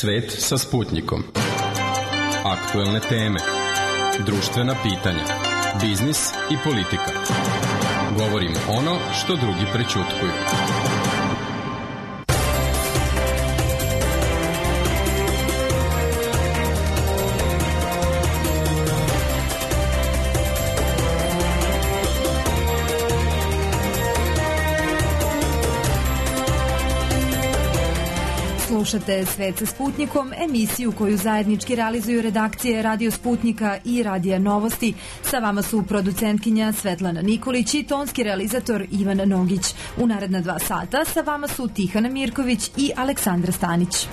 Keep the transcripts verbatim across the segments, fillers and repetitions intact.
Svet sa Sputnikom. Aktuelne teme, društvena pitanja, biznis i politika. Govorimo ono što drugi prećutkuju. Slušate Svet sa Sputnikom, emisiju koju zajednički realizuju redakcije Radio Sputnika i Radija Novosti. Sa vama su producentkinja Svetlana Nikolić i tonski realizator Ivan Nogić. U naredna dva sata sa vama su Tihana Mirković i Aleksandra Stanić.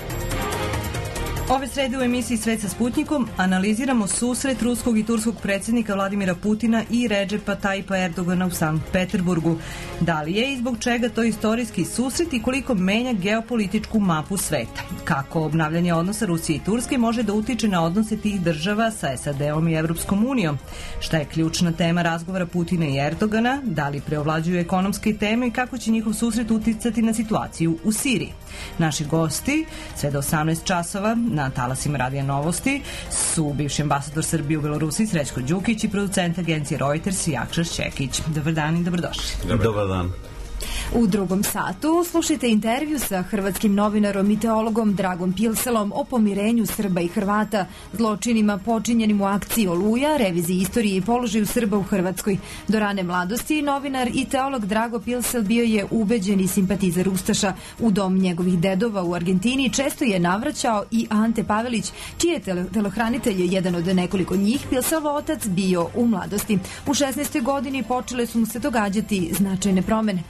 Ove srede u emisiji Svet sa Sputnikom analiziramo susret ruskog i turskog predsjednika Vladimira Putina i Redžepa Tajipa Erdogana u Sankt Peterburgu. Da li je i zbog čega to istorijski susret i koliko menja geopolitičku mapu sveta? Kako obnavljanje odnosa Rusije i Turske može da utiče na odnose tih država sa S A D-om i Evropskom unijom? Šta je ključna tema razgovora Putina i Erdogana? Da li preovlađuju ekonomske teme i kako će njihov susret uticati na situaciju u Siriji? Naši gosti, sve do osamnaest časova, na talasima Radija Novosti su bivši ambasador Srbije u Belorusiji Srećko Đukić i producent agencije Reuters Jakša Šćekić. Dobar dan i dobrodošli. Dobar dan. U drugom satu slušajte intervju sa hrvatskim novinarom i teologom Dragom Pilselom o pomirenju Srba i Hrvata, zločinima počinjenim u akciji Oluja, reviziji istorije i položaju Srba u Hrvatskoj. Do rane mladosti novinar i teolog Drago Pilsel bio je ubeđeni simpatizer Ustaša. U dom njegovih dedova u Argentini često je navraćao i Ante Pavelić, čiji je telohranitelj jedan od nekoliko njih, Pilselov otac, bio u mladosti. U šesnaestoj godini počele su mu se događati značajne promene.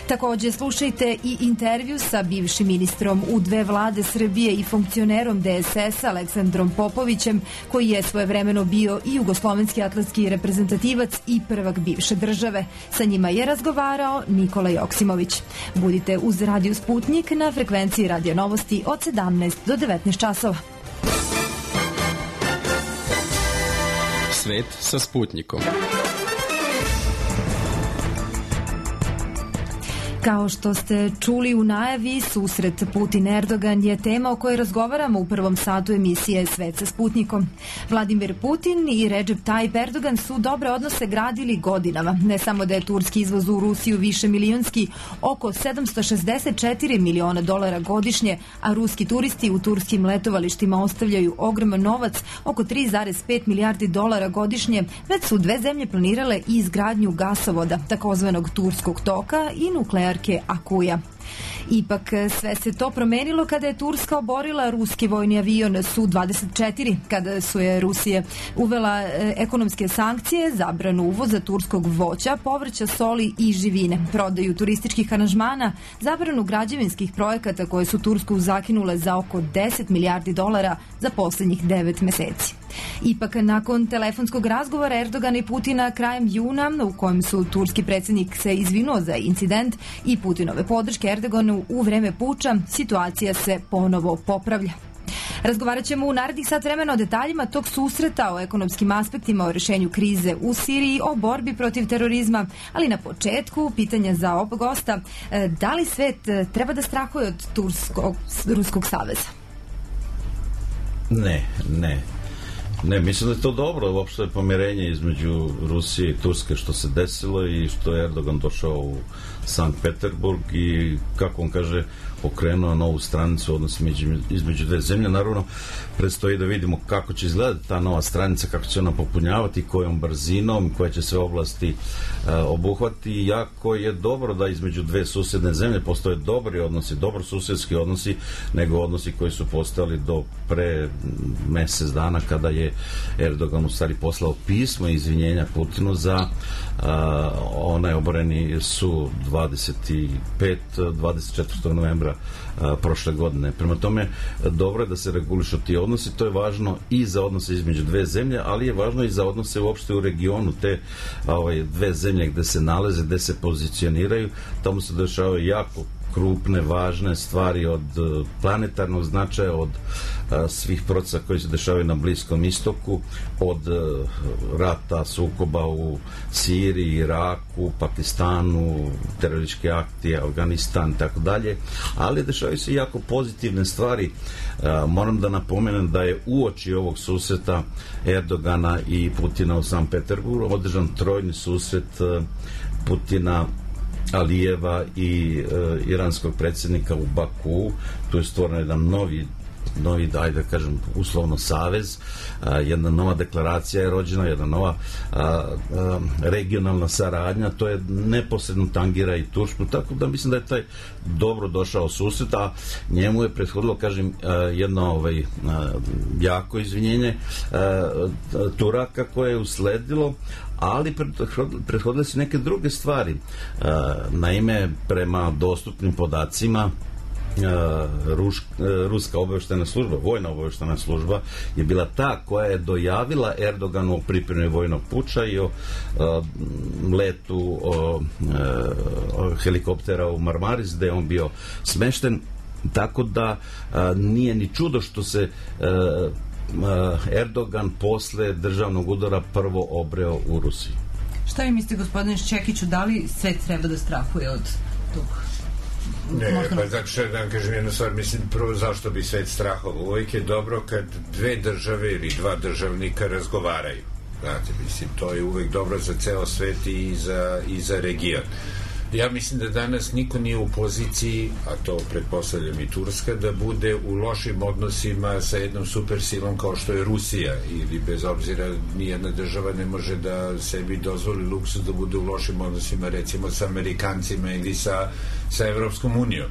Takođe, slušajte i intervju sa bivšim ministrom u dve vlade Srbije i funkcionerom D S S Aleksandrom Popovićem, koji je svojevremeno bio i jugoslovenski atletski reprezentativac i prvak bivše države. Sa njima je razgovarao Nikola Joksimović. Budite uz Radio Sputnik na frekvenciji Radio Novosti od sedamnaest do devetnaest časova. Svet sa Sputnikom. Kao što ste čuli u najavi, susret Putin-Erdogan je tema o kojoj razgovaramo u prvom satu emisije Svet sa Sputnikom. Vladimir Putin i Redžep Tajip Erdogan su dobre odnose gradili godinama. Ne samo da je turski izvoz u Rusiju više milionski, oko sedamsto šezdeset četiri miliona dolara godišnje, a ruski turisti u turskim letovalištima ostavljaju ogroman novac, oko tri zarez pet milijardi dolara godišnje, već su dve zemlje planirale i izgradnju gasovoda, takozvanog turskog toka i nuklearnog Akuja. Ipak sve se to promenilo kada je Turska oborila ruski vojni avion Su dvadeset četiri, kada su je Rusija uvela ekonomske sankcije, zabranu uvoza turskog voća, povrća, soli i živine, prodaju turističkih aranžmana, zabranu građevinskih projekata koje su Tursku zakinule za oko deset milijardi dolara za poslednjih devet meseci. Ipak, nakon telefonskog razgovora Erdogana i Putina krajem juna, u kojem su turski predsjednik se izvinuo za incident i Putinove podrške Erdoganu u vreme puča, situacija se ponovo popravlja. Razgovarat ćemo u narednih sat vremena o detaljima tog susreta, o ekonomskim aspektima, o rešenju krize u Siriji, o borbi protiv terorizma, ali na početku pitanja za oba gosta, da li svet treba da strahuje od Turskog, Ruskog saveza? Ne, ne. Ne, mislim da je to dobro, uopšte je pomirenje između Rusije i Turske što se desilo i što je Erdogan došao u Sankt Peterburg i, kako on kaže, pokrenuo novu stranicu odnosno između dve zemlje. Naravno, predstoji da vidimo kako će izgledati ta nova stranica, kako će ona popunjavati, kojom brzinom, koje će sve oblasti uh, obuhvati. Jako je dobro da između dve susedne zemlje postoje dobri odnosi, dobro susedski odnosi, nego odnosi koji su postojali do pre mesec dana kada je Erdogan u stvari poslao pismo izvinjenja Putinu za uh, onaj oboreni Su dvadeset pet dvadeset četvrtog novembra a, prošle godine. Prema tome, dobro je da se regulišu ti odnosi, to je važno i za odnose između dve zemlje, ali je važno i za odnose uopšte u regionu, te a, ovaj, dve zemlje gde se nalaze, gde se pozicioniraju, tamo se dešavaju jako krupne, važne stvari od planetarnog značaja, od svih procesa koji se dešavaju na Bliskom istoku, od rata, sukoba u Siriji, Iraku, Pakistanu, teroristički akti, Afganistan i tako dalje, ali dešavaju se jako pozitivne stvari. Moram da napomenem da je uoči ovog susreta Erdogana i Putina u Sankt Peterburgu održan trojni susret Putina, Alijeva i e, iranskog predsjednika u Baku. Tu je stvoren jedan novi novi, ajde da kažem, uslovno savez, a, jedna nova deklaracija je rođena, jedna nova a, a, regionalna saradnja, to je neposredno tangira i Tursku, tako da mislim da je taj dobro došao susret, a njemu je prethodilo, kažem, a, jedno ovaj, a, jako izvinjenje a, Turaka koje je usledilo, ali prethodile su neke druge stvari. Naime, prema dostupnim podacima, Ruš, ruska obavještajna služba, vojna obavještajna služba je bila ta koja je dojavila Erdoganu o pripremi vojnog puča i o a, letu o, o helikoptera u Marmaris, gde je on bio smešten, tako da a, nije ni čudo što se a, Erdogan posle državnog udara prvo obreo u Rusiji. Šta vi mislite, gospodine Šćekiću, da li svet treba da strahuje od tog? Ne, možda... pa znači što da vam kažem jednu stvar, mislim prvo zašto bi svet strahovao. Uvijek je dobro kad dve države ili dva državnika razgovaraju. Znate, mislim, to je uvijek dobro za ceo svet i za, i za region. Ja mislim da danas niko nije u poziciji, a to pretpostavljam i Turska, da bude u lošim odnosima sa jednom supersilom kao što je Rusija, ili bez obzira nijedna država ne može da sebi dozvoli luksus da bude u lošim odnosima recimo sa Amerikancima ili sa, sa Evropskom unijom.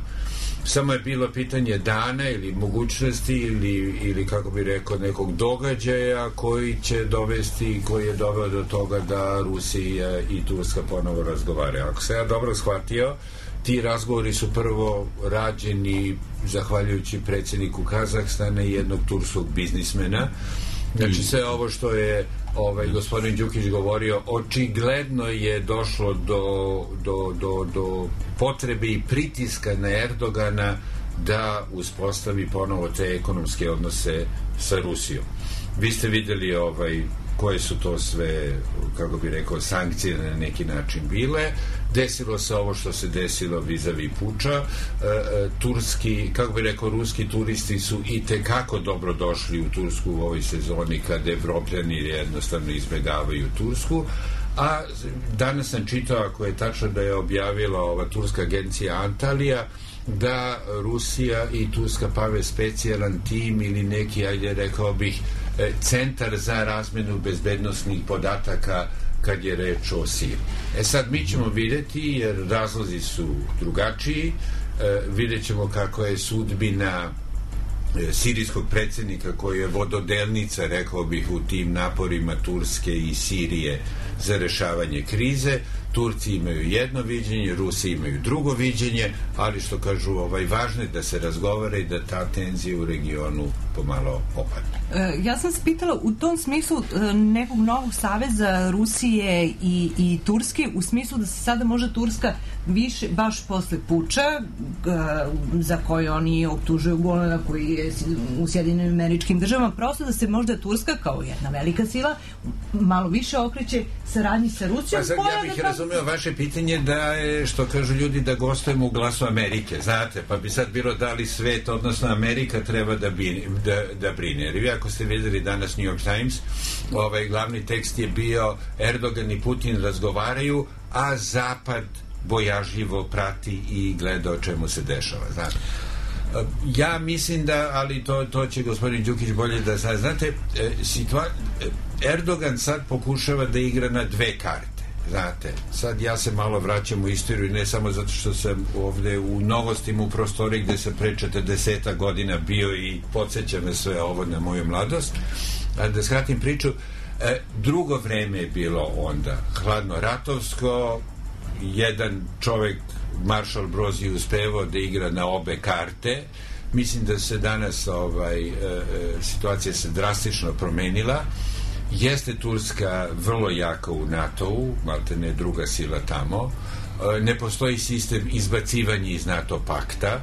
Samo je bilo pitanje dana ili mogućnosti ili, ili kako bi rekao nekog događaja koji će dovesti, koji je doveo do toga da Rusija i Turska ponovo razgovaraju. Ako se ja dobro shvatio, ti razgovori su prvo rađeni zahvaljujući predsjedniku Kazahstana i jednog turskog biznismena. Znači sve ovo što je ovaj gospodin Đukić govorio, očigledno je došlo do, do, do, do potrebe i pritiska na Erdogana da uspostavi ponovo te ekonomske odnose sa Rusijom. Vi ste vidjeli ovaj koje su to sve, kako bi rekao, sankcije na neki način bile. Desilo se ovo što se desilo vis-a-vis puča. E, turski, kako bi rekao, ruski turisti su i tekako dobro došli u Tursku u ovoj sezoni kad Evropljani jednostavno izbjegavaju Tursku. A danas sam čitao, ako je tačno da je objavila ova turska agencija Antalija, da Rusija i Turska prave specijalan tim ili neki, ajde rekao bih, centar za razmenu bezbednosnih podataka kad je reč o Siriji. E sad mi ćemo vidjeti, jer razlozi su drugačiji, e, vidjet ćemo kako je sudbina e, sirijskog predsjednika koji je vododelnica, rekao bih, u tim naporima Turske i Sirije za rešavanje krize. Turci imaju jedno viđenje, Rusi imaju drugo viđenje, ali što kažu, ovaj, važno je da se razgovara i da ta tenzija u regionu pomalo opadne. E, ja sam se pitala u tom smislu e, nekog novog saveza Rusije i, i Turske, u smislu da se sada možda Turska više, baš posle puča, e, za koje oni optužuju Golana koji je u Sjedinjenim Američkim Državama, prosto da se možda Turska kao jedna velika sila malo više okreće saradnji sa Rusijom. Pa sad ja bih razumeo vaše pitanje da je, što kažu ljudi, da gostujemo u Glasu Amerike, znate, pa bi sad bilo da li svet, odnosno Amerika treba da, bi, da, da brine. Jer vi ako ste vidjeli danas New York Times, ovaj glavni tekst je bio Erdogan i Putin razgovaraju, a Zapad bojažljivo prati i gleda o čemu se dešava, znate. Ja mislim da, ali to, to će gospodin Đukić bolje da zna. Znate, situa... Erdogan sad pokušava da igra na dve karte. Znate, sad ja se malo vraćam u istoriju, ne samo zato što sam ovde u Novostima, u prostoriji gde sam pre četrdeset godina bio i podsjeća me sve ovo na moju mladost. A da skratim priču, drugo vreme je bilo onda hladno ratovsko, jedan čovek, Maršal Broz, je uspevao da igra na obe karte. Mislim da se danas ovaj, e, situacija se drastično promenila. Jeste Turska vrlo jaka u NATO-u, malte ne druga sila tamo, Ne postoji sistem izbacivanja iz NATO pakta,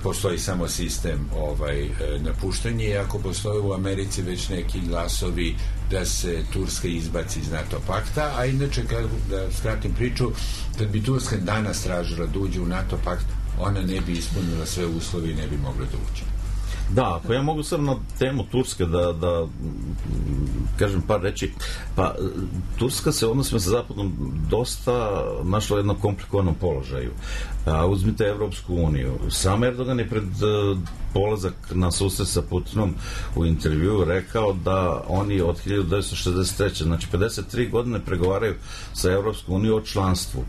postoji samo sistem ovaj, napuštanja, i ako postoji u Americi već neki glasovi da se Turska izbaci iz NATO pakta, a inače, kad, da skratim priču, kad bi Turska danas tražila da uđe u NATO pakt, ona ne bi ispunila sve uslove i ne bi mogla da uđe. Da, ako ja mogu sad na temu Turske da, da kažem par reći, pa Turska se odnosima sa Zapadom dosta našla u jednom komplikovanom položaju. A, uzmite Evropsku uniju. Sam Erdogan je pred uh, polazak na susret sa Putinom u intervjuu rekao da oni od hiljadu devetsto šezdeset treće znači pedeset tri godine pregovaraju sa Evropskom unijom o članstvu.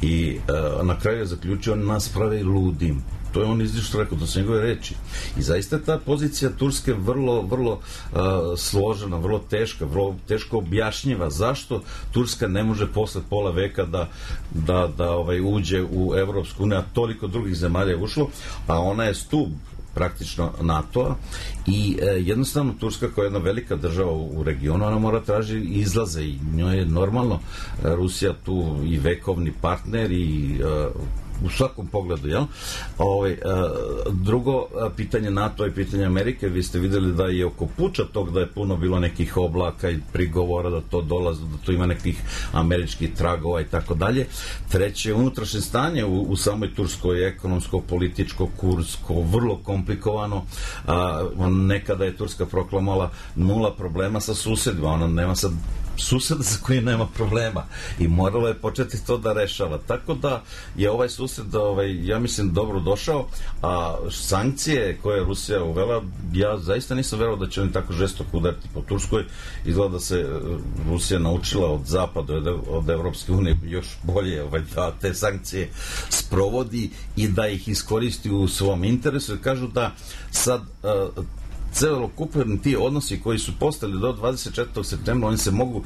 I uh, na kraju je zaključio, nas prave ludim. To je on izlično rekao, to su njegove reči. I zaista ta pozicija Turske vrlo, vrlo uh, složena, vrlo teška, vrlo teško objašnjiva. Zašto Turska ne može posle pola veka da, da, da ovaj, uđe u Evropsku uniju, a toliko drugih zemalja je ušlo, a ona je stub praktično NATO-a i e, jednostavno Turska kao jedna velika država u, u regionu, ona mora traži izlaze i njoj je normalno e, Rusija tu i vekovni partner i e, u svakom pogledu, jel? Ovaj, drugo pitanje NATO i pitanje Amerike, vi ste videli da je oko puča tog da je puno bilo nekih oblaka i prigovora da to dolazi, da to ima nekih američkih tragova i tako dalje. Treće, unutrašnje stanje u, u samoj Turskoj, ekonomsko, političko, kursko, vrlo komplikovano. A, nekada je Turska proklamala nula problema sa susedima, ona nema sad suseda sa kojim nema problema i moralo je početi to da rešava. Tako da je ovaj sused, ovaj, ja mislim, dobro došao, a sankcije koje je Rusija uvela, ja zaista nisam verovao da će oni tako žestoko udariti po Turskoj. Izgleda da se Rusija naučila od Zapada, od, od Evropske unije još bolje ovaj, da te sankcije sprovodi i da ih iskoristi u svom interesu. Kažu da sad uh, celokupni ti odnosi koji su postali do dvadeset četvrtog septembra, oni se mogu uh,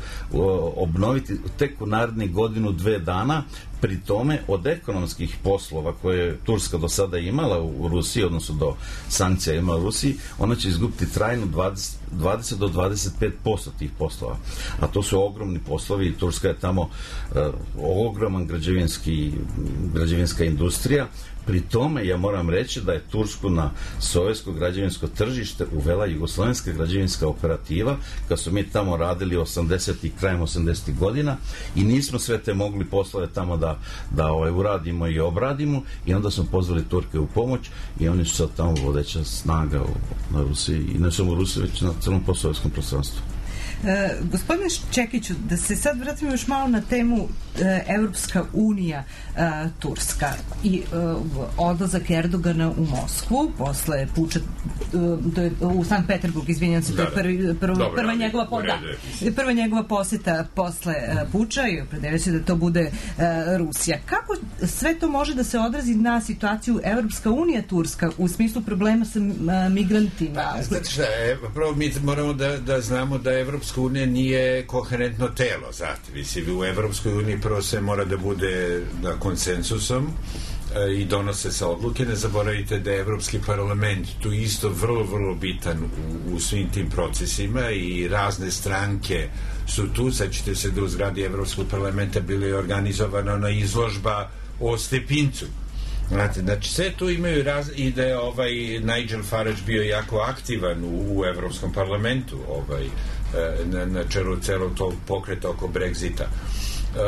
obnoviti tek u narednih godinu, dve dana. Pri tome, od ekonomskih poslova koje je Turska do sada imala u Rusiji, odnosno do sankcija imala u Rusiji, ona će izgubiti trajno dvadeset, dvadeset do dvadeset pet posto tih poslova. A to su ogromni poslovi i Turska je tamo uh, ogroman građevinski, građevinska industrija. Pri tome, ja moram reći da je Tursku na sovjetsko građevinsko tržište uvela jugoslovenska građevinska operativa, kad su mi tamo radili osamdesetih, krajem osamdesetih godina i nismo sve te mogli poslove tamo da, da ovaj, uradimo i obradimo i onda smo pozvali Turke u pomoć i oni su sad tamo vodeća snaga u, na Rusiji i ne samo u Rusiji, već na celom posovjetskom prostranstvu. E, gospodine Čekiću, da se sad vratimo još malo na temu e, Evropska unija e, Turska i e, odlazak Erdogana u Moskvu posle puča e, u Sankt Peterburg, izvinjam se, to je prvi, prv, Dobre, prva, njegova po, da, prva njegova poseta posle e, puča i opredelio se da to bude e, Rusija. Kako sve to može da se odrazi na situaciju Evropska unija Turska u smislu problema sa a, migrantima? Pa, znate šta, prvo mi moramo da, da znamo da Evropska unija nije koherentno telo, znate, mislim, u Evropskoj uniji prvo sve mora da bude na konsensusom e, i donose se odluke. Ne zaboravite da je Evropski parlament tu isto vrlo, vrlo bitan u, u svim tim procesima i razne stranke su tu. Sad ćete se da u zgradi Evropskog parlamenta bili organizovana na izložba o Stepincu. Znate, znači sve tu imaju raz... i da je ovaj Nigel Farage bio jako aktivan u, u Evropskom parlamentu, ovaj na, na čelu celog tog pokreta oko Brexita. Uh,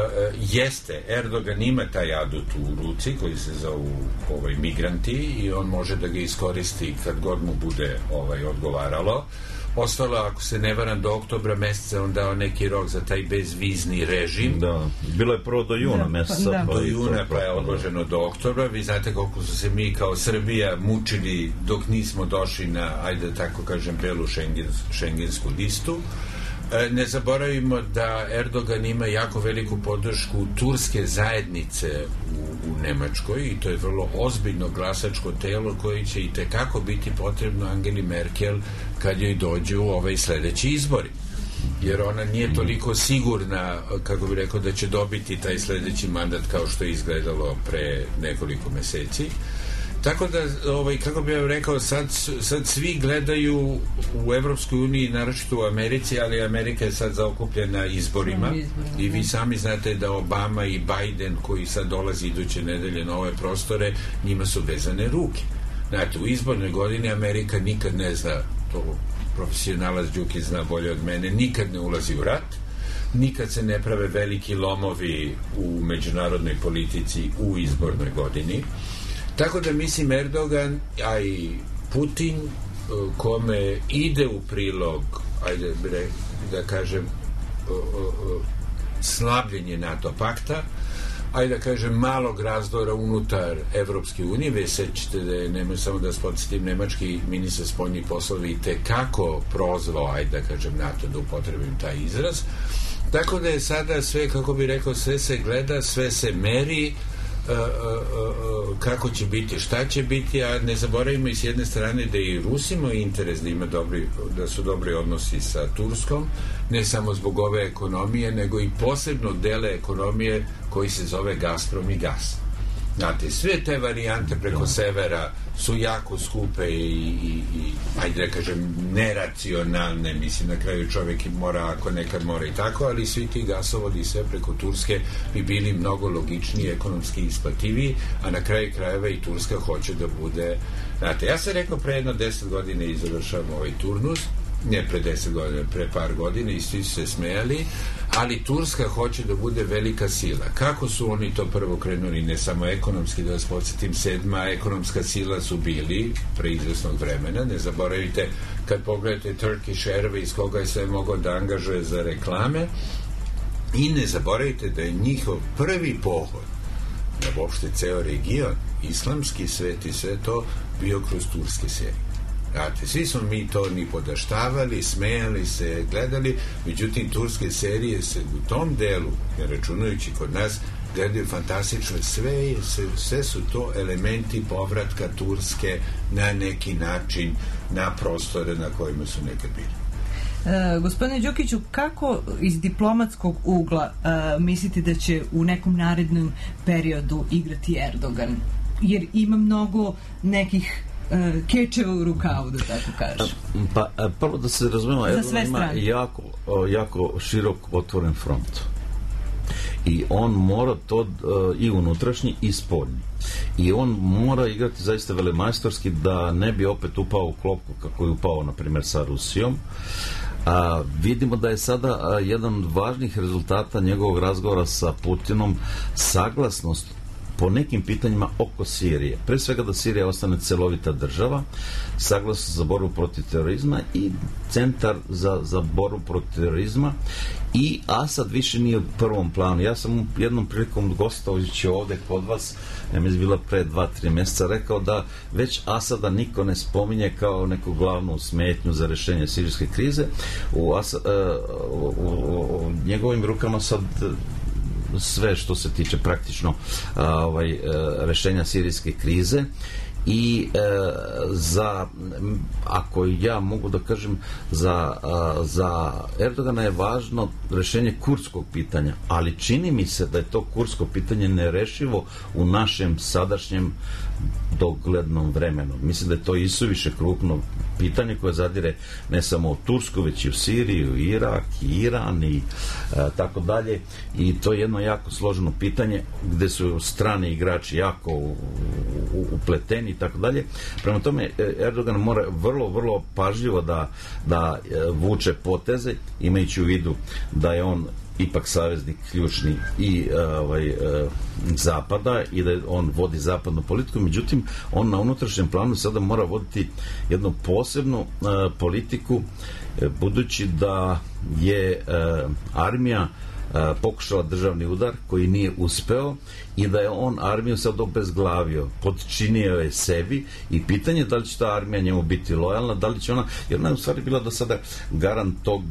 jeste, Erdogan ima taj adut u ruci koji se zovu ovaj, migranti i on može da ga iskoristi kad god mu bude ovaj, odgovaralo. Ostalo, ako se ne varam, do oktobra meseca on dao neki rok za taj bezvizni režim. Da, bilo je prvo do juna da, meseca. Da. Do juna pa je odloženo do oktobra. Vi znate koliko su se mi kao Srbija mučili dok nismo došli na, ajde tako kažem, belu šengens, šengensku listu. Ne zaboravimo da Erdogan ima jako veliku podršku turske zajednice u, u Nemačkoj i to je vrlo ozbiljno glasačko telo koje će i tekako biti potrebno Angeli Merkel kad joj dođu ovaj sledeći izbori. Jer ona nije toliko sigurna, kako bi rekao, da će dobiti taj sledeći mandat kao što je izgledalo pre nekoliko meseci. Tako da, ovaj, kako bih rekao, sad, sad svi gledaju u Evropskoj uniji, naročito u Americi, ali Amerika je sad zaokupljena izborima i vi sami znate da Obama i Biden, koji sad dolazi iduće nedelje na ove prostore, njima su vezane ruke. Znate, u izbornoj godini Amerika nikad ne zna, to profesionalac Đuki zna bolje od mene, nikad ne ulazi u rat, nikad se ne prave veliki lomovi u međunarodnoj politici u izbornoj godini. Tako da mislim Erdogan, a i Putin, kome ide u prilog, ajde da kažem, slabljenje NATO pakta, ajde da kažem malog razdora unutar Evropske unije. Ve sećate da je, nemoj samo da podsjetim, nemački ministar spoljnih poslova i tekako prozvao, ajde da kažem, NATO, da upotrebim taj izraz. Tako da je sada sve, kako bi rekao, sve se gleda, sve se meri, Uh, uh, uh, kako će biti, šta će biti, a ne zaboravimo i s jedne strane da i Rusima interes da ima dobri, da su dobri odnosi sa Turskom, ne samo zbog ove ekonomije, nego i posebno dele ekonomije koji se zove Gazprom i Gas. Znate, sve te varijante preko severa su jako skupe i, i, i ajde da kažem, neracionalne, mislim, na kraju čovjek mora, ako nekad mora i tako, ali svi ti gasovodi sve preko Turske bi bili mnogo logičniji, ekonomski isplativiji, a na kraju krajeva i Turska hoće da bude, znate, ja sam rekao pre jedno deset godine i završavam ovaj turnus, ne pre deset godina, pre par godina i svi su se smejali, ali Turska hoće da bude velika sila. Kako su oni to prvo krenuli, ne samo ekonomski, da vas podsjetim, sedma ekonomska sila su bili pre izvesnog vremena, ne zaboravite kad pogledate Turkish Airways, koga je sve mogao da angažuje za reklame, i ne zaboravite da je njihov prvi pohod na uopšte ceo region, islamski svet i sve to, bio kroz turske serije. Znate, svi smo mi to ni podaštavali, smejali se, gledali, međutim turske serije se u tom delu, ne računajući kod nas, gledaju fantastično, sve, sve su to elementi povratka Turske na neki način na prostore na kojima su nekad bili. E, gospodine Đukiću, kako iz diplomatskog ugla e, mislite da će u nekom narednom periodu igrati Erdogan? Jer ima mnogo nekih kečeva u rukavu, da tako kažem. Pa, prvo da se razumemo, Erdogan ima jako, jako širok otvoren front. I on mora to i unutrašnji i spoljni. I on mora igrati zaista velemajstorski da ne bi opet upao u klopku kako je upao, na primjer, sa Rusijom. A, vidimo da je sada a, jedan od važnih rezultata njegovog razgovora sa Putinom saglasnost po nekim pitanjima oko Sirije. Pre svega da Sirija ostane celovita država, saglasno za borbu protiv terorizma i centar za, za borbu protiv terorizma, i Asad više nije u prvom planu. Ja sam jednom prilikom gostovajući ovde kod vas, ja mi je bila pre dva, tri mjeseca, rekao da već Asada niko ne spominje kao neku glavnu smetnju za rešenje sirijske krize. U, Asad, u, u, u njegovim rukama sad sve što se tiče praktično a, ovaj, e, rešenja sirijske krize, i e, za, ako ja mogu da kažem, za, a, za Erdogana je važno rešenje kurdskog pitanja, ali čini mi se da je to kurdsko pitanje nerešivo u našem sadašnjem doglednom vremenu. Mislim da je to isuviše krupno pitanje koje zadire ne samo u Tursku, već i u Siriju, Irak, i Iran i e, tako dalje, i to je jedno jako složeno pitanje gde su strani igrači jako u, u, upleteni i tako dalje. Prema tome, Erdogan mora vrlo, vrlo pažljivo da, da vuče poteze, imajući u vidu da je on ipak saveznik ključni i ovaj, Zapada i da on vodi zapadnu politiku, međutim on na unutrašnjem planu sada mora voditi jednu posebnu politiku, budući da je armija pokušala državni udar koji nije uspeo i da je on armiju sad obezglavio, podčinio je sebi, i pitanje je da li će ta armija njemu biti lojalna, da li će ona, jer ona je u stvari bila do sada garant tog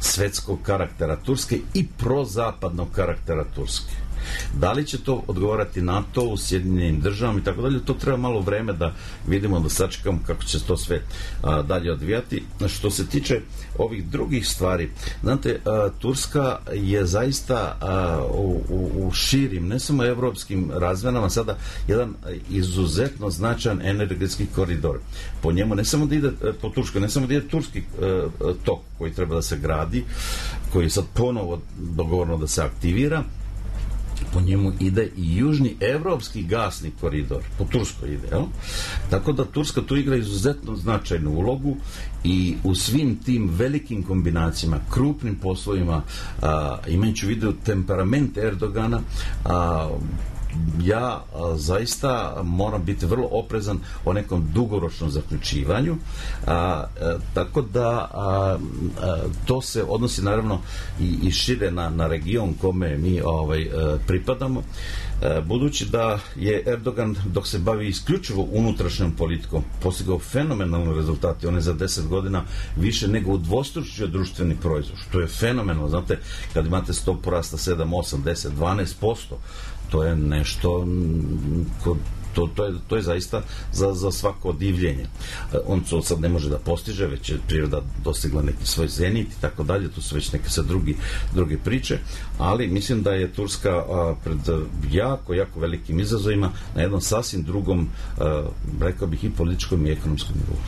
svetskog karaktera Turske i prozapadnog karaktera Turske. Da li će to odgovarati NATO u Sjedinjenim državama i tako dalje, to treba malo vreme da vidimo, da sačekamo kako će to sve a, dalje odvijati. Što se tiče ovih drugih stvari, znate, a, Turska je zaista a, u, u, u širim, ne samo evropskim razmenama, sada jedan izuzetno značajan energetski koridor. Po njemu ne samo da ide po Turskoj, ne samo da ide turski a, tok koji treba da se gradi, koji je sad ponovo dogovorno da se aktivira, po njemu ide i južni evropski gasni koridor, po Turskoj ide, jel? Tako da Turska tu igra izuzetno značajnu ulogu i u svim tim velikim kombinacijama, krupnim poslovima, a, imajući u vidu temperament Erdogana, a, ja a, zaista moram biti vrlo oprezan o nekom dugoročnom zaključivanju, a, a, tako da a, a, to se odnosi naravno i, i šire na, na region kome mi ovaj, a, pripadamo, a, budući da je Erdogan, dok se bavi isključivo unutrašnjom politikom, postigao fenomenalne rezultate. On je za deset godina više nego udvostručio društveni proizvod, što je fenomenalno. Znate, kad imate stopu rasta sedam, osam, deset, dvanaest posto, to je nešto ko, to, to, je, to je zaista za, za svako divljenje. On to sad ne može da postiže, već je priroda dostigla neki svoj zenit i tako dalje, tu su već neke sad drugi, druge priče, ali mislim da je Turska a, pred jako, jako velikim izazovima na jednom sasvim drugom, a, rekao bih, i političkom i ekonomskom nivou.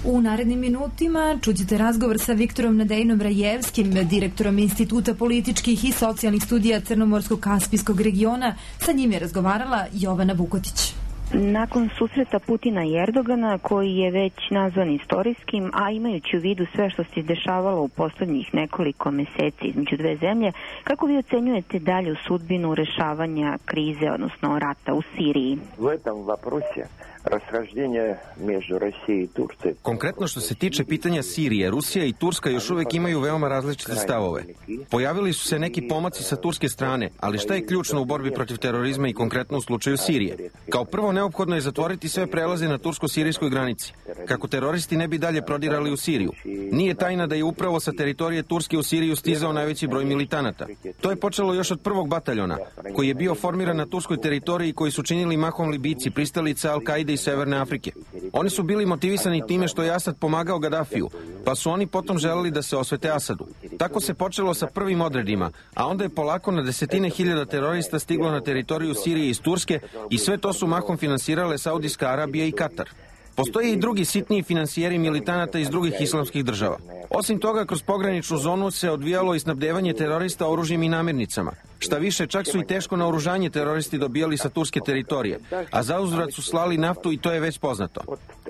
U narednim minutima čućete razgovor sa Viktorom Nadejnom Rajevskim, direktorom Instituta političkih i socijalnih studija Crnomorsko-Kaspijskog regiona. Sa njim je razgovarala Jovana Vukotić. Nakon susreta Putina i Erdogana, koji je već nazvan istorijskim, a imajući u vidu sve što se dešavalo u poslednjih nekoliko meseci između dve zemlje, kako vi ocenjujete dalju sudbinu rešavanja krize, odnosno rata u Siriji? U этом вопросе расхождение между Россией и Турцией. Konkretno što se tiče pitanja Sirije, Rusija i Turska još uvek imaju veoma različite stavove. Pojavili su se neki pomaci sa turske strane, ali šta je ključno u borbi protiv terorizma i konkretno u slučaju Sirije? Kao prvo, neophodno je zatvoriti sve prelaze na tursko-sirijskoj granici, kako teroristi ne bi dalje prodirali u Siriju. Nije tajna da je upravo sa teritorije Turske u Siriju stizao najveći broj militanata. To je počelo još od prvog bataljona, koji je bio formiran na turskoj teritoriji, koji su činili mahom Libijci, pristalice Al-Kaide iz Severne Afrike. Oni su bili motivisani time što je Asad pomagao Gadafiju, pa su oni potom želeli da se osvete Asadu. Tako se počelo sa prvim odredima, a onda je polako na desetine hiljada terorista stiglo na teritoriju Sirije iz Turske i sve to su mahom finansirale Saudijska Arabija i Katar. Postoje i drugi sitniji finansijeri militanata iz drugih islamskih država. Osim toga, kroz pograničnu zonu se odvijalo i snabdevanje terorista oružjem i namirnicama. Šta više, čak su i teško naoružanje teroristi dobijali sa turske teritorije, a zauzvrat su slali naftu i to je već poznato.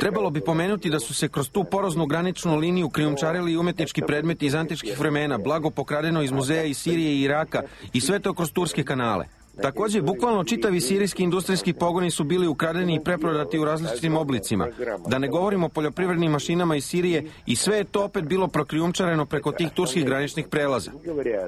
Trebalo bi pomenuti da su se kroz tu poroznu graničnu liniju krijumčarili i umetnički predmeti iz antičkih vremena, blago pokradeno iz muzeja iz Sirije i Iraka i sve to kroz turske kanale. Takođe, bukvalno čitavi sirijski industrijski pogoni su bili ukradeni i preprodati u različitim oblicima. Da ne govorimo o poljoprivrednim mašinama iz Sirije i sve je to opet bilo prokrijumčareno preko tih turskih graničnih prelaza.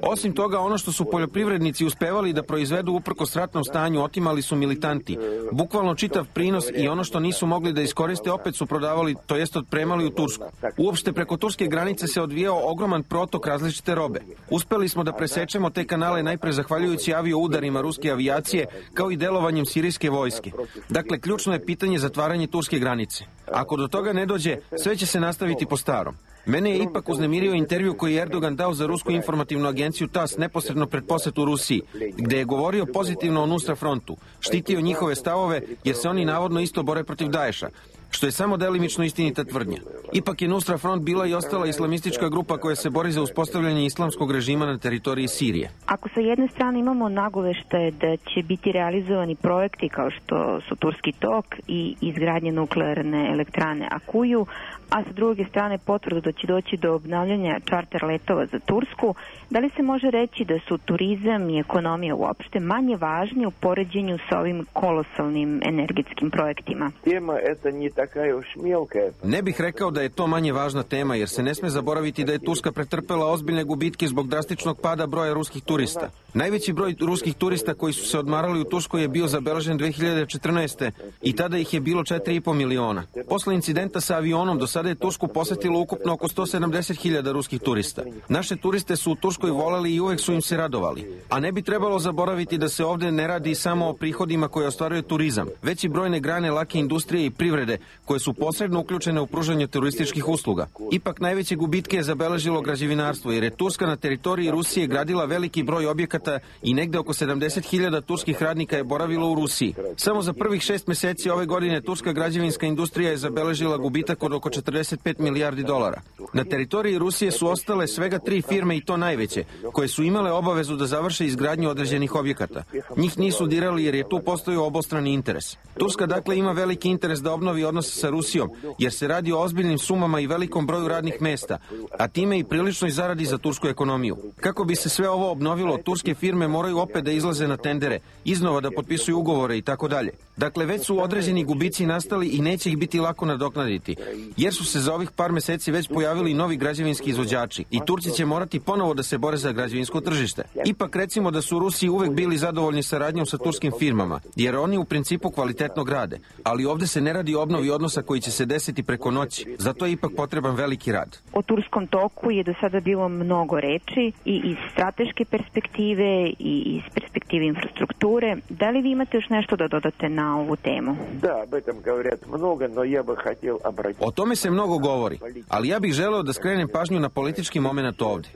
Osim toga, ono što su poljoprivrednici uspevali da proizvedu uprkos ratnom stanju, otimali su militanti. Bukvalno čitav prinos i ono što nisu mogli da iskoriste opet su prodavali, to jest otpremali u Tursku. Uopšte preko turske granice se odvijao ogroman protok različite robe. Uspeli smo da presečemo te kanale najpre zahvaljujući avio udarima ruske avijacije, kao i delovanjem sirijske vojske. Dakle, ključno je pitanje zatvaranje turske granice. Ako do toga ne dođe, sve će se nastaviti po starom. Mene je ipak uznemirio intervju koji je Erdogan dao za rusku informativnu agenciju TAS neposredno pred posetu Rusiji, gde je govorio pozitivno o Nusra frontu, štitio njihove stavove jer se oni navodno isto bore protiv Daesha, što je samo delimično istinita tvrdnja. Ipak je Nusra front bila i ostala islamistička grupa koja se bori za uspostavljanje islamskog režima na teritoriji Sirije. Ako sa jedne strane imamo nagoveštaje da će biti realizovani projekti kao što su Turski tok i izgradnje nuklearne elektrane Akuju, a sa druge strane potvrdu da će doći do obnavljanja čarter letova za Tursku, da li se može reći da su turizam i ekonomija uopšte manje važni u poređenju sa ovim kolosalnim energetskim projektima? Tema eta nije taka još mjelka. Ne bih rekao da je to manje važna tema, jer se ne sme zaboraviti da je Turska pretrpela ozbiljne gubitke zbog drastičnog pada broja ruskih turista. Najveći broj ruskih turista koji su se odmarali u Turskoj je bio zabeležen dve hiljade četrnaeste. i tada ih je bilo četiri i po miliona. Posle incidenta sa avionom do sada je Tursku posetilo ukupno oko sto sedamdeset hiljada ruskih turista. Naše turiste su u Turskoj voleli i uvek su im se radovali. A ne bi trebalo zaboraviti da se ovde ne radi samo o prihodima koje ostvaruje turizam, već i brojne grane lake industrije i privrede koje su posredno uključene u pružanje turističkih usluga. Ipak najveće gubitke je zabeležilo građevinarstvo, jer je Turska na teritoriji Rusije gradila veliki broj objekata i negde oko sedamdeset hiljada turskih radnika je boravilo u Rusiji. Samo za prvih šest meseci ove godine turska građevinska industrija je zabeležila gubitak od oko četrdeset pet milijardi dolara. Na teritoriji Rusije su ostale svega tri firme i to najveće, koje su imale obavezu da završe izgradnju određenih objekata. Njih nisu dirali jer je tu postojao obostrani interes. Turska dakle ima veliki interes da obnovi odnose sa Rusijom, jer se radi o ozbiljnim sumama i velikom broju radnih mesta, a time i priličnoj zaradi za tursku ekonomiju. Kako bi se sve ovo obnovilo, turske firme moraju opet da izlaze na tendere, iznova da potpisuju ugovore i tako dalje. Dakle, već su određeni gubici nastali i neće ih biti lako nadoknaditi, jer su se za ovih par meseci već pojavili novi građevinski izvođači i Turci će morati ponovo da se bore za građevinsko tržište. Ipak recimo da su Rusi uvek bili zadovoljni saradnjom sa turskim firmama, jer oni u principu kvalitetno grade, ali ovde se ne radi o obnovi odnosa koji će se desiti preko noći, zato je ipak potreban veliki rad. O Turskom toku je do sada bilo mnogo reči i iz strateške perspektive i iz perspektive infrastrukture. Da li vi imate još nešto da dodate na ovu temu? Da, об этом говорят много, но я бы хотел обратить. O tome se mnogo govori, ali ja bih želeo da skrenem pažnju na politički moment ovde.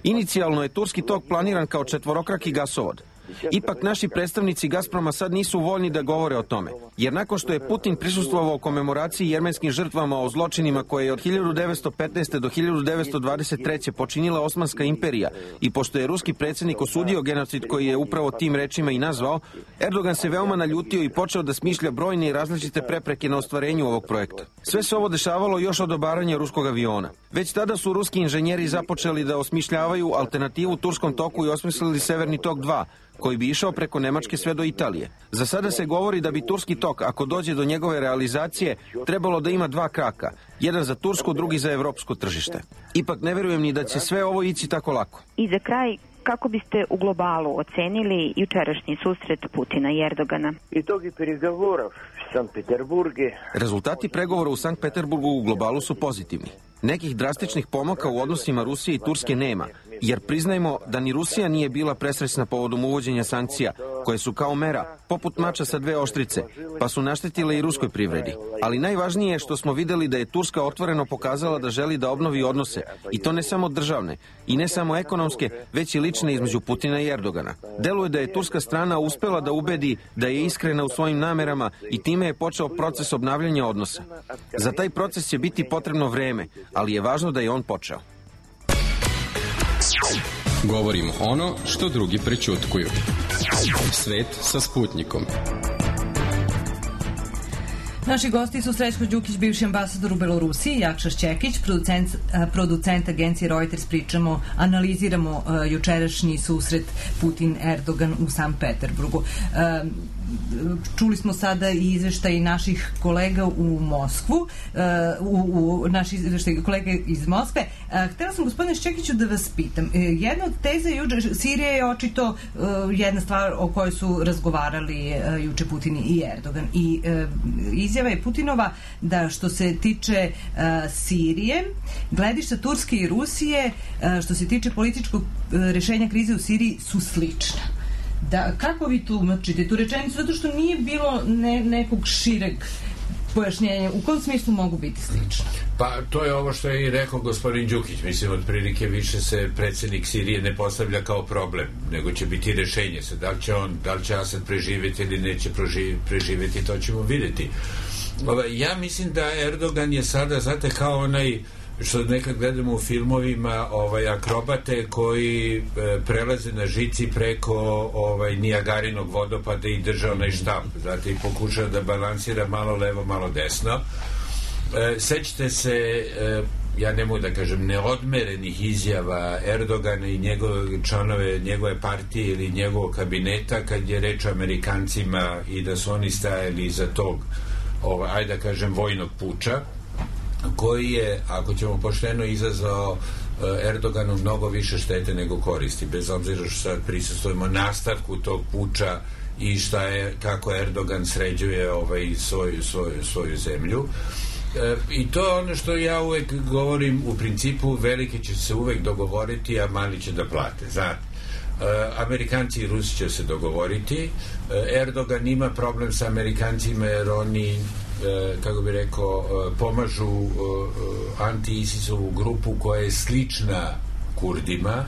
Inicijalno je Turski tok planiran kao četvorokraki gasovod. Ipak naši predstavnici Gazproma sad nisu voljni da govore o tome, jer nakon što je Putin prisustvovao komemoraciji jermenskim žrtvama o zločinima koje je od hiljadu devetsto petnaeste. do hiljadu devetsto dvadeset treće počinila Osmanska imperija i pošto je ruski predsjednik osudio genocid koji je upravo tim rečima i nazvao, Erdogan se veoma naljutio i počeo da smišlja brojne i različite prepreke na ostvarenju ovog projekta. Sve se ovo dešavalo još od obaranja ruskog aviona. Već tada su ruski inženjeri započeli da osmišljavaju alternativu Turskom toku i osmislili Severni tok dva, koji bi išao preko Nemačke sve do Italije. Za sada se govori da bi Turski tok, ako dođe do njegove realizacije, trebalo da ima dva kraka, jedan za tursko, drugi za evropsko tržište. Ipak ne verujem ni da će sve ovo ići tako lako. I za kraj, kako biste u globalu ocenili jučerašnji susret Putina i Erdogana? Itogi переговоров в Санкт-Петербурге. Rezultati pregovora u Sankt Peterburgu u globalu su pozitivni. Nekih drastičnih pomaka u odnosima Rusije i Turske nema, jer priznajmo da ni Rusija nije bila presrećna povodom uvođenja sankcija, koje su kao mera, poput mača sa dve oštrice, pa su naštetile i ruskoj privredi. Ali najvažnije je što smo videli da je Turska otvoreno pokazala da želi da obnovi odnose, i to ne samo državne, i ne samo ekonomske, već i lične između Putina i Erdogana. Deluje da je turska strana uspela da ubedi da je iskrena u svojim namerama i time je počeo proces obnavljanja odnosa. Za taj proces će biti potrebno vreme, ali je važno da je on počeo. Govorimo ono što drugi prećutkuju. Svet sa Sputnikom. Naši gosti su Srećko Đukić, bivši ambasador u Belorusiji, Jakša Šćekić, producent, producent agencije Reuters. Pričamo, analiziramo uh, jučerašnji susret Putin-Erdogan u Sankt Peterburgu. Uh, čuli smo sada i izveštaj naših kolega u Moskvu, uh, u, u naši izveštaj kolega iz Moskve. Uh, htela sam, gospodine Šćekiću, da vas pitam. Uh, jedna od teza juče, Sirija je očito uh, jedna stvar o kojoj su razgovarali uh, juče Putin i Erdogan. I uh, izjava je Putinova da što se tiče uh, Sirije, gledišta Turske i Rusije, uh, što se tiče političkog uh, rešenja krize u Siriji, su slična. Da, kako vi tumačite tu rečenicu? Zato što nije bilo ne, nekog šireg pojašnjenja. U kom smislu mogu biti slične? Pa to je ovo što je i rekao gospodin Đukić. Mislim, otprilike više se predsjednik Sirije ne postavlja kao problem, nego će biti rešenje. Sad, da li će on, da li će Asad preživjeti ili neće preživjeti, to ćemo vidjeti. Ja mislim da Erdogan je sada, znate, kao onaj što nekad gledamo u filmovima, ovaj, akrobate koji e, prelaze na žici preko ovaj, Nijagarinog vodopada i drže onaj štamp, znate, i pokušava da balansira malo levo, malo desno. E, sećate se, e, ja ne mogu da kažem, neodmerenih izjava Erdogana i njegove članove njegove partije ili njegovog kabineta kad je reč o Amerikancima i da su oni stajali iza tog, ovaj, ajde da kažem, vojnog puča. koji je, ako ćemo pošteno, izazvao Erdoganu mnogo više štete nego koristi, bez obzira što sad prisustvujemo nastavku tog puča i šta je, kako Erdogan sređuje ovaj, svoju, svoju, svoju zemlju. E, i to je ono što ja uvek govorim, u principu veliki će se uvek dogovoriti, a mali će da plate, znate. E, Amerikanci i Rusi će se dogovoriti. e, Erdogan ima problem sa Amerikancima jer oni, e, kako bi rekao, e, pomažu e, anti-ISIS-ovu grupu koja je slična Kurdima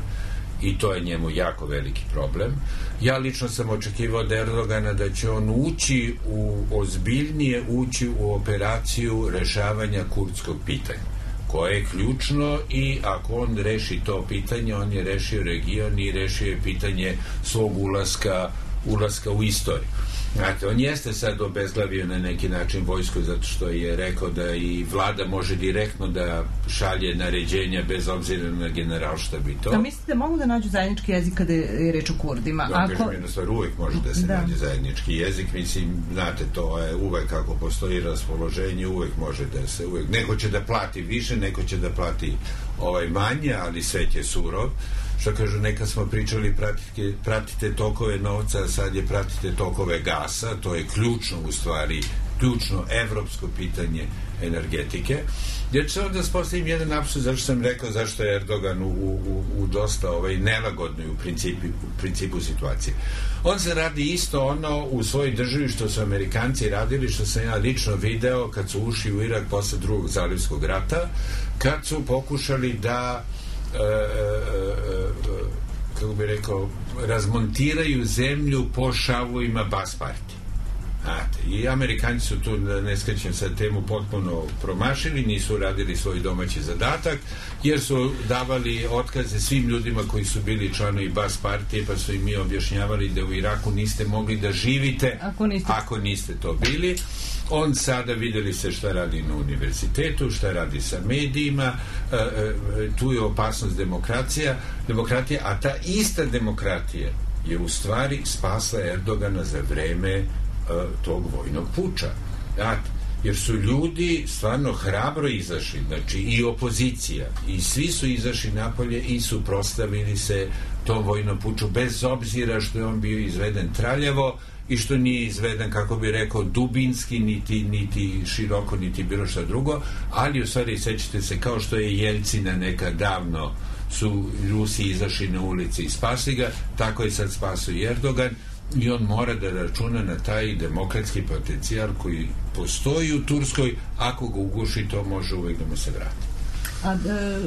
i to je njemu jako veliki problem. Ja lično sam očekivao od Erdogana da će on ući u, ozbiljnije ući u operaciju rešavanja kurdskog pitanja, koje je ključno, i ako on reši to pitanje, on je rešio region i rešio je pitanje svog ulaska, ulaska u istoriju. Znate, on jeste sad obezglavio na neki način vojsku zato što je rekao da i vlada može direktno da šalje naređenja bez obzira na generalštab i to. A mislite da mogu da nađu zajednički jezik kada je reč o Kurdima? Da, Ako... kažem, jednostavno uvek može da se da. nađe zajednički jezik, mislim, znate, to je uvek kako postoji raspoloženje, uvek može da se, uvek, neko će da plati više, neko će da plati ovaj manje, ali svet je surov. Što kažu, neka smo pričali pratite, pratite tokove novca, a sad je pratite tokove gasa, to je ključno u stvari, ključno evropsko pitanje energetike. Ja ću samo da spostavim jedan apsurd, zašto sam rekao zašto je Erdogan u, u, u dosta ovaj, nelagodnoj u principu, u principu situacije. On se radi isto ono u svojoj državi što su Amerikanci radili, što sam ja lično video kad su ušli u Irak posle drugog zalivskog rata, kad su pokušali da E, e, e, kako bi rekao, razmontiraju zemlju po šavovima Bas partije. Znate, i Amerikanci su tu, ne skrećem sad temu, potpuno promašili, nisu radili svoj domaći zadatak, jer su davali otkaze svim ljudima koji su bili članovi Bas partije, pa su im mi objašnjavali da u Iraku niste mogli da živite ako niste, ako niste to bili. On sada, videli se šta radi na univerzitetu, šta radi sa medijima, e, e, tu je opasnost demokracija, demokratija, a ta ista demokratija je u stvari spasla Erdogana za vreme e, tog vojnog puča. Znate, jer su ljudi stvarno hrabro izašli, znači i opozicija, i svi su izašli napolje i suprotstavili se tom vojnom puču, bez obzira što je on bio izveden traljavo i što nije izveden, kako bi rekao, dubinski, niti, niti široko, niti bilo šta drugo, ali u stvari, sećate se, kao što je Jelcina nekad davno su Rusi izašli na ulici i spasli ga, tako je sad spasio i Erdogan, i on mora da računa na taj demokratski potencijal koji postoji u Turskoj, ako ga uguši, to može uvek da mu se vrati. A e,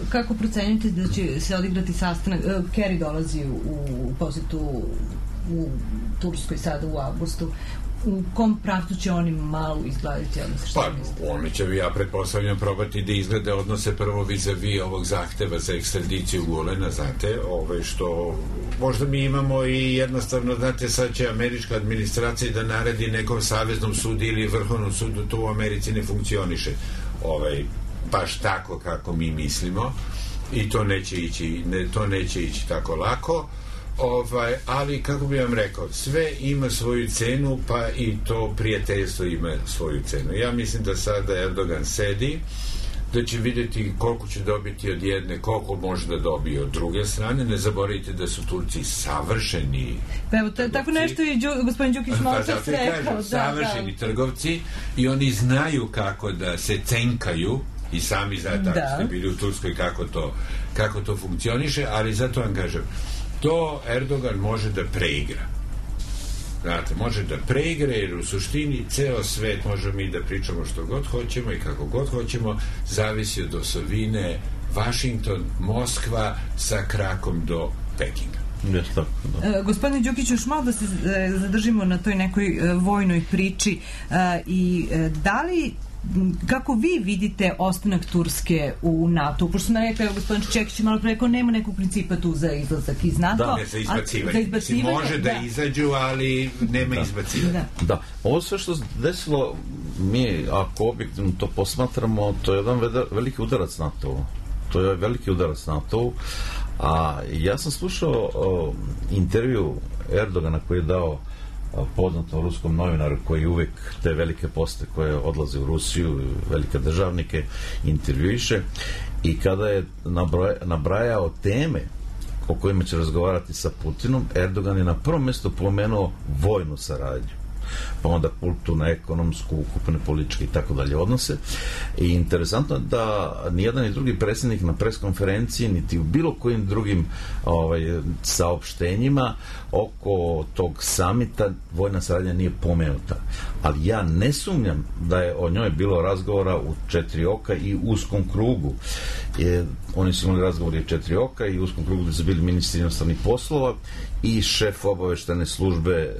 kako procenjujete da će se odigrati sastanak? E, Kerry dolazi u, u posjetu u Turskoj sada u avgustu. U kom pravcu će oni malo izgledati odnose? Pa, oni će, ja pretpostavljam, probati da izglede odnose prvo vis-a-vis ovog zahteva za ekstradiciju Gulena, znate, ove što možda mi imamo i jednostavno, znate, sad će američka administracija da naredi nekom saveznom sudu ili vrhovnom sudu, to u Americi ne funkcioniše ovaj, baš tako kako mi mislimo, i to neće ići, ne, to neće ići tako lako. Ovaj, ali kako bi vam rekao, sve ima svoju cenu, pa i to prijateljstvo ima svoju cenu. Ja mislim da sada Erdogan sedi, da će vidjeti koliko će dobiti od jedne, koliko može da dobije od druge strane. Ne zaboravite da su Turci savršeni pa evo, to, tako nešto i Đu, gospodin Đukić malo čas rekao. Da, savršeni da. trgovci, i oni znaju kako da se cenkaju, i sami znate, ako ste bili u Turskoj, kako to, kako to funkcioniše, ali zato vam kažem, to Erdogan može da preigra. Znate, može da preigra, jer u suštini ceo svet, možemo mi da pričamo što god hoćemo i kako god hoćemo, zavisi od osovine Vašington, Moskva sa krakom do Pekinga. Yes, tako, da. E, gospodine Đukiću, još malo da se e, zadržimo na toj nekoj e, vojnoj priči e, i e, da li kako vi vidite ostanak Turske u NATO? Pošto sam rekao, gospodin Čekić malo preko, nema nekog principa tu za izlazak iz NATO. Da, ne, za izbacivanje. Za izbacivanje može da, da izađu, ali nema da. izbacivanja. Da. da. Ovo sve što se desilo, mi, ako objektivno to posmatramo, to je jedan veliki udarac NATO. To je veliki udarac NATO. A ja sam slušao o, intervju Erdogana koji je dao poznatom ruskom novinaru koji uvek te velike poste koje odlaze u Rusiju, velike državnike, intervjuiše, i kada je nabrajao teme o kojima će razgovarati sa Putinom, Erdogan je na prvom mjestu pomenuo vojnu saradnju, pa onda kulturnu, ekonomsku, ukupne političke i tako dalje odnose. I interesantno je da nijedan i drugi predsjednik na preskonferenciji niti u bilo kojim drugim ovaj, saopštenjima oko tog samita vojna saradnja nije pomenuta. Ali ja ne sumnjam da je o njoj bilo razgovora u četiri oka i uskom krugu. Je, oni su imali razgovori u četiri oka i u uskom krugu gdje su bili ministri inostranih poslova i šef obaveštene službe e,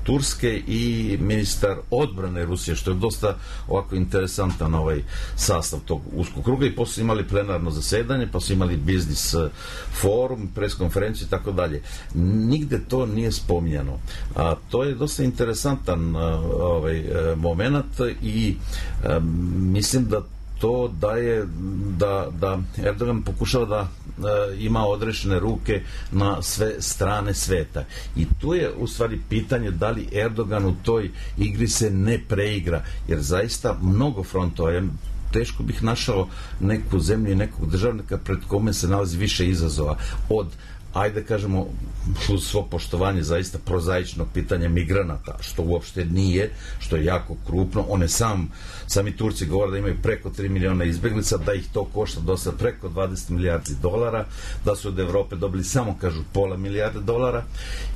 Turske i ministar odbrane Rusije, što je dosta ovako interesantan ovaj sastav tog uskog kruga, i posle imali plenarno zasedanje, pa su imali biznis forum, preskonferenciju i tako dalje. Nigde to nije spominjano. A to je dosta interesantan ovaj moment i a, mislim da to daje da, da Erdogan pokušava da e, ima odrešene ruke na sve strane sveta. I tu je u stvari pitanje da li Erdogan u toj igri se ne preigra, jer zaista mnogo frontova je, teško bih našao neku zemlju i nekog državnika pred kome se nalazi više izazova od, ajde kažemo, uz svo poštovanje zaista prozaičnog pitanja migranata, što uopšte nije, što je jako krupno. One sam, sami Turci govore da imaju preko tri miliona izbeglica, da ih to košta dosta preko dvadeset milijardi dolara, da su od Evrope dobili samo, kažu, pola milijarde dolara,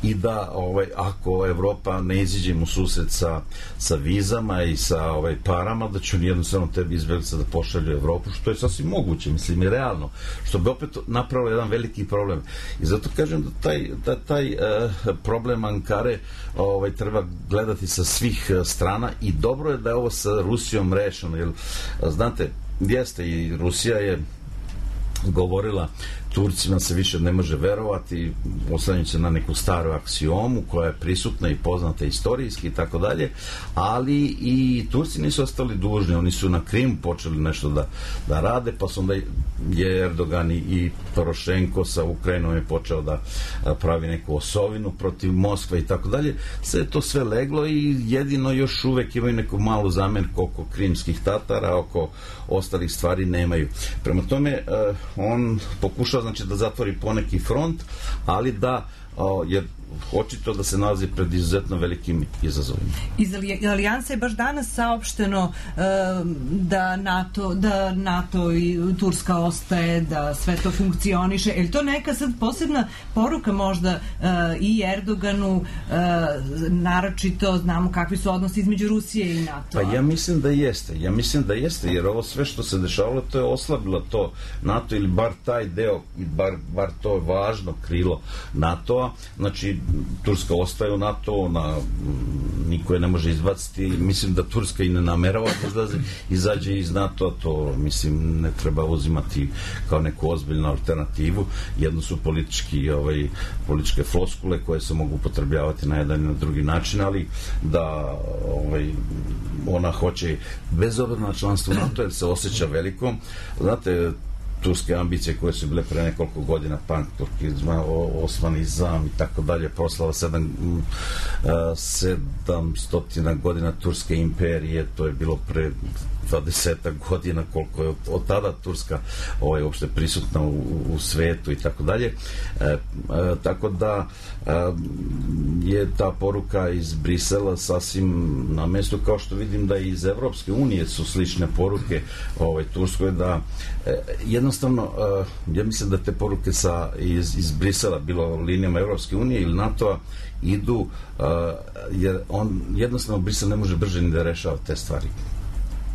i da ovaj, ako Evropa ne iziđe mu susret sa, sa vizama i sa ovaj, parama, da će oni jednostavno tebi izbeglica da pošalju Evropu, što je sasvim moguće, mislim, i realno, što bi opet napravilo jedan veliki problem. I zato kažem da taj, da taj uh, problem Ankare ovaj, treba gledati sa svih uh, strana, i dobro je da je ovo sa Rusijom rešeno, jer znate, jeste, i Rusija je govorila Turcima se više ne može verovati, oslanjajući se na neku staru aksiomu koja je prisutna i poznata istorijski i tako dalje, ali i Turci nisu ostali dužni, oni su na Krimu počeli nešto da, da rade, pa su onda je Erdogan i Porošenko sa Ukrajinom je počeo da pravi neku osovinu protiv Moskve i tako dalje. Sve je to sve leglo i jedino još uvek imaju neku malu zamjerku oko krimskih Tatara, oko ostalih stvari nemaju. Prema tome, on pokušava, znači, da zatvori poneki front, ali da, o, jer očito da se nalazi pred izuzetno velikim izazovima. Iz Alijansa je baš danas saopšteno e, da NATO, da NATO i Turska ostaje, da sve to funkcioniše. Je li to neka sad posebna poruka možda e, i Erdoganu, e, naročito znamo kakvi su odnosi između Rusije i NATO? Pa ja mislim da jeste. Ja mislim da jeste, jer ovo sve što se dešavalo, to je oslabilo to NATO, ili bar taj deo, bar, bar to važno krilo NATO-a. Znači, Turska ostaje u NATO, na, niko je ne može izbaciti. Mislim da Turska i ne namerava da izlazi, izađe iz NATO, to mislim ne treba uzimati kao neku ozbiljnu alternativu. Jedno su politički, ovaj, političke floskule koje se mogu upotrebljavati na jedan i na drugi način, ali da ovaj, ona hoće bez obzira na članstvo NATO, jer se osjeća velikom. Znate, turske ambicije koje su bile pre nekoliko godina, panturkizma, osmanizam i tako dalje, proslava sedam, sedamstotina godina Turske imperije, to je bilo pre dvadesetak godina koliko je od tada Turska ovaj, uopšte prisutna u, u svetu i tako dalje. E, e, tako da e, je ta poruka iz Brisela sasvim na mestu, kao što vidim da i iz Evropske unije su slične poruke ovaj, Turskoj, da e, jednostavno e, ja mislim da te poruke sa, iz, iz Brisela, bilo linijama Evropske unije ili NATO-a, idu uh, jer on jednostavno Brisel ne može brže ni da rešava te stvari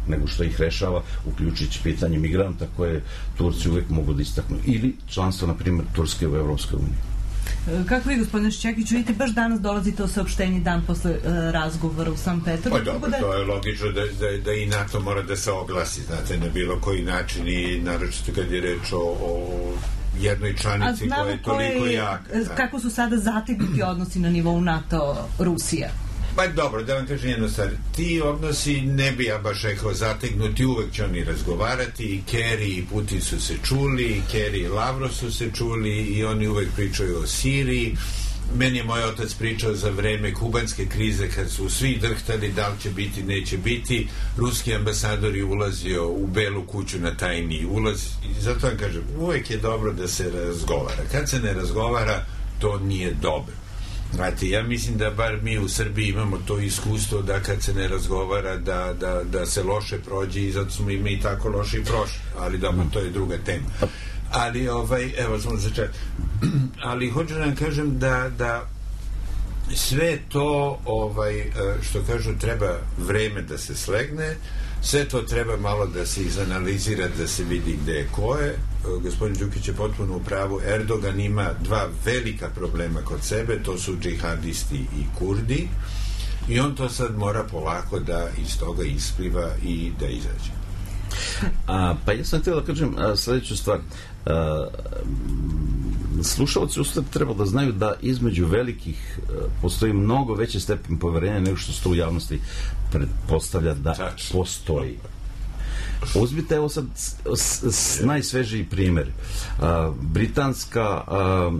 nego što ih rešava, uključujući pitanje migranta koje Turci uvek mogu da istaknu, ili članstvo, na primjer, Turske u Evropskoj uniji. Kako vi, gospodine Šćekić, vidite, baš danas dolazi to saopštenje dan posle uh, razgovora u Sankt Petersburgu? Pa dobro, da... to je logično da, da, da i NATO mora da se oglasi, znate, na bilo koji način, i naročito kad je reč o, o jednoj članici koja je toliko jaka. Da. Kako su sada zategnuti odnosi na nivou NATO-Rusija? Pa dobro, da vam kažem jedno stvar, ti odnosi ne bi ja baš rekao zategnuti, uvek će oni razgovarati, i Kerry i Putin su se čuli, i Kerry i Lavrov su se čuli, i oni uvek pričaju o Siriji, meni je moj otac pričao za vreme kubanske krize kad su svi drhtali da li će biti, neće biti. Ruski ambasador je ulazio u Belu kuću na tajni ulaz i zato vam kažem, uvek je dobro da se razgovara. Kad se ne razgovara, to nije dobro. Znate, ja mislim da bar mi u Srbiji imamo to iskustvo da kad se ne razgovara da, da, da se loše prođe i zato smo ime i tako loše i prošli, ali dobro, to je druga tema. Ali, ovaj, evo smo začeti. Ali hoću da vam kažem da, da sve to, ovaj, što kažu, treba vreme da se slegne, sve to treba malo da se izanalizira, da se vidi gde je ko je. Gospodin Đukić je potpuno u pravu. Erdogan ima dva velika problema kod sebe, to su džihadisti i Kurdi, i on to sad mora polako da iz toga ispliva i da izađe. A, pa ja sam htio da kažem a, sledeću stvar. A, slušalci ustavno treba da znaju da između velikih a, postoji mnogo veći stepen poverenja nego što se to u javnosti pretpostavlja da Tač. postoji. Uzmite evo sad s, s, najsvežiji primjer. A, britanska a,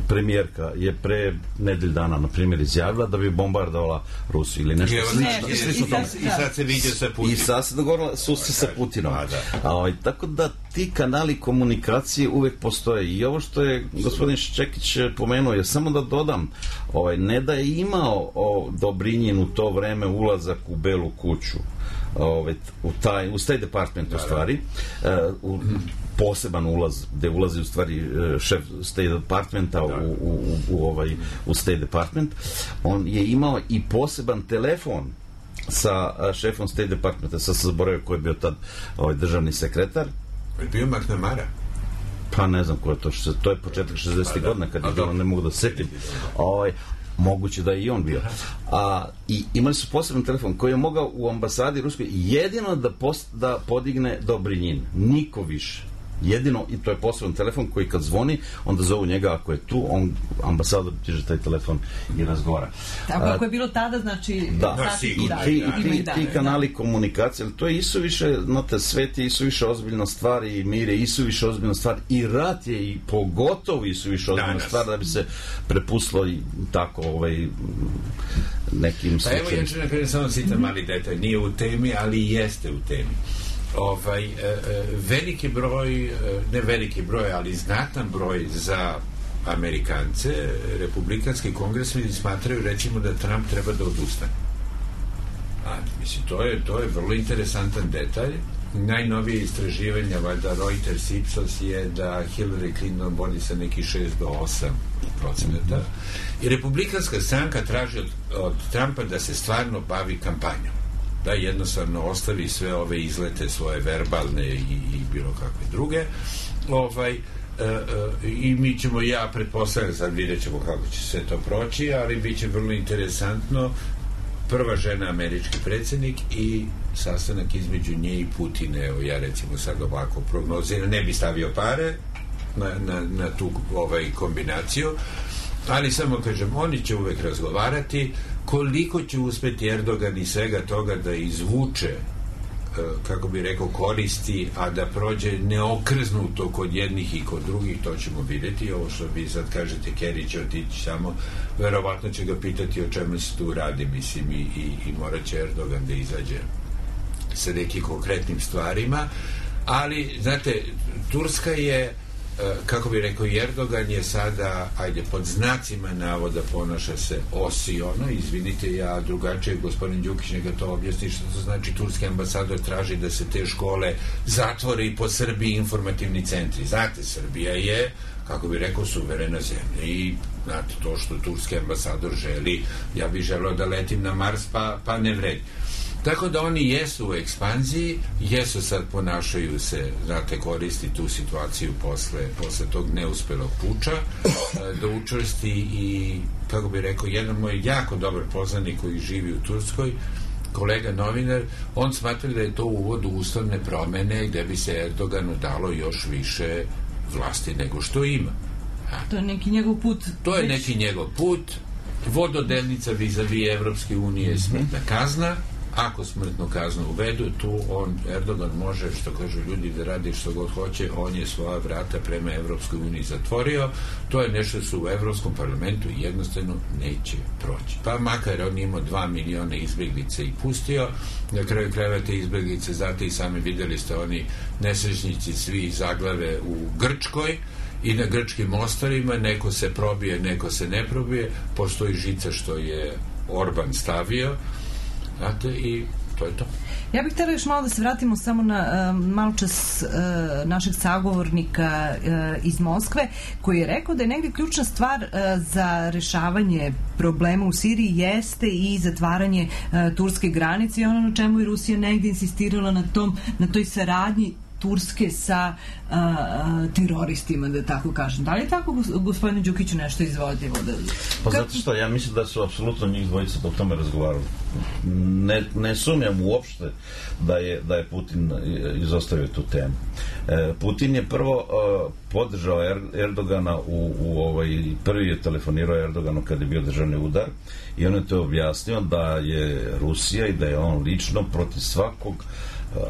premijerka je pre nedelj dana na primjer izjavila da bi bombardovala Rusiju ili nešto slično. I, slično tome. I sad se vidio sa Putinom. I sad se dogovorila susret sa Putinom. A, A, ovaj, tako da ti kanali komunikacije uvek postoje. I ovo što je gospodin Ščekić pomenuo je, samo da dodam, ovaj, ne da je imao o, Dobrinjin u to vreme ulazak u Belu kuću, Ove, u taj, u State Department u stvari, uh, u poseban ulaz gde ulazi u stvari šef State Departmenta u, u, u, ovaj, u State Department. On je imao i poseban telefon sa šefom State Departmenta, sa zaboravio koji je bio tad ovaj, državni sekretar. Je bio McNamara? Pa ne znam ko je to, to je početak šezdesetih pa, godina kad je bilo, ne mogu da setim. Ovaj, moguće da je i on bio. A, i imali su poseban telefon koji je mogao u ambasadi Ruskoj jedino da, post, da podigne Dobrinjin. Niko više. Jedino, i to je poseban telefon koji kad zvoni, onda zovu njega, ako je tu, on, ambasador diže taj telefon i razgovara. Tako ako je bilo tada, znači... Da, da i da, ti, da, ti, da, ti kanali da. komunikacije, to je isuviše, znate, svet je isuviše ozbiljna stvar i mir je isuviše ozbiljna stvar i rat je i pogotovo isuviše ozbiljna Danas. stvar da bi se prepustilo i tako ovaj, nekim slučajima. Pa evo, ja ću nekada samo sitam mali detalj, nije u temi, ali jeste u temi. Ovaj, e, e, veliki broj, ne veliki broj, ali znatan broj za Amerikance, republikanski kongresmeni smatraju recimo da Trump treba da odustane. A, mislim, to je, to je vrlo interesantan detalj. Najnovije istraživanja, valjda Reuters Ipsos, je da Hillary Clinton vodi sa neki šest do osam procenata. I republikanska stranka traži od, od Trumpa da se stvarno bavi kampanjom. Da jednostavno ostavi sve ove izlete svoje verbalne i, i bilo kakve druge. Ovaj, e, e, i mi ćemo, ja pretpostavljam, sad vidjet ćemo kako će sve to proći, ali bit će vrlo interesantno. Prva žena američki predsjednik i sastanak između nje i Putina. Evo, ja recimo sad ovako prognoziram, ne bi stavio pare na, na, na tu ovaj, kombinaciju, ali samo kažem, oni će uvek razgovarati. Koliko će uspeti Erdogan i svega toga da izvuče, kako bi rekao, koristi, a da prođe neokrznuto kod jednih i kod drugih, to ćemo vidjeti. Ovo što vi sad kažete, Kerry će otići samo, verovatno će ga pitati o čemu se tu radi, mislim, i, i, i morat će Erdogan da izađe sa nekim konkretnim stvarima, ali, znate, Turska je, kako bi rekao, Erdogan je sada, ajde, pod znacima navoda ponaša se osiono, izvinite, ja drugačije, gospodin Đukić neka to objasni što to znači. Turski ambasador traži da se te škole zatvore i po Srbiji informativni centri. Znate, Srbija je, kako bi rekao, suverena zemlja i, znate, to što turski ambasador želi, ja bih želeo da letim na Mars, pa, pa ne vredi. Tako da oni jesu u ekspanziji, jesu sad, ponašaju se, znate, koristi tu situaciju posle, posle tog neuspelog puča, da učvrsti i, kako bi rekao, jedan moj jako dobar poznanik koji živi u Turskoj, kolega novinar, on smatra da je to uvod u ustavne promene gde bi se Erdoganu dalo još više vlasti nego što ima. A, to je neki njegov put. To je neki njegov put. Vododelnica vis-a-vis Evropske unije je smrtna kazna. ako smrtnu kaznu uvedu, tu on, Erdogan može, što kažu ljudi, da radi što god hoće, on je svoja vrata prema Evropskoj uniji zatvorio. To je nešto što u Evropskom parlamentu jednostavno neće proći. Pa makar on imao dva miliona izbjeglice i pustio, na kraju krajeva te izbjeglice, znate i sami vidjeli ste, oni nesrećnici svi zaglave u Grčkoj i na grčkim ostrvima, neko se probije, neko se ne probije, postoji žica što je Orban stavio, znate, i to je to. Ja bih htjela još malo da se vratimo samo na uh, malo čas uh, našeg sagovornika uh, iz Moskve, koji je rekao da je negdje ključna stvar uh, za rešavanje problema u Siriji jeste i zatvaranje uh, turske granice i ono na čemu je Rusija negdje insistirala na tom, na toj saradnji Turske sa uh, teroristima, da tako kažem. Da li je tako, gospodine Đukiću, nešto izvodljivo? Da... Pa zato što ja mislim da su apsolutno njih dvojica o tome razgovarali. Ne, ne sumnjam uopšte da je, da je Putin izostavio tu temu. E, Putin je prvo uh, podržao er, Erdogana u, u ovaj, prvi je telefonirao Erdoganu kad je bio državni udar i on je to objasnio da je Rusija i da je on lično protiv svakog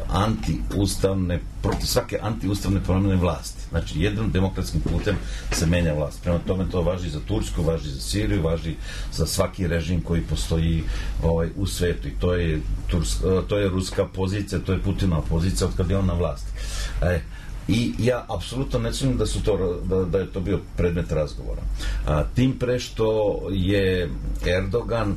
antiustavne, protiv svake antiustavne promjene vlasti. Znači, jednom demokratskim putem se menja vlast. Prema tome to važi za Tursku, važi za Siriju, važi za svaki režim koji postoji ovaj, u svetu. I to je, turska, to je ruska pozicija, to je Putinova pozicija od kad je on na vlasti. E, I ja apsolutno ne sumnjam da su to, da, da je to bio predmet razgovora. A, tim pre što je Erdogan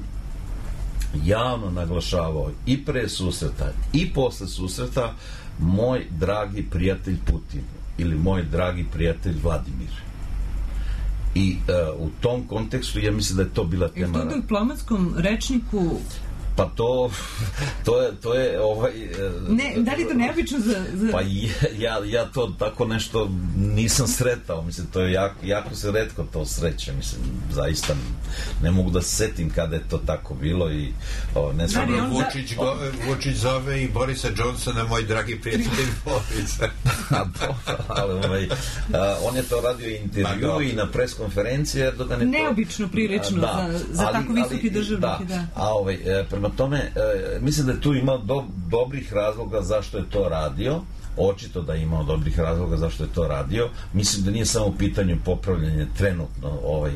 javno naglašavao i pre susreta i posle susreta moj dragi prijatelj Putin ili moj dragi prijatelj Vladimir. I uh, u tom kontekstu ja mislim da je to bila tema. Je to u diplomatskom rečniku? Pa to, to je, to je ovaj... Ne, da li je to neobično za... za... Pa ja, ja to tako nešto nisam sretao, mislim, to je jako, jako se retko to sreće, mislim, zaista ne mogu da se setim kada je to tako bilo i o, ne znam... Dobro, Vučić, go, Vučić zove i Borisa Johnsona, moj dragi prijatelj Borisa. Ali ovaj, a, on je to radio intervju Ma, i na preskonferenciji, Erdogan je to... Neobično prilično da, za, za ali, tako visoki državnik, da. da. A ovaj, prema tome, e, mislim da je tu imao do, dobrih razloga zašto je to radio, očito da je imao dobrih razloga zašto je to radio. Mislim da nije samo u pitanju popravljanje trenutno ovaj, e,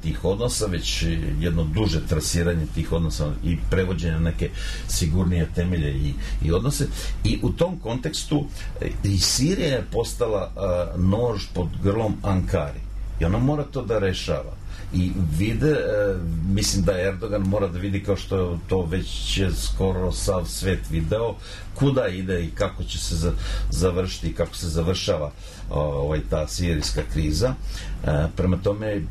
tih odnosa, već jedno duže trasiranje tih odnosa i prevođenje neke sigurnije temelje i, i odnose. I u tom kontekstu e, i Sirija je postala e, nož pod grlom Ankari. I ona mora to da rešava. I vide, e, mislim da Erdogan mora da vidi, kao što to već je skoro sav svet video, kuda ide i kako će se za, završiti i kako se završava ovaj, ta sirijska kriza. E, prema tome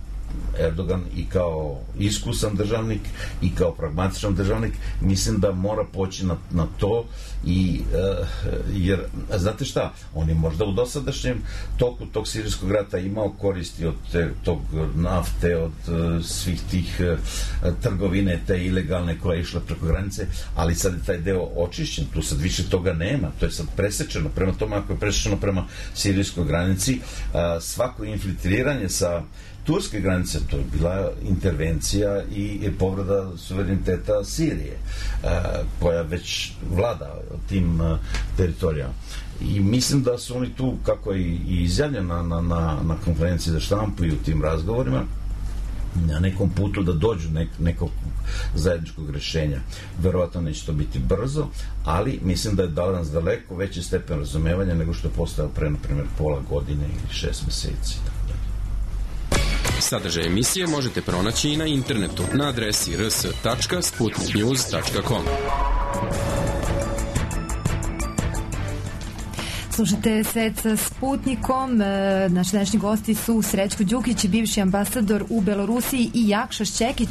Erdogan i kao iskusan državnik i kao pragmatičan državnik mislim da mora poći na, na to i uh, jer, znate šta, on je možda u dosadašnjem toku tog sirijskog rata imao koristi od te, tog nafte, od uh, svih tih uh, trgovine te ilegalne koja je išla preko granice, ali sad je taj deo očišćen, tu sad više toga nema, to je sad presečeno, prema tome ako je presečeno prema sirijskoj granici, uh, svako infiltriranje sa turske granice, to je bila intervencija i povreda suvereniteta Sirije, koja već vlada tim teritorijama. I mislim da su oni tu, kako je i izjavljeno na, na, na konferenciji za štampu i u tim razgovorima, na nekom putu da dođu nek, nekog zajedničkog rešenja. Verovatno neće to biti brzo, ali mislim da je danas daleko veći stepen razumevanja nego što je postao pre, na primjer, pola godine ili šest meseci. Sadržaj emisije možete pronaći i na internetu na adresi r s tačka sputnik news tačka com. Slušajte Svet sa Sputnikom. Naši današnji gosti su Srećko Đukić, bivši ambasador u Belorusiji, i Jakša Šćekić,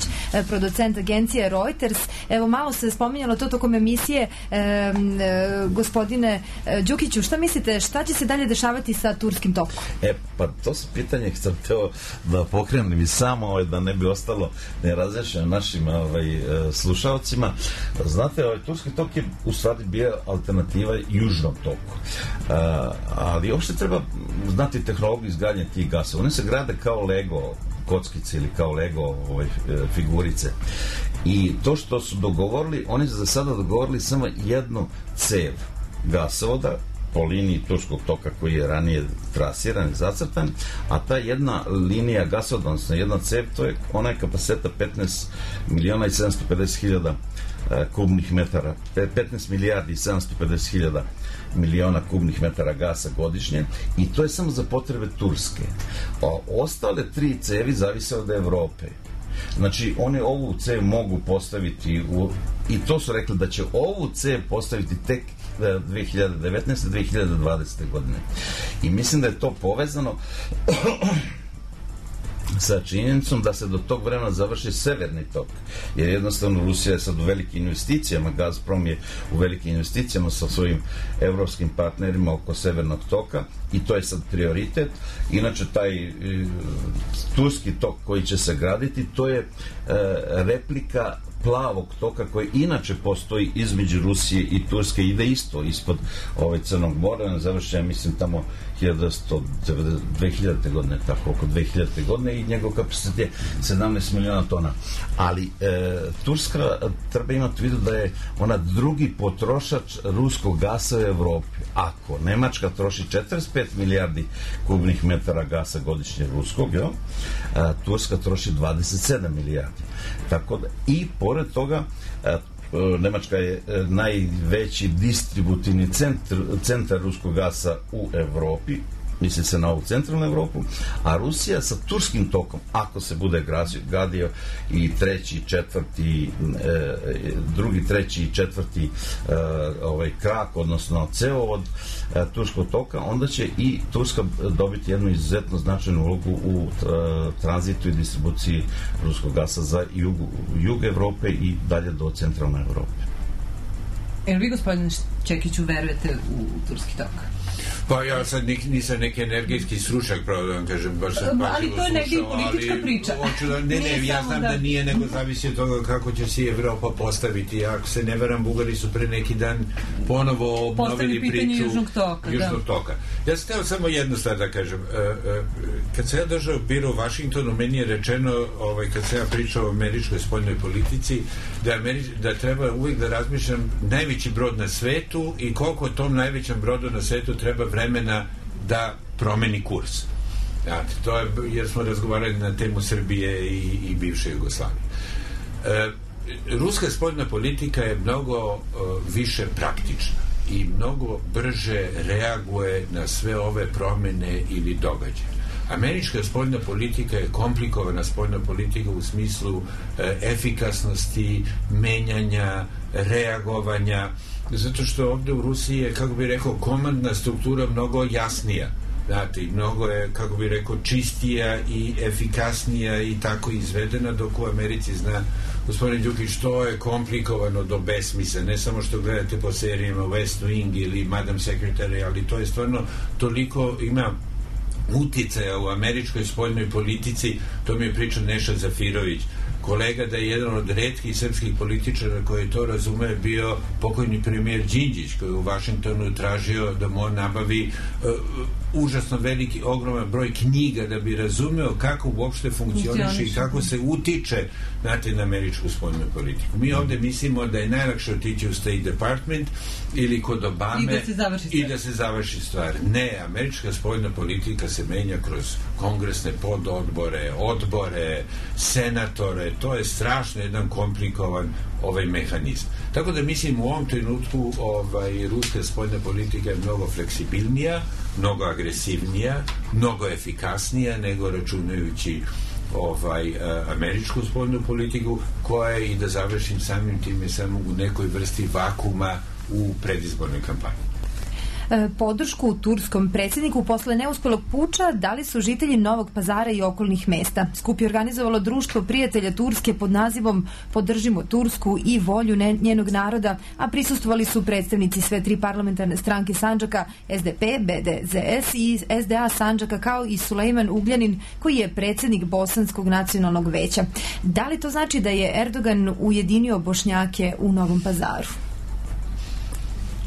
producent agencije Reuters. Evo, malo se spominjalo to tokom emisije. E, e, gospodine Đukiću, šta mislite, šta će se dalje dešavati sa turskim tokom? E, pa to su pitanje koje sam teo da pokrenem i samo ovaj, da ne bi ostalo nerazrešeno našim ovaj, slušalcima. Znate, ovaj, turski tok je u stvari bio alternativa južnom toku. Uh, ali uopšte treba znati tehnologiju izgradnje tih gasova. Oni se grade kao Lego kockice ili kao Lego ove, figurice. I to što su dogovorili, oni su za sada dogovorili samo jednu cev gasovoda po liniji Turskog toka koji je ranije trasiran i zacrtan, a ta jedna linija gasovoda, odnosno jedna cev, to je onaj kapaciteta petnaest miliona i sedamsto pedeset hiljada kubnih metara, petnaest milijardi i sedamsto pedeset hiljada miliona kubnih metara gasa godišnje, i to je samo za potrebe Turske. A ostale tri cevi zavise od Evrope. Znači, oni ovu cev mogu postaviti u, i to su rekli da će ovu cev postaviti tek dve hiljade devetnaeste. dve hiljade dvadesete. godine. I mislim da je to povezano sa činjenicom da se do tog vremena završi severni tok, jer jednostavno Rusija je sad u velikim investicijama, Gazprom je u velikim investicijama sa svojim evropskim partnerima oko severnog toka i to je sad prioritet. Inače, taj e, turski tok koji će se graditi, to je e, replika plavog toka koji inače postoji između Rusije i Turske, ide isto ispod ovaj Crnog mora, završenja mislim tamo dve hiljadite. godine, tako oko dve hiljadite. godine, i njegov kapacitet je sedamnaest miliona tona. Ali e, Turska treba imati vidu da je ona drugi potrošač ruskog gasa u Evropi. Ako Nemačka troši četrdeset pet milijardi kubnih metara gasa godišnje ruskog, jo, a, Turska troši dvadeset sedam milijardi. Tako da, i pored toga a, Nemačka je najveći distributivni centar, centar ruskog gasa u Evropi, misli se na ovu centralnu Evropu, a Rusija sa turskim tokom, ako se bude gradio i treći, četvrti, e, drugi, treći i četvrti e, ovaj krak, odnosno cevovod e, turskog toka, onda će i Turska dobiti jednu izuzetno značajnu ulogu u e, tranzitu i distribuciji ruskog gasa za jug, jug Evrope i dalje do centralne Evrope. Jel vi, gospodine Čekiću, verujete u turski tok? Pa ja sad nisam neki energijski stručnjak, pravo da vam kažem, baš sam pažljivo slušao. Ali to je negdje i politička priča. Da, ne, ne, ja znam da... da nije, nego zavisi od toga kako će se Evropa postaviti. Ako se ne veram, Bugari su pre neki dan ponovo obnovili priču Južnog toka. Južnog da. toka. Ja sam htio samo jednu stvar da kažem. Kad se ja držao biro u Vašingtonu, meni je rečeno, ovaj, kad se ja pričao o američkoj spoljnoj politici, da, Američ, da treba uvijek da razmišljam najveći brod na svetu i koliko tom najvećem brodu na svetu treba vremena da promeni kurs. Znate, to je, jer smo razgovarali na temu Srbije i, i bivše Jugoslavije. E, ruska spoljna politika je mnogo e, više praktična i mnogo brže reaguje na sve ove promene ili događaje. Američka spoljna politika je komplikovana spoljna politika u smislu e, efikasnosti, menjanja, reagovanja, zato što ovdje u Rusiji je, kako bi rekao, komandna struktura mnogo jasnija. Znate, mnogo je, kako bi rekao, čistija i efikasnija i tako izvedena, dok u Americi zna gospodin Đukić, to je komplikovano do besmisla, ne samo što gledate po serijama West Wing ili Madam Secretary, ali to je stvarno toliko, ima uticaja u američkoj spoljnoj politici, to mi je pričao Neša Zafirović, kolega, da je jedan od retkih srpskih političara koji to razume bio pokojni premijer Đinđić, koji je u Vašingtonu tražio da mu nabavi uh, užasno veliki, ogroman broj knjiga da bi razumeo kako uopšte funkcioniše i kako se utiče, znate, na američku spoljnu politiku. Mi ovdje mislimo da je najlakše otići u State Department ili kod Obame i da se završi stvar. I da se završi stvar. Ne, američka spoljna politika se menja kroz kongresne pododbore, odbore, senatore, to je strašno jedan komplikovan ovaj mehanizam. Tako da mislim u ovom trenutku ovaj, ruska spoljna politika je mnogo fleksibilnija, mnogo agresivnija, mnogo efikasnija nego računajući ovaj, američku spoljnu politiku, koja je, i da završim samim time, samo u nekoj vrsti vakuma u predizbornoj kampanji. Podršku turskom predsjedniku posle neuspelog puča dali su žitelji Novog Pazara i okolnih mesta. Skup je organizovalo Društvo prijatelja Turske pod nazivom Podržimo Tursku i volju njenog naroda, a prisustvovali su predstavnici sve tri parlamentarne stranke Sandžaka, S D P, B D Z S i S D A Sandžaka, kao i Sulejman Ugljanin, koji je predsjednik Bosanskog nacionalnog veća. Da li to znači da je Erdogan ujedinio Bošnjake u Novom Pazaru?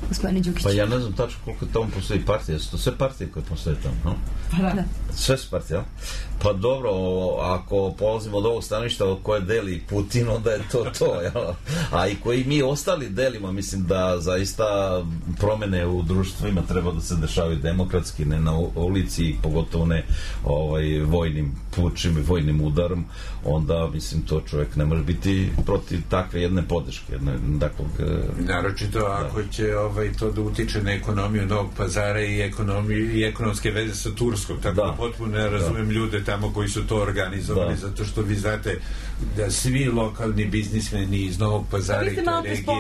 gospodine Đukić? Pa ja ne znam tačno koliko tamo postoji partije. Su to sve partije koje postoje tamo, no? Pa da. Sve su partije, ja? Pa dobro, ako polazimo od ovog stanovišta koje deli Putin, onda je to to, ja? A i koji mi ostali delimo, mislim da zaista promene u društvima treba da se dešavaju demokratski, ne na ulici, pogotovo ne ovaj, vojnim pučim i vojnim udarom, onda, mislim, to čovjek ne može biti protiv takve jedne podrške. Jedne, takvog, naročito da. Ako će ovaj, to da utiče na ekonomiju Novog Pazara i, ekonomiju, i ekonomske veze sa Turskom, tako da, potpuno ne razumem da. ljude tamo koji su to organizovali, da. zato što vi znate da svi lokalni biznismeni iz Novog Pazara i te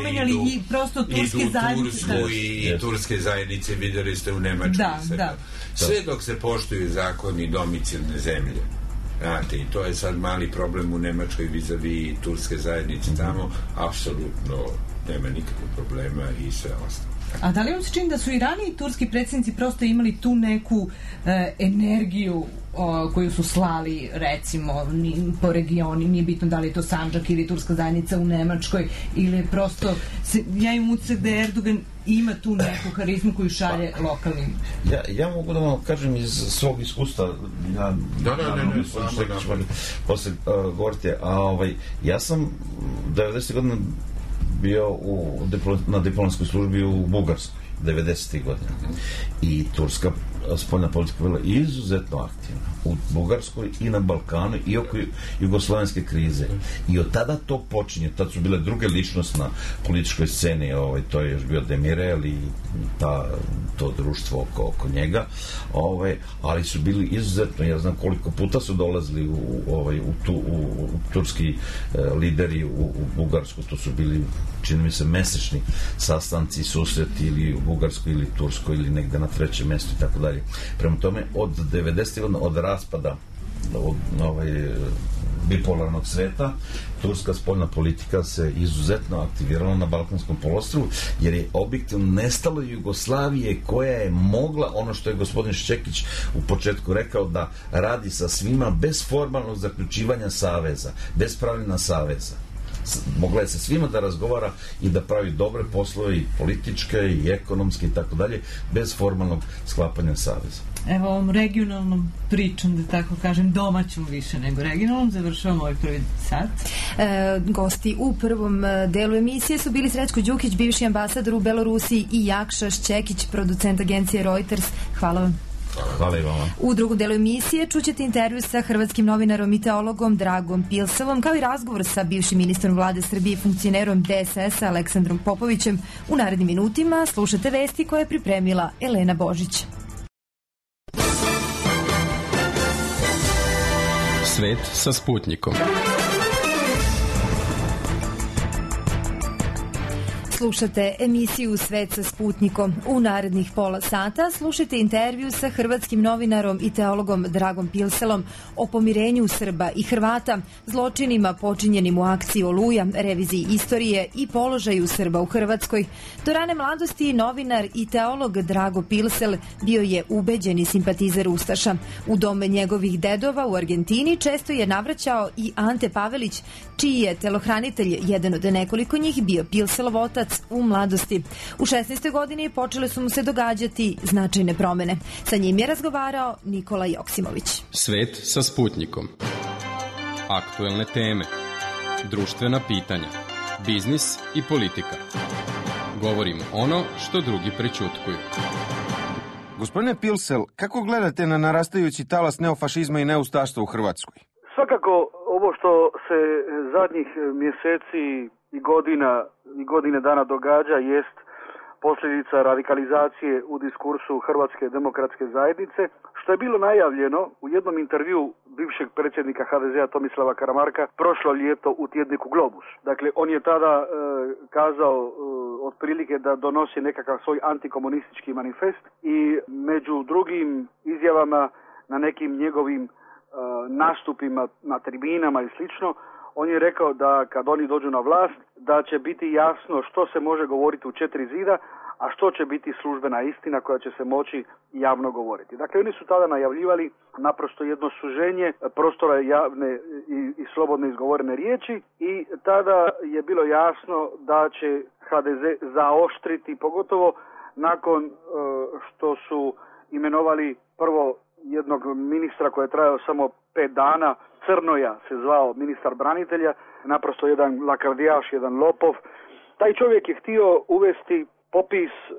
regije idu, i prosto turske idu zajednice. Tursku i, yes. i turske zajednice, vidjeli ste u Nemačkoj. Da, da. Sve dok se poštuju zakoni domicilne zemlje. Znate, i to je sad mali problem u Nemačkoj vis-a-vis turske zajednice tamo, apsolutno nema nikakvog problema i sve ostalo. A da li vam se čini da su i raniji turski predsjednici prosto imali tu neku e, energiju o, koju su slali, recimo, ni, po regioni, nije bitno da li je to Sandžak ili turska zajednica u Nemačkoj, ili prosto, se, ja imam utisak da Erdogan ima tu neku harizmu koju šalje pa, lokalnim. Ja, ja mogu da vam kažem iz svog iskustva, ja, da, da, ne, ne, ne, ne, posle uh, govorite, a ovaj, ja sam devedesetih godina bio u, na diplomatskoj službi u Bugarskoj, devedesetih godina. I turska spoljna politika bila izuzetno aktivna u Bugarskoj i na Balkanu i oko jugoslovenske krize. I od tada to počinje. Tad su bile druge ličnosti na političkoj sceni. Ovaj, to je još bio Demirel i ta, to društvo oko, oko njega. Ovaj, ali su bili izuzetno, ja znam koliko puta su dolazili u, ovaj, u, tu, u, u turski eh, lideri u, u Bugarsku. To su bili, čini mi se, mesečni sastanci, susreti ili u Bugarskoj ili Turskoj ili negde na trećem mjestu i tako dalje. Prema tome, od devedesetih godina, od raspada od ovaj, bipolarnog sveta, turska spoljna politika se izuzetno aktivirala na Balkanskom poluostrvu, jer je objektivno nestalo Jugoslavije koja je mogla, ono što je gospodin Šćekić u početku rekao, da radi sa svima bez formalnog zaključivanja saveza, bez pravljena saveza. Mogla je sa svima da razgovara i da pravi dobre poslove i političke i ekonomske i tako dalje, bez formalnog sklapanja saveza. Evo ovom regionalnom pričom, da tako kažem, domaćom više nego regionalnom, završavamo ovaj prvi sat. E, gosti u prvom delu emisije su bili Srećko Đukić, bivši ambasador u Belorusiji, i Jakša Šćekić, producent agencije Reuters. Hvala vam. Hvala i vama. U drugom delu emisije čućete intervju sa hrvatskim novinarom i teologom Dragom Pilsevom, kao i razgovor sa bivšim ministrom vlade Srbije i funkcionerom D S S-a Aleksandrom Popovićem. U narednim minutima slušate vesti koje je pripremila Elena Božić. Svet sa Sputnikom. Slušate emisiju Svet sa Sputnikom. U narednih pola sata slušajte intervju sa hrvatskim novinarom i teologom Dragom Pilselom o pomirenju Srba i Hrvata, zločinima počinjenim u akciji Oluja, reviziji istorije i položaju Srba u Hrvatskoj. Do rane mladosti novinar i teolog Drago Pilsel bio je ubeđeni simpatizer Ustaša. U dome njegovih dedova u Argentini često je navraćao i Ante Pavelić, čiji je telohranitelj, jedan od nekoliko njih, bio Pilselov otac u mladosti. U šesnaestoj godini počele su mu se događati značajne promene. Sa njim je razgovarao Nikola Joksimović. Svet sa Sputnikom. Aktuelne teme, društvena pitanja, biznis i politika. Govorimo ono što drugi prećutkuju. Gospodine Pilsel, kako gledate na narastajući talas neofašizma i neustaštva u Hrvatskoj? Svakako, ovo što se zadnjih mjeseci i godina i godine dana događa jest posljedica radikalizacije u diskursu Hrvatske demokratske zajednice, što je bilo najavljeno u jednom intervju bivšeg predsjednika H D Z-a Tomislava Karamarka prošlo ljeto u tjedniku Globus. Dakle, on je tada e, kazao e, otprilike da donosi nekakav svoj antikomunistički manifest i među drugim izjavama na nekim njegovim e, nastupima na tribinama i slično, on je rekao da kad oni dođu na vlast, da će biti jasno što se može govoriti u četiri zida, a što će biti službena istina koja će se moći javno govoriti. Dakle, oni su tada najavljivali naprosto jedno suženje prostora javne i, i slobodno izgovorene riječi i tada je bilo jasno da će ha de ze zaoštriti, pogotovo nakon e, što su imenovali prvo jednog ministra koji je trajao samo pet dana, Crnoja se zvao ministar branitelja, naprosto jedan lakardijaš, jedan lopov. Taj čovjek je htio uvesti popis e,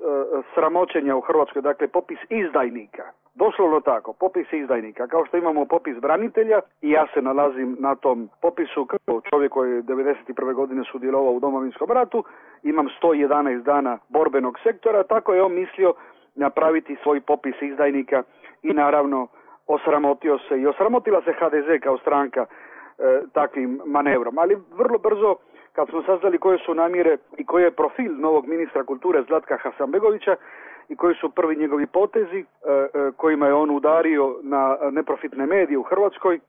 sramoćenja u Hrvatskoj, dakle popis izdajnika. Doslovno tako, popis izdajnika. Kao što imamo popis branitelja i ja se nalazim na tom popisu kao čovjek koji je devedeset prve godine sudjelovao u Domovinskom ratu, imam sto jedanaest dana borbenog sektora, tako je on mislio napraviti svoj popis izdajnika i naravno osramotio se i osramotila se ha de ze kao stranka e, takvim manevrom. Ali vrlo brzo, kad smo saznali koje su namjere i koji je profil novog ministra kulture Zlatka Hasanbegovića i koji su prvi njegovi potezi e, e, kojima je on udario na neprofitne medije u Hrvatskoj e,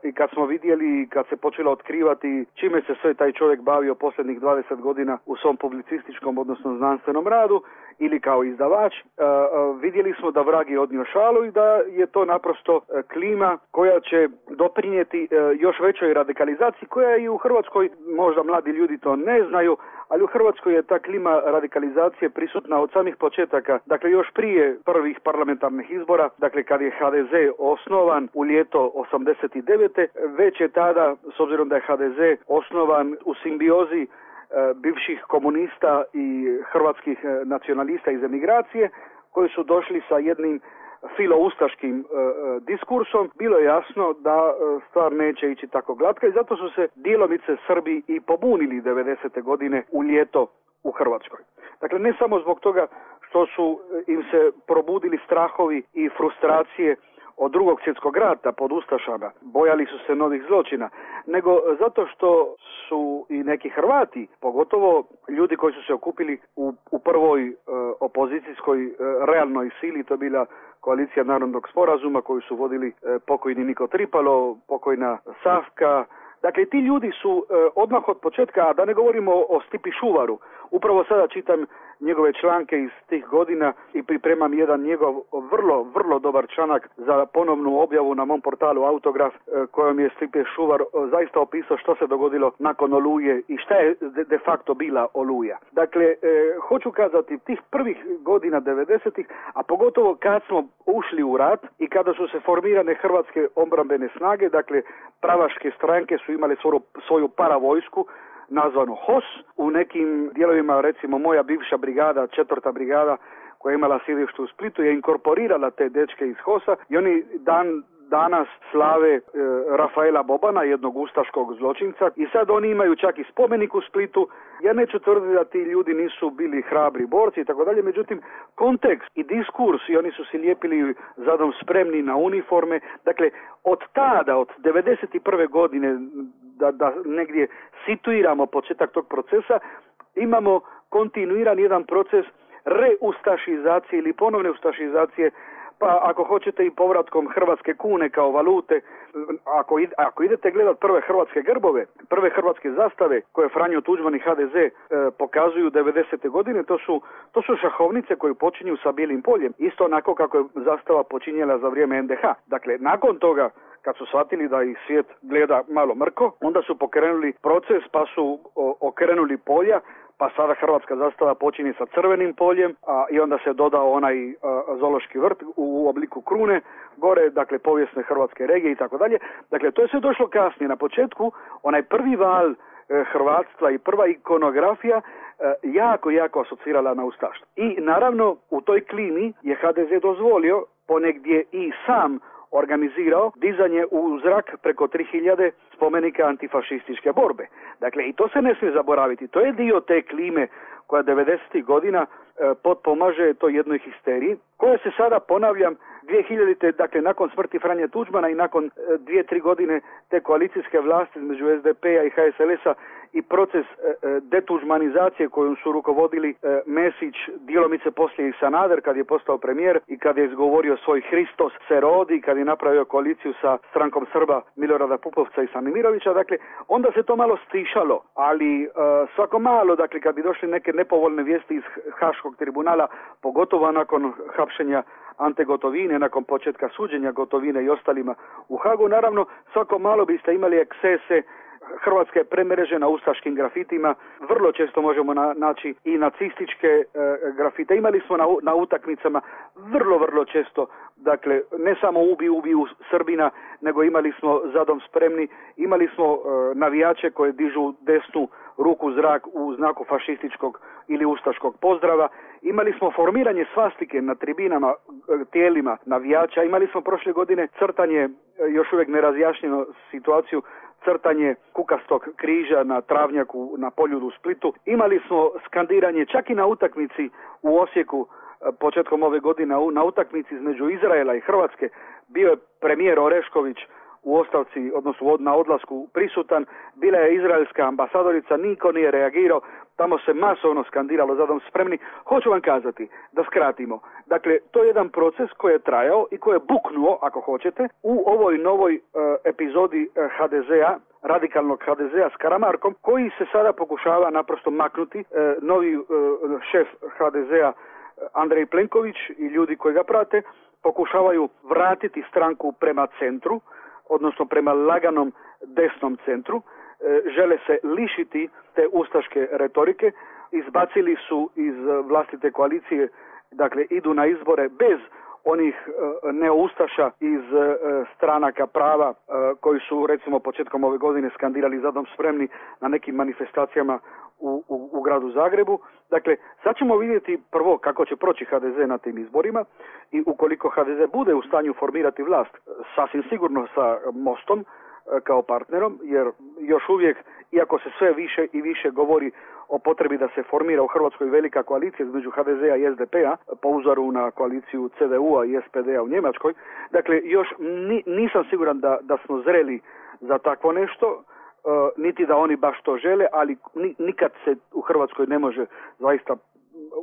i kad smo vidjeli, kad se počelo otkrivati čime se sve taj čovjek bavio posljednjih dvadeset godina u svom publicističkom, odnosno znanstvenom radu ili kao izdavač, e, e, vidjeli smo da vrag je odnio šalu i da je to naprosto e, klima koja će doprinijeti e, još većoj radikalizaciji koja je i u Hrvatskoj, možda mladi ljudi to ne znaju, ali u Hrvatskoj je ta klima radikalizacije prisutna od samih početaka. Dakle, još prije prvih parlamentarnih izbora, dakle kad je ha de ze osnovan u ljeto osamdeset devete već je tada, s obzirom da je ha de ze osnovan u simbiozi e, bivših komunista i hrvatskih e, nacionalista iz emigracije, koji su došli sa jednim filoustaškim e, diskursom, bilo je jasno da e, stvar neće ići tako glatka i zato su se djelomice Srbi i pobunili devedesete godine u ljeto u Hrvatskoj. Dakle, ne samo zbog toga što su im se probudili strahovi i frustracije od drugog svjetskog rata pod ustašama, bojali su se novih zločina, nego zato što su i neki Hrvati, pogotovo ljudi koji su se okupili u, u prvoj e, opozicijskoj e, realnoj sili, to je bila koalicija Narodnog sporazuma koju su vodili e, pokojni Niko Tripalo, pokojna Savka. Dakle, ti ljudi su e, odmah od početka, a da ne govorimo o, o Stipi Šuvaru, upravo sada čitam njegove članke iz tih godina i pripremam jedan njegov vrlo, vrlo dobar članak za ponovnu objavu na mom portalu Autograf, e, kojom je Stipe Šuvar e, zaista opisao što se dogodilo nakon Oluje i šta je de, de facto bila Oluja. Dakle, e, hoću kazati, tih prvih godina devedesetih, a pogotovo kad smo ušli u rat i kada su se formirane hrvatske obrambene snage, dakle, pravaške stranke su imale svoju, svoju paravojsku, nazvanu H O S. U nekim dijelovima, recimo moja bivša brigada, četvrta brigada, koja je imala sjedište u Splitu, je inkorporirala te dečke iz H O S-a i oni dan danas slave e, Rafaela Bobana, jednog ustaškog zločinca, i sad oni imaju čak i spomenik u Splitu. Ja neću tvrditi da ti ljudi nisu bili hrabri borci i tako dalje, međutim kontekst i diskurs, i oni su se lijepili zadom spremni na uniforme. Dakle, od tada, od devedeset prve godine, da, da negdje situiramo početak tog procesa, imamo kontinuiran jedan proces reustašizacije ili ponovne ustašizacije, pa ako hoćete i povratkom hrvatske kune kao valute. Ako, id, ako idete gledat prve hrvatske grbove, prve hrvatske zastave koje Franjo Tuđman i ha de ze e, pokazuju devedesete godine, to su, to su šahovnice koje počinju sa bijelim poljem, isto onako kako je zastava počinjela za vrijeme en de ha. Dakle, nakon toga, kad su shvatili da ih svijet gleda malo mrko, onda su pokrenuli proces pa su o, okrenuli polja, pa sada hrvatska zastava počinje sa crvenim poljem, a i onda se dodao onaj a, zoološki vrt u, u obliku krune, gore, dakle, povijesne hrvatske regije i tako dalje. Dakle, to je sve došlo kasnije. Na početku, onaj prvi val e, hrvatstva i prva ikonografija e, jako, jako asocirala na ustaštvo. I naravno, u toj klimi je ha de ze dozvolio, ponegdje i sam organizirao dizanje u zrak preko tri hiljade spomenika antifašističke borbe. Dakle, i to se ne smije zaboraviti. To je dio te klime koja devedesetih godina e, potpomaže toj jednoj histeriji, koja se sada, ponavljam, dvije hiljadite, dakle, nakon smrti Franje Tuđmana i nakon e, dvije, tri godine te koalicijske vlasti između es de pe a i ha es el es a i proces detuđmanizacije kojom su rukovodili Mesić, djelomice poslije i Sanader kad je postao premijer i kad je izgovorio svoj Hristos se rodi, kad je napravio koaliciju sa strankom Srba Milorada Pupovca i Stanimirovića, dakle onda se to malo stišalo, ali svako malo, dakle kad bi došli neke nepovoljne vijesti iz Haškog tribunala, pogotovo nakon hapšenja Ante Gotovine, nakon početka suđenja Gotovine i ostalima u Hagu, naravno svako malo biste imali ekscese. Hrvatska je premrežena ustaškim grafitima, vrlo često možemo na, naći i nacističke e, grafite. Imali smo na, na utakmicama vrlo, vrlo često, dakle, ne samo ubi, ubi u Srbina, nego imali smo Zadom spremni, imali smo e, navijače koje dižu desnu ruku u zrak u znaku fašističkog ili ustaškog pozdrava. Imali smo formiranje svastike na tribinama, tijelima navijača. Imali smo prošle godine crtanje, još uvijek nerazjašnjeno situaciju, crtanje kukastog križa na travnjaku na Poljudu u Splitu. Imali smo skandiranje čak i na utakmici u Osijeku početkom ove godine, na utakmici između Izraela i Hrvatske. Bio je premijer Orešković u ostavci, odnosno na odlasku prisutan, bila je izraelska ambasadorica, niko nije reagirao, tamo se masovno skandiralo Zadom spremni. Hoću vam kazati, da skratimo, dakle, to je jedan proces koji je trajao i koji je buknuo, ako hoćete, u ovoj novoj uh, epizodi uh, ha de zea, radikalnog ha de zea s Karamarkom, koji se sada pokušava naprosto maknuti. Uh, novi uh, šef ha de zea Andrej Plenković i ljudi koji ga prate pokušavaju vratiti stranku prema centru, odnosno prema laganom desnom centru, žele se lišiti te ustaške retorike, izbacili su iz vlastite koalicije, dakle idu na izbore bez onih neoustaša iz stranaka prava koji su recimo početkom ove godine skandirali Zadom spremni na nekim manifestacijama u, u, u gradu Zagrebu. Dakle, sad ćemo vidjeti prvo kako će proći ha de ze na tim izborima i ukoliko ha de ze bude u stanju formirati vlast, sasvim sigurno sa Mostom kao partnerom, jer još uvijek, iako se sve više i više govori o potrebi da se formira u Hrvatskoj velika koalicija između ha de zea i es de pe a, po uzoru na koaliciju ce de u a i es pe de a u Njemačkoj, dakle, još ni, nisam siguran da, da smo zreli za takvo nešto, Uh, niti da oni baš to žele, ali ni, nikad se u Hrvatskoj ne može zaista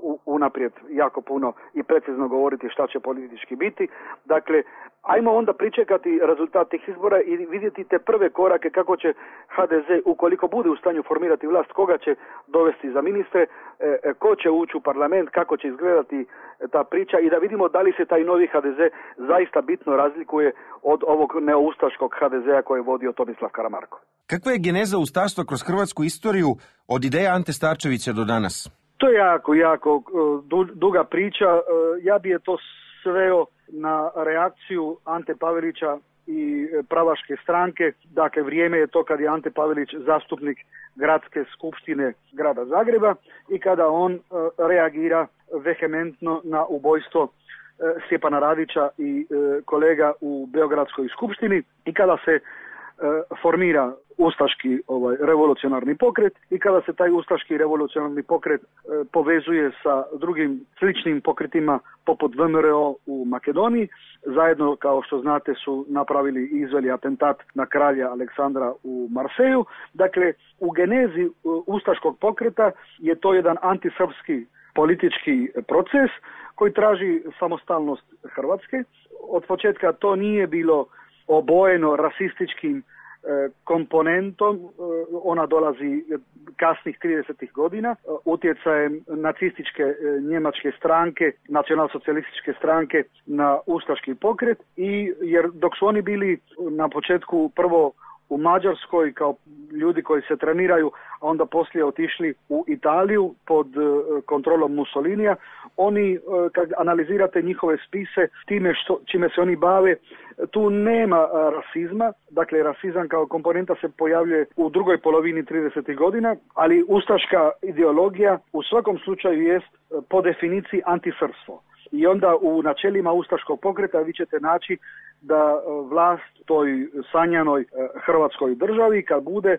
u, unaprijed jako puno i precizno govoriti šta će politički biti. Dakle, ajmo onda pričekati rezultat tih izbora i vidjeti te prve korake kako će ha de ze, ukoliko bude u stanju formirati vlast, koga će dovesti za ministre, e, ko će ući u parlament, kako će izgledati ta priča i da vidimo da li se taj novi ha de ze zaista bitno razlikuje od ovog neoustaškog ha de zea koje je vodio Tomislav Karamarko. Kakva je geneza ustaštva kroz hrvatsku istoriju od ideja Ante Starčevića do danas? To je jako, jako duga priča. Ja bi je to sveo na reakciju Ante Pavelića i pravaške stranke. Dakle, vrijeme je to kad je Ante Pavelić zastupnik gradske skupštine grada Zagreba i kada on reagira vehementno na ubojstvo Stjepana Radića i kolega u Beogradskoj skupštini i kada se formira ustaški ovaj, revolucionarni pokret i kada se taj ustaški revolucionarni pokret e, povezuje sa drugim sličnim pokretima poput ve em er o u Makedoniji, zajedno kao što znate su napravili i izveli atentat na kralja Aleksandra u Marseju. Dakle, u genezi e, ustaškog pokreta je to jedan antisrpski politički proces koji traži samostalnost Hrvatske. Od početka to nije bilo obojeno rasističkim e, komponentom, e, ona dolazi kasnih tridesetih godina, e, utjecajem nacističke e, njemačke stranke, nacionalsocijalističke stranke na ustaški pokret i jer dok su oni bili na početku prvo u Mađarskoj kao ljudi koji se treniraju, a onda poslije otišli u Italiju pod kontrolom Mussolinija. Oni, kad analizirate njihove spise, time što, čime se oni bave, tu nema rasizma. Dakle, rasizam kao komponenta se pojavljuje u drugoj polovini tridesetih godina, ali ustaška ideologija u svakom slučaju jest po definiciji antisrpstvo. I onda u načelima ustaškog pokreta vi ćete naći da vlast toj sanjanoj hrvatskoj državi kad bude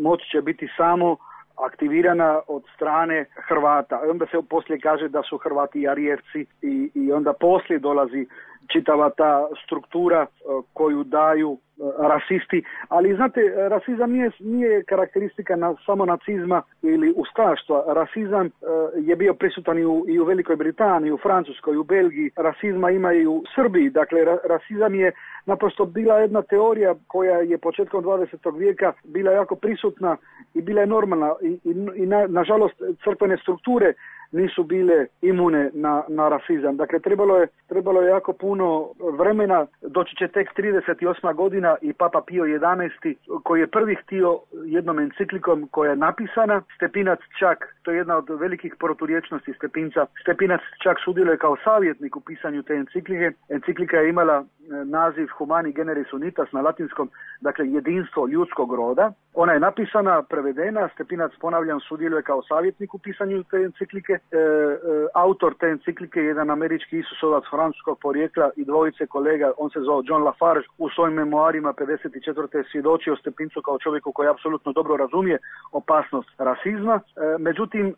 moći će biti samo aktivirana od strane Hrvata. Onda se poslije kaže da su Hrvati i Arijevci i, i onda poslije dolazi čitava ta struktura koju daju rasisti, ali znate, rasizam nije, nije karakteristika na, samo nacizma ili ustaštva. Rasizam je bio prisutan i u, i u Velikoj Britaniji, u Francuskoj, u Belgiji, rasizma ima i u Srbiji, dakle ra, rasizam je naprosto bila jedna teorija koja je početkom dvadesetog vijeka bila jako prisutna i bila je normalna i, i, i na, nažalost crkvene strukture nisu bile imune na, na rasizam. Dakle, trebalo je, trebalo je jako puno vremena, doći će tek trideset osma godina i Papa Pio jedanaesti koji je prvi htio jednom enciklikom koja je napisana, Stepinac čak, to je jedna od velikih proturječnosti Stepinca, Stepinac čak sudjeluje kao savjetnik u pisanju te enciklike. Enciklika je imala naziv Humani Generis Unitas na latinskom, dakle jedinstvo ljudskog roda. Ona je napisana, prevedena, Stepinac, ponavljam, sudjeluje kao savjetnik u pisanju te enciklike. E, e, autor te enciklike je jedan američki Isusovac francuskog porijekla i dvojice kolega, on se zvao John Lafarge, u svojim memoarima pedeset četvrte svjedočio Stepincu kao čovjeku koji apsolutno dobro razumije opasnost rasizma. E, međutim, e,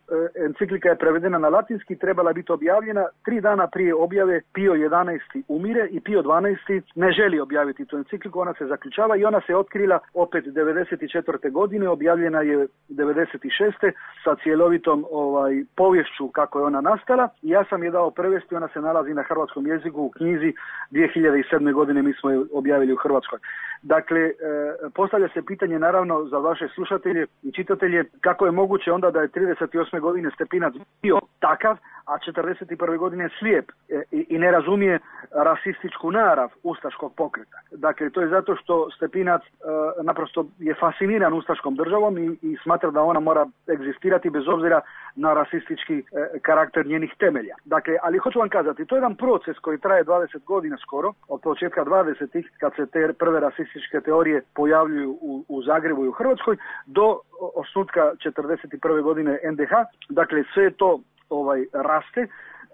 enciklika je prevedena na latinski, trebala biti objavljena. Tri dana prije objave Pio jedanaesti umire i Pio dvanaesti ne želi objaviti tu encikliku, ona se zaključava i ona se otkrila opet devedeset četvrte godine, objavljena je devedeset šeste sa cjelovitom ovaj, povješću kako je ona nastala. I ja sam je dao prevesti, ona se nalazi na hrvatskom jeziku u knjizi dvije hiljade sedme godine, mi smo je objavili u Hrvatskoj. Dakle, e, postavlja se pitanje naravno za vaše slušatelje i čitatelje kako je moguće onda da je trideset osme godine Stepinac bio takav, a četrdeset prve godine slijep e, i, i ne razumije rasističku narav ustaškog pokreta. Dakle, to je zato što Stepinac e, naprosto je fasciniran ustaškom državom i, i smatra da ona mora egzistirati bez obzira na rasistički e, karakter njenih temelja. Dakle, ali hoću vam kazati, to je jedan proces koji traje dvadeset godina skoro, od početka dvadesetih, kad se te prve rasističke teorije pojavljuju u, u Zagrebu i u Hrvatskoj, do osnutka četrdeset prve godine en de ha. Dakle, sve to ovaj raste. E,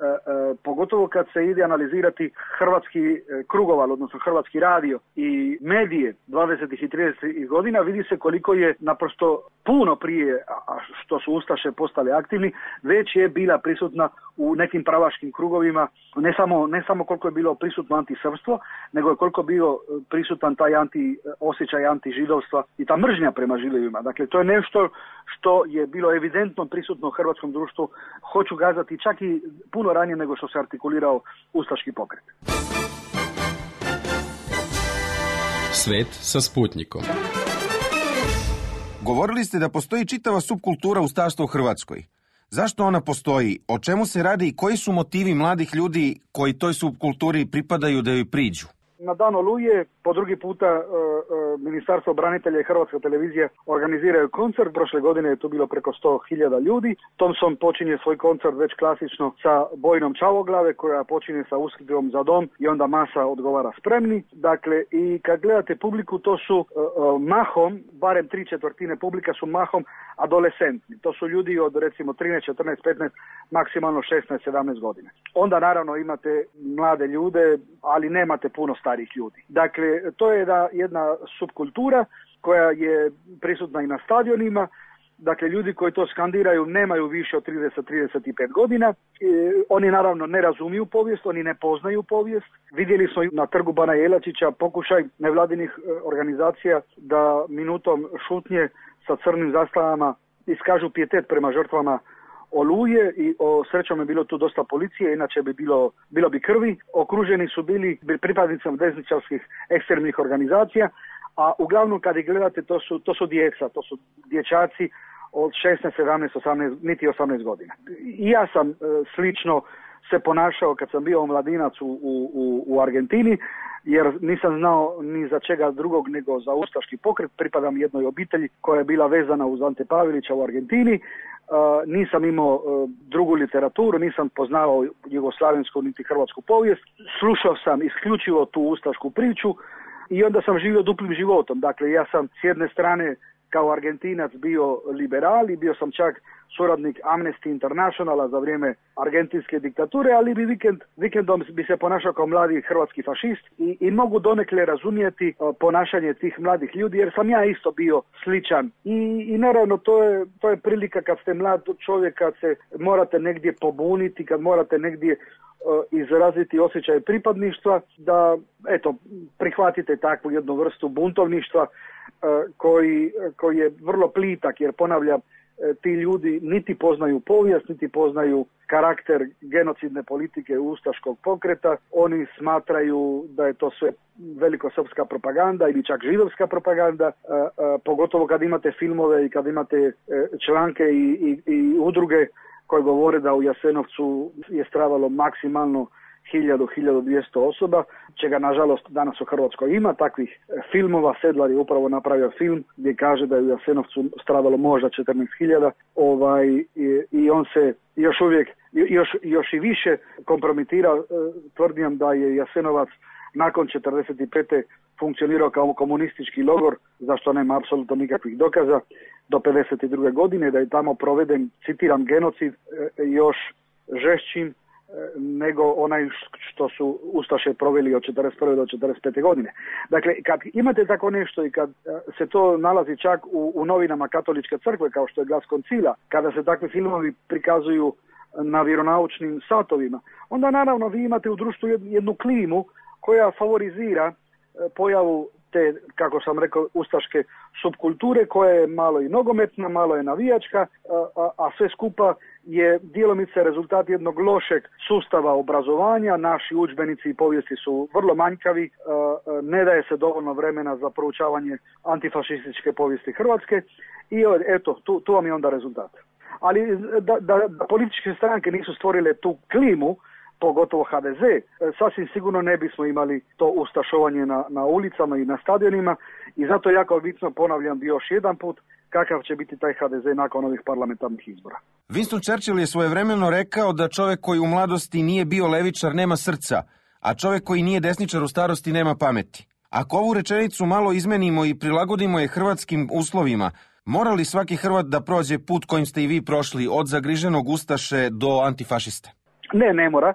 e, pogotovo kad se ide analizirati hrvatski e, krugoval, odnosno hrvatski radio i medije dvadesetih i tridesetih godina, vidi se koliko je naprosto puno prije, a što su ustaše postale aktivni, već je bila prisutna u nekim pravaškim krugovima, ne samo, ne samo koliko je bilo prisutno antisrpstvo, nego je koliko bio prisutan taj anti, osjećaj antižidovstva i ta mržnja prema židovima. Dakle, to je nešto što je bilo evidentno prisutno u hrvatskom društvu, hoću kazati čak i puno ranije nego što se artikulirao ustaški pokret. Svet sa Sputnikom. Govorili ste da postoji čitava subkultura ustaštva u Hrvatskoj. Zašto ona postoji? O čemu se radi i koji su motivi mladih ljudi koji toj subkulturi pripadaju da joj priđu? Na dan Oluje, po drugi puta e, e, Ministarstvo branitelja i Hrvatska televizija organiziraju koncert. Prošle godine je to bilo preko sto hiljada ljudi. Thompson počinje svoj koncert već klasično sa Bojnom Čavoglave koja počinje sa usklikom Za dom i onda masa odgovara Spremni. Dakle, i kad gledate publiku, to su e, e, mahom, barem tri četvrtine publika su mahom adolescentni. To su ljudi od recimo trinaest, četrnaest, petnaest, maksimalno šesnaest, sedamnaest godina. Onda naravno imate mlade ljude, ali nemate puno starih ljudi. Dakle, to je jedna, jedna subkultura koja je prisutna i na stadionima. Dakle, ljudi koji to skandiraju nemaju više od trideset do trideset pet godina. E, oni naravno ne razumiju povijest, oni ne poznaju povijest. Vidjeli smo na trgu Bana Jelačića pokušaj nevladinih organizacija da minutom šutnje sa crnim zastavama iskažu pijetet prema žrtvama Oluje i o, srećom je bilo tu dosta policije, inače bi bilo, bilo bi krvi. Okruženi su bili pripadnicom desničarskih ekstremnih organizacija, a uglavnom kad ih gledate to su, to su djeca, to su dječaci od šesnaest, sedamnaest, osamnaest, niti osamnaest godina. I ja sam e, slično se ponašao kad sam bio mladinac u, u, u Argentini, jer nisam znao ni za čega drugog nego za ustaški pokret. Pripadam jednoj obitelji koja je bila vezana uz Ante Pavelića u Argentini. Uh, nisam imao uh, drugu literaturu, nisam poznavao jugoslavensku niti hrvatsku povijest. Slušao sam isključivo tu ustašku priču i onda sam živio duplim životom. Dakle, ja sam s jedne strane kao Argentinac bio liberal i bio sam čak suradnik Amnesty Internationala za vrijeme argentinske diktature, ali bi vikend, vikendom bi se ponašao kao mladi hrvatski fašist i, i mogu donekle razumjeti ponašanje tih mladih ljudi, jer sam ja isto bio sličan. I, i naravno to je, to je prilika kad ste mlad čovjek, kad se morate negdje pobuniti, kad morate negdje izraziti osjećaj pripadništva, da eto prihvatite takvu jednu vrstu buntovništva koji, koji je vrlo plitak, jer ponavljam, ti ljudi niti poznaju povijest, niti poznaju karakter genocidne politike ustaškog pokreta. Oni smatraju da je to sve velikosrpska propaganda ili čak židovska propaganda, a, a, pogotovo kad imate filmove i kad imate članke i, i, i udruge koje govore da u Jasenovcu je stradalo maksimalno hiljadu, hiljadu dvjesto osoba, čega nažalost danas u Hrvatskoj ima takvih filmova. Sedlar je upravo napravio film gdje kaže da je u Jasenovcu stradalo možda četrnaest hiljada, ovaj, i, i on se još uvijek, još, još i više kompromitira tvrdnjom da je Jasenovac nakon četrdeset pete funkcionirao kao komunistički logor, za što nema apsolutno nikakvih dokaza, do pedeset druge godine, da je tamo proveden, citiram, genocid još žešćim nego onaj što su ustaše proveli od četrdeset prve do četrdeset pete godine. Dakle, kad imate tako nešto i kad se to nalazi čak u, u novinama Katoličke crkve, kao što je Glas koncila, kada se takvi filmovi prikazuju na vjeronaučnim satovima, onda naravno vi imate u društvu jednu klimu koja favorizira pojavu te, kako sam rekao, ustaške subkulture, koja je malo i nogometna, malo je navijačka, a, a, a sve skupa je djelomice rezultat jednog lošeg sustava obrazovanja. Naši udžbenici i povijesti su vrlo manjkavi, a, a, ne daje se dovoljno vremena za proučavanje antifašističke povijesti Hrvatske i eto, tu, tu vam je onda rezultat. Ali da, da, da političke stranke nisu stvorile tu klimu, pogotovo ha de ze, sasvim sigurno ne bismo imali to ustašovanje na, na ulicama i na stadionima i zato jako bitno, ponavljam još jedan put, kakav će biti taj ha de ze nakon ovih parlamentarnih izbora. Winston Churchill je svojevremeno rekao da čovjek koji u mladosti nije bio levičar nema srca, a čovjek koji nije desničar u starosti nema pameti. Ako ovu rečenicu malo izmenimo i prilagodimo je hrvatskim uslovima, mora li svaki Hrvat da prođe put kojim ste i vi prošli, od zagriženog ustaše do antifašiste? Ne, ne mora.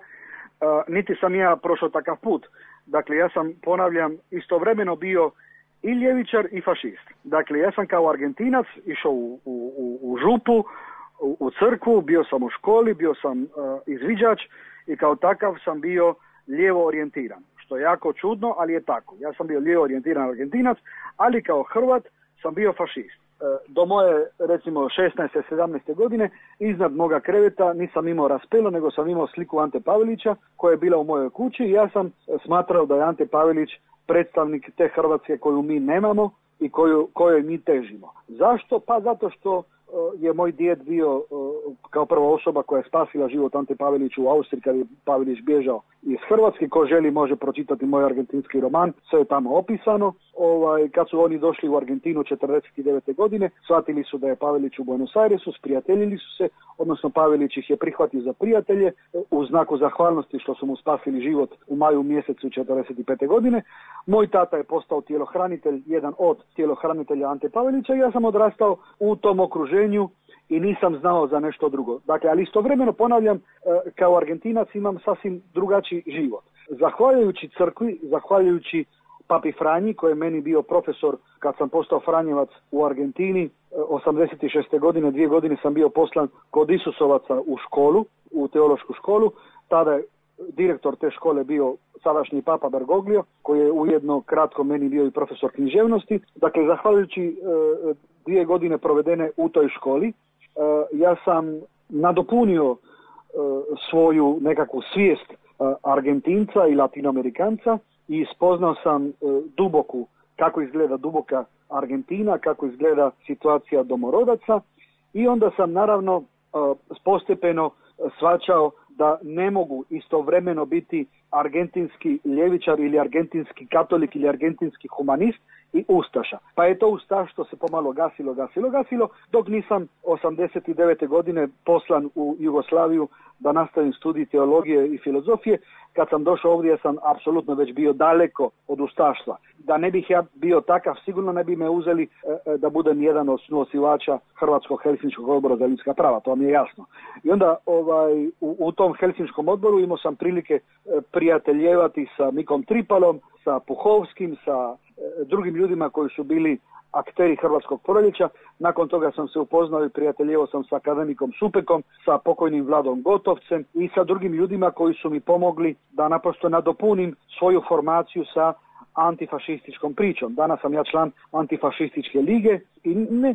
Uh, niti sam ja prošao takav put. Dakle, ja sam, ponavljam, istovremeno bio i ljevičar i fašist. Dakle, ja sam kao Argentinac išao u, u, u župu, u, u crkvu, bio sam u školi, bio sam uh, izviđač i kao takav sam bio lijevo orijentiran. Što je jako čudno, ali je tako. Ja sam bio lijevo orijentiran Argentinac, ali kao Hrvat sam bio fašist. Do moje, recimo, šesnaeste sedamnaeste godine, iznad moga kreveta nisam imao raspelo, nego sam imao sliku Ante Pavelića koja je bila u mojoj kući i ja sam smatrao da je Ante Pavelić predstavnik te Hrvatske koju mi nemamo i koju, kojoj mi težimo. Zašto? Pa zato što je moj djed bio kao prva osoba koja je spasila život Ante Paveliću u Austriji kad je Pavelić bježao iz Hrvatske. Ko želi može pročitati moj argentinski roman, sve je tamo opisano. Ovaj, kad su oni došli u Argentinu četrdeset devete godine, shvatili su da je Pavelić u Buenos Airesu, sprijateljili su se, odnosno Pavelić ih je prihvatio za prijatelje u znaku zahvalnosti što su mu spasili život u maju mjesecu četrdeset pete godine. Moj tata je postao tjelohranitelj, jedan od tjelohranitelja Ante Pavelića i ja sam odrastao u tom okruženju i nisam znao za nešto drugo. Dakle, ali istovremeno ponavljam, kao Argentinac imam sasvim drugačiji život. Zahvaljujući crkvi, zahvaljujući Papi Franji, koji je meni bio profesor kad sam postao Franjevac u Argentini, osamdeset šeste godine, dvije godine sam bio poslan kod Isusovaca u školu, u teološku školu. Tada je direktor te škole bio sadašnji Papa Bergoglio, koji je ujedno kratko meni bio i profesor književnosti. Dakle, zahvaljujući e, dvije godine provedene u toj školi, e, ja sam nadopunio e, svoju nekakvu svijest e, Argentinca i Latinoamerikanca i spoznao sam e, duboku, kako izgleda duboka Argentina, kako izgleda situacija domorodaca i onda sam naravno e, postepeno shvaćao da ne mogu istovremeno biti argentinski ljevičar ili argentinski katolik ili argentinski humanist i ustaša. Pa je to ustaštvo se pomalo gasilo, gasilo, gasilo, dok nisam osamdeset devete godine poslan u Jugoslaviju da nastavim studij teologije i filozofije. Kad sam došao ovdje, ja sam apsolutno već bio daleko od ustaštva. Da ne bih ja bio takav, sigurno ne bi me uzeli e, da budem jedan od suosivača Hrvatskog Helsinškog odbora za ljudska prava, to mi je jasno. I onda ovaj, u, u tom Helsinškom odboru imao sam prilike e, prijateljevati sa Mikom Tripalom, sa Puhovskim, sa e, drugim ljudima koji su bili akteri Hrvatskog proljeća. Nakon toga sam se upoznao i prijateljevao sam sa akademikom Supekom, sa pokojnim Vladom Gotovcem i sa drugim ljudima koji su mi pomogli da naprosto nadopunim svoju formaciju sa antifašističkom pričom. Danas sam ja član antifašističke lige i ne,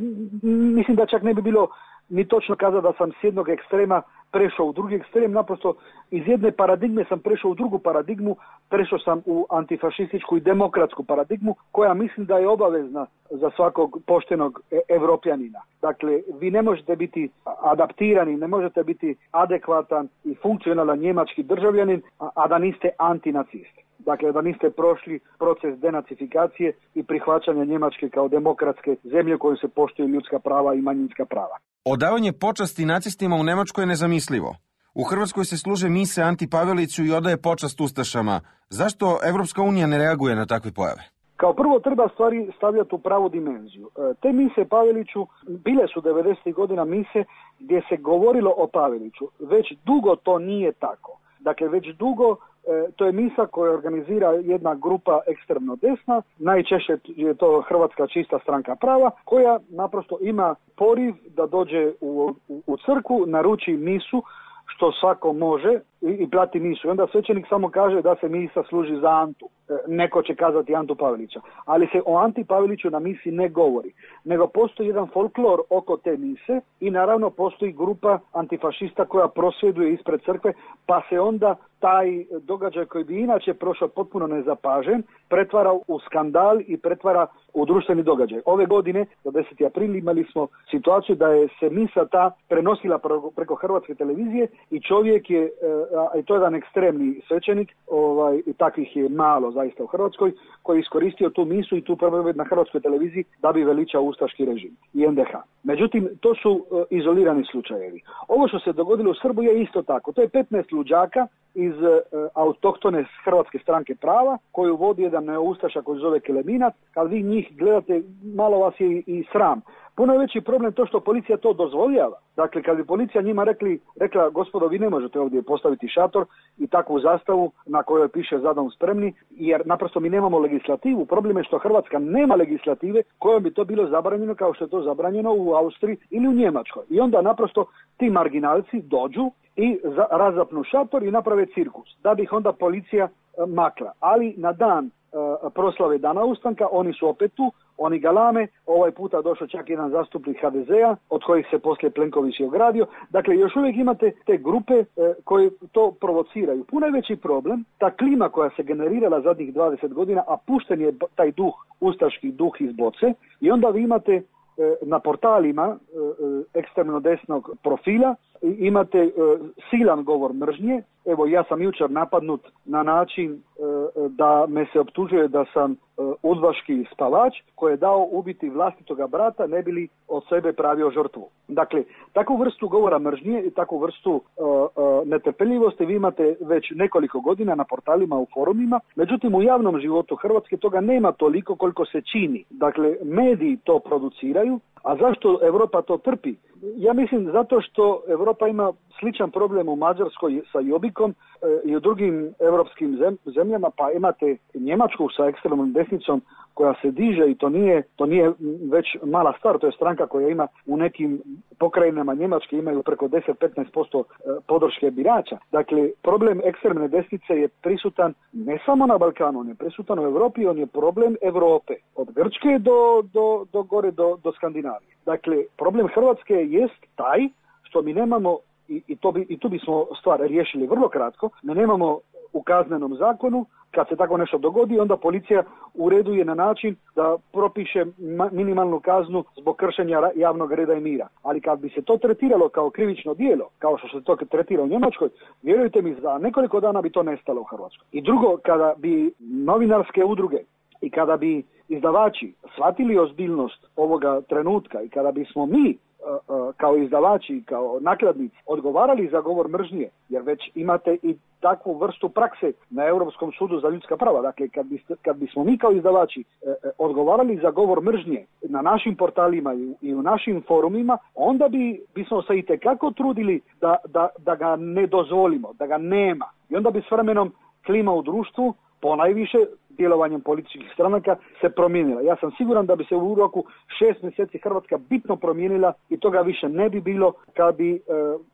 mislim da čak ne bi bilo ni točno kazati da sam s jednog ekstrema prešao u drugi ekstrem, naprosto iz jedne paradigme sam prešao u drugu paradigmu, prešao sam u antifašističku i demokratsku paradigmu, koja mislim da je obavezna za svakog poštenog evropljanina. Dakle, vi ne možete biti adaptirani, ne možete biti adekvatan i funkcionalan njemački državljanin, a, a da niste antinacist. Dakle, da niste prošli proces denacifikacije i prihvaćanja Njemačke kao demokratske zemlje u kojoj se poštuju ljudska prava i manjinska prava. Odavanje počasti nacistima u Nemačkoj je nezamislivo. U Hrvatskoj se služe mise Anti Paveliću i odaje počast ustašama. Zašto Evropska unija ne reaguje na takve pojave? Kao prvo treba stvari stavljati u pravu dimenziju. Te mise Paveliću bile su devedesetih godina mise gdje se govorilo o Paveliću. Već dugo to nije tako. Dakle, već dugo e, to je misa koju organizira jedna grupa ekstremno desna, najčešće je to Hrvatska čista stranka prava, koja naprosto ima poriv da dođe u, u, u crkvu, naruči misu, što svako može i, i plati misu. I onda svećenik samo kaže da se misa služi za Antu. E, neko će kazati Antu Pavelića. Ali se o Anti Paveliću na misi ne govori. Nego postoji jedan folklor oko te mise i naravno postoji grupa antifašista koja prosvjeduje ispred crkve, pa se onda taj događaj koji bi inače prošao potpuno nezapažen pretvara u skandal i pretvara u društveni događaj. Ove godine, do deseti april, imali smo situaciju da je se misa ta prenosila preko Hrvatske televizije i čovjek je, a to je jedan ekstremni svećenik, ovaj, i takvih je malo zaista u Hrvatskoj, koji je iskoristio tu misu i tu propovjed na Hrvatskoj televiziji da bi veličao ustaški režim i en de ha. Međutim, to su uh, izolirani slučajevi. Ovo što se dogodilo u Srbiji je isto tako. To je petnaest luđaka iz uh, autohtone Hrvatske stranke prava, koju vodi jedan ustaša koji zove Keleminac. Kad vi njih gledate, malo vas je i, i sram. Puno je veći problem to što policija to dozvoljava. Dakle, kad bi policija njima rekli, rekla, gospodo, vi ne možete ovdje postaviti šator i takvu zastavu na kojoj piše za dom spremni, jer naprosto mi nemamo legislativu. Problem je što Hrvatska nema legislative kojom bi to bilo zabranjeno kao što je to zabranjeno u Austriji ili u Njemačkoj. I onda naprosto ti marginalci dođu i za, razapnu šator i naprave cirkus, da bi ih onda policija e, makla. Ali na dan e, proslave Dana ustanka oni su opet tu, oni galame, ovaj puta došao čak jedan zastupnik ha de zea, od kojih se poslije Plenković je ogradio. Dakle, još uvijek imate te grupe e, koje to provociraju. Puno je veći problem, ta klima koja se generirala zadnjih dvadeset godina, a pušten je taj duh, ustaški duh iz boce, i onda vi imate e, na portalima e, ekstremno desnog profila, imate e, silan govor mržnje. Evo, ja sam jučer napadnut na način e, da me se optužuje da sam e, udbaški spavač koji je dao ubiti vlastitoga brata ne bi li od sebe pravio žrtvu. Dakle, takvu vrstu govora mržnje i takvu vrstu e, e, netrpeljivosti vi imate već nekoliko godina na portalima, u forumima. Međutim, u javnom životu Hrvatske toga nema toliko koliko se čini. Dakle, mediji to produciraju. A zašto Europa to trpi? Ja mislim zato što Europa ima sličan problem u Mađarskoj sa Jobikom e, i u drugim europskim zem, zemljama, pa imate Njemačku sa ekstremnom desnicom koja se diže i to nije, to nije već mala stvar, to je stranka koja ima u nekim pokrajinama Njemačke imaju preko deset do petnaest posto podrške birača. Dakle, problem ekstremne desnice je prisutan ne samo na Balkanu, on je prisutan u Europi, on je problem Europe, od Grčke do, do, do gore do, do Skandinavije. Dakle, problem Hrvatske jest taj što mi nemamo, i, i, to bi, i tu bismo stvar riješili vrlo kratko, mi nemamo u kaznenom zakonu. Kad se tako nešto dogodi, onda policija ureduje na način da propiše minimalnu kaznu zbog kršenja javnog reda i mira. Ali kad bi se to tretiralo kao krivično djelo, kao što se to tretira u Njemačkoj, vjerujte mi, za nekoliko dana bi to nestalo u Hrvatskoj. I drugo, kada bi novinarske udruge i kada bi izdavači shvatili ozbiljnost ovoga trenutka i kada bismo mi kao izdavači, kao nakladnici odgovarali za govor mržnje, jer već imate i takvu vrstu prakse na Europskom sudu za ljudska prava. Dakle, kad, bi, kad bismo mi kao izdavači e, odgovarali za govor mržnje na našim portalima i, i u našim forumima, onda bi bismo se itekako trudili da, da, da ga ne dozvolimo, da ga nema. I onda bi s vremenom klima u društvu, ponajviše djelovanjem političkih stranaka, se promijenila. Ja sam siguran da bi se u roku šest mjeseci Hrvatska bitno promijenila i toga više ne bi bilo kad bi e,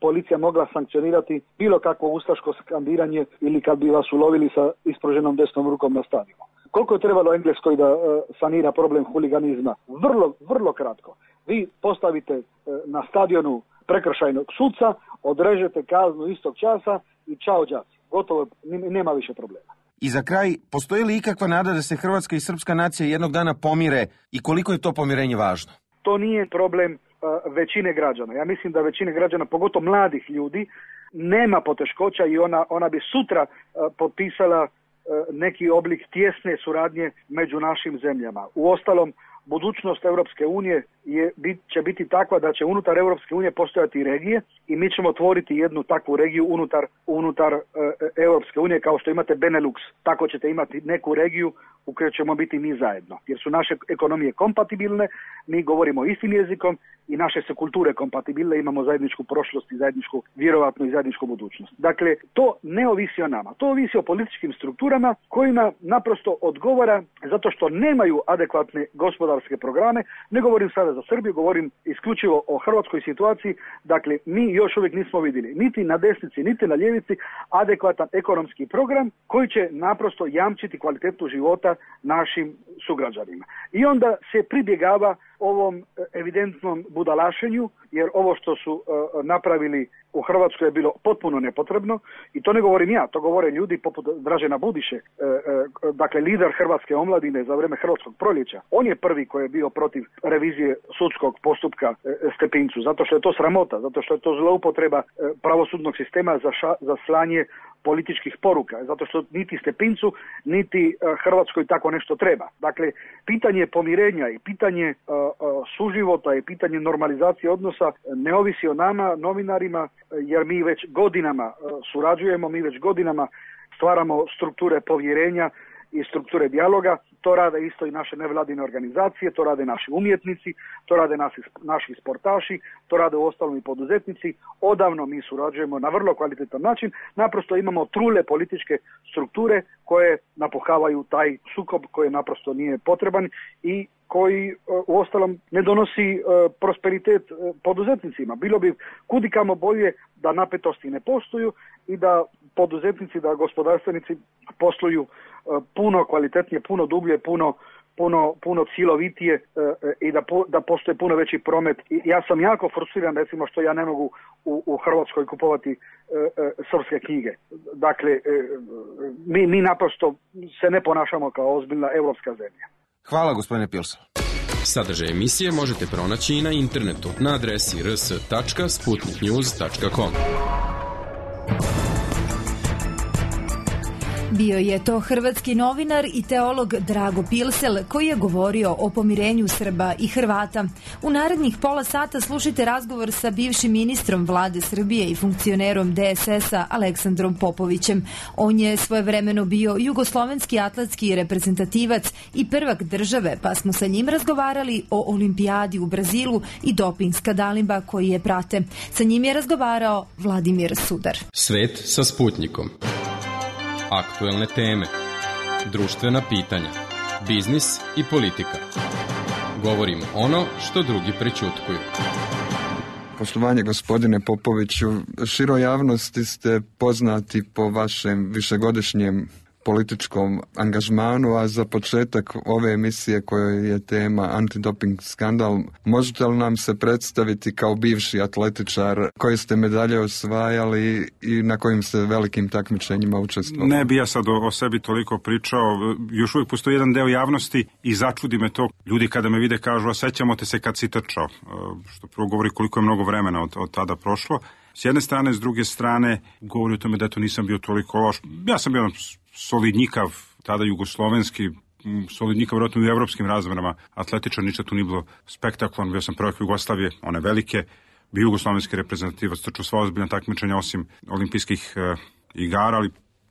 policija mogla sankcionirati bilo kakvo ustaško skandiranje ili kad bi vas ulovili sa ispruženom desnom rukom na stadionu. Koliko je trebalo Engleskoj da e, sanira problem huliganizma? Vrlo, vrlo kratko. Vi postavite e, na stadionu prekršajnog suca, odrežete kaznu istog časa i čao đaci. Gotovo, nema više problema. I za kraj, postoji li ikakva nada da se hrvatska i srpska nacija jednog dana pomire i koliko je to pomirenje važno? To nije problem uh, većine građana. Ja mislim da većine građana, pogotovo mladih ljudi, nema poteškoća i ona, ona bi sutra uh, potpisala uh, neki oblik tjesne suradnje među našim zemljama. Uostalom, budućnost Europske unije je, bit, će biti takva da će unutar Europske unije postojati regije i mi ćemo otvoriti jednu takvu regiju unutar, unutar e, Europske unije, kao što imate Benelux, tako ćete imati neku regiju u kojoj ćemo biti mi zajedno. Jer su naše ekonomije kompatibilne, mi govorimo istim jezikom i naše su kulture kompatibilne, imamo zajedničku prošlost i zajedničku, vjerovatno i zajedničku budućnost. Dakle, to ne ovisi o nama, to ovisi o političkim strukturama kojima naprosto odgovara zato što nemaju adekvatne gospodarske programe. Ne govorim sada za Srbiju, govorim isključivo o hrvatskoj situaciji. Dakle, mi još uvijek nismo vidjeli niti na desnici, niti na ljevici adekvatan ekonomski program koji će naprosto jamčiti kvalitetu života našim sugrađanima. I onda se pribjegava ovom evidentnom budalašenju, jer ovo što su uh, napravili u Hrvatskoj je bilo potpuno nepotrebno i to ne govorim ja, to govore ljudi poput Dražena Budiše, uh, uh, dakle lider hrvatske omladine za vrijeme hrvatskog proljeća. On je prvi koji je bio protiv revizije sudskog postupka uh, Stepincu, zato što je to sramota, zato što je to zloupotreba uh, pravosudnog sistema za, ša, za slanje političkih poruka, zato što niti Stepincu, niti uh, Hrvatskoj tako nešto treba. Dakle, pitanje pomirenja i pitanje uh, uh, suživota i pitanje normalizacije odnosa ne ovisi o nama, novinarima, jer mi već godinama uh, surađujemo, mi već godinama stvaramo strukture povjerenja i strukture dijaloga. To rade isto i naše nevladine organizacije, to rade naši umjetnici, to rade naši, naši sportaši, to rade uostalom i poduzetnici. Odavno mi surađujemo na vrlo kvalitetan način, naprosto imamo trule političke strukture koje napuhavaju taj sukob koji naprosto nije potreban i koji uostalom ne donosi prosperitet poduzetnicima. Bilo bi kudikamo bolje da napetosti ne postoju i da poduzetnici, da gospodarstvenici posluju puno kvalitetnije, puno dublje, puno puno puno cjelovitije e, i da po, da postoji puno veći promet. I ja sam jako frustriran recimo što ja ne mogu u, u Hrvatskoj kupovati e, e, srpske knjige. Dakle, e, mi, mi naprosto se ne ponašamo kao ozbiljna europska zemlja. Hvala, gospodine Pilson. Sadržaj emisije možete pronaći i na internetu na adresi r s tačka sputnik news tačka com. Bio je to hrvatski novinar i teolog Drago Pilsel koji je govorio o pomirenju Srba i Hrvata. U narednih pola sata slušajte razgovor sa bivšim ministrom vlade Srbije i funkcionerom de es es a Aleksandrom Popovićem. On je svojevremeno bio jugoslovenski atletski reprezentativac i prvak države, pa smo sa njim razgovarali o olimpijadi u Brazilu i doping skandalima koji je prate. Sa njim je razgovarao Vladimir Sudar. Svet sa Sputnikom. Aktuelne teme, društvena pitanja, biznis i politika. Govorimo ono što drugi prećutkuju. Poštovanje gospodine Popoviću, široj javnosti ste poznati po vašem višegodišnjem političkom angažmanu, a za početak ove emisije kojoj je tema antidoping skandal, možete li nam se predstaviti kao bivši atletičar, koje ste medalje osvajali i na kojim ste velikim takmičenjima učestvovali? Ne bi ja sad o, o sebi toliko pričao, još uvijek postoji jedan deo javnosti i začudi me to. Ljudi kada me vide kažu, osjećamo te se kad si trčao, što prvo govori koliko je mnogo vremena od, od tada prošlo. S jedne strane, s druge strane, govori o tome da to nisam bio toliko loš. Ja sam bio solidnjikav, tada jugoslovenski, solidnjikav vjerojatno u evropskim razmerama, atletičar, ništa tu nije bilo spektakularno. Bio sam prvak Jugoslavije, one velike, bio jugoslovenski reprezentativac, trčao sva ozbiljna takmičenja osim olimpijskih e, igara, ali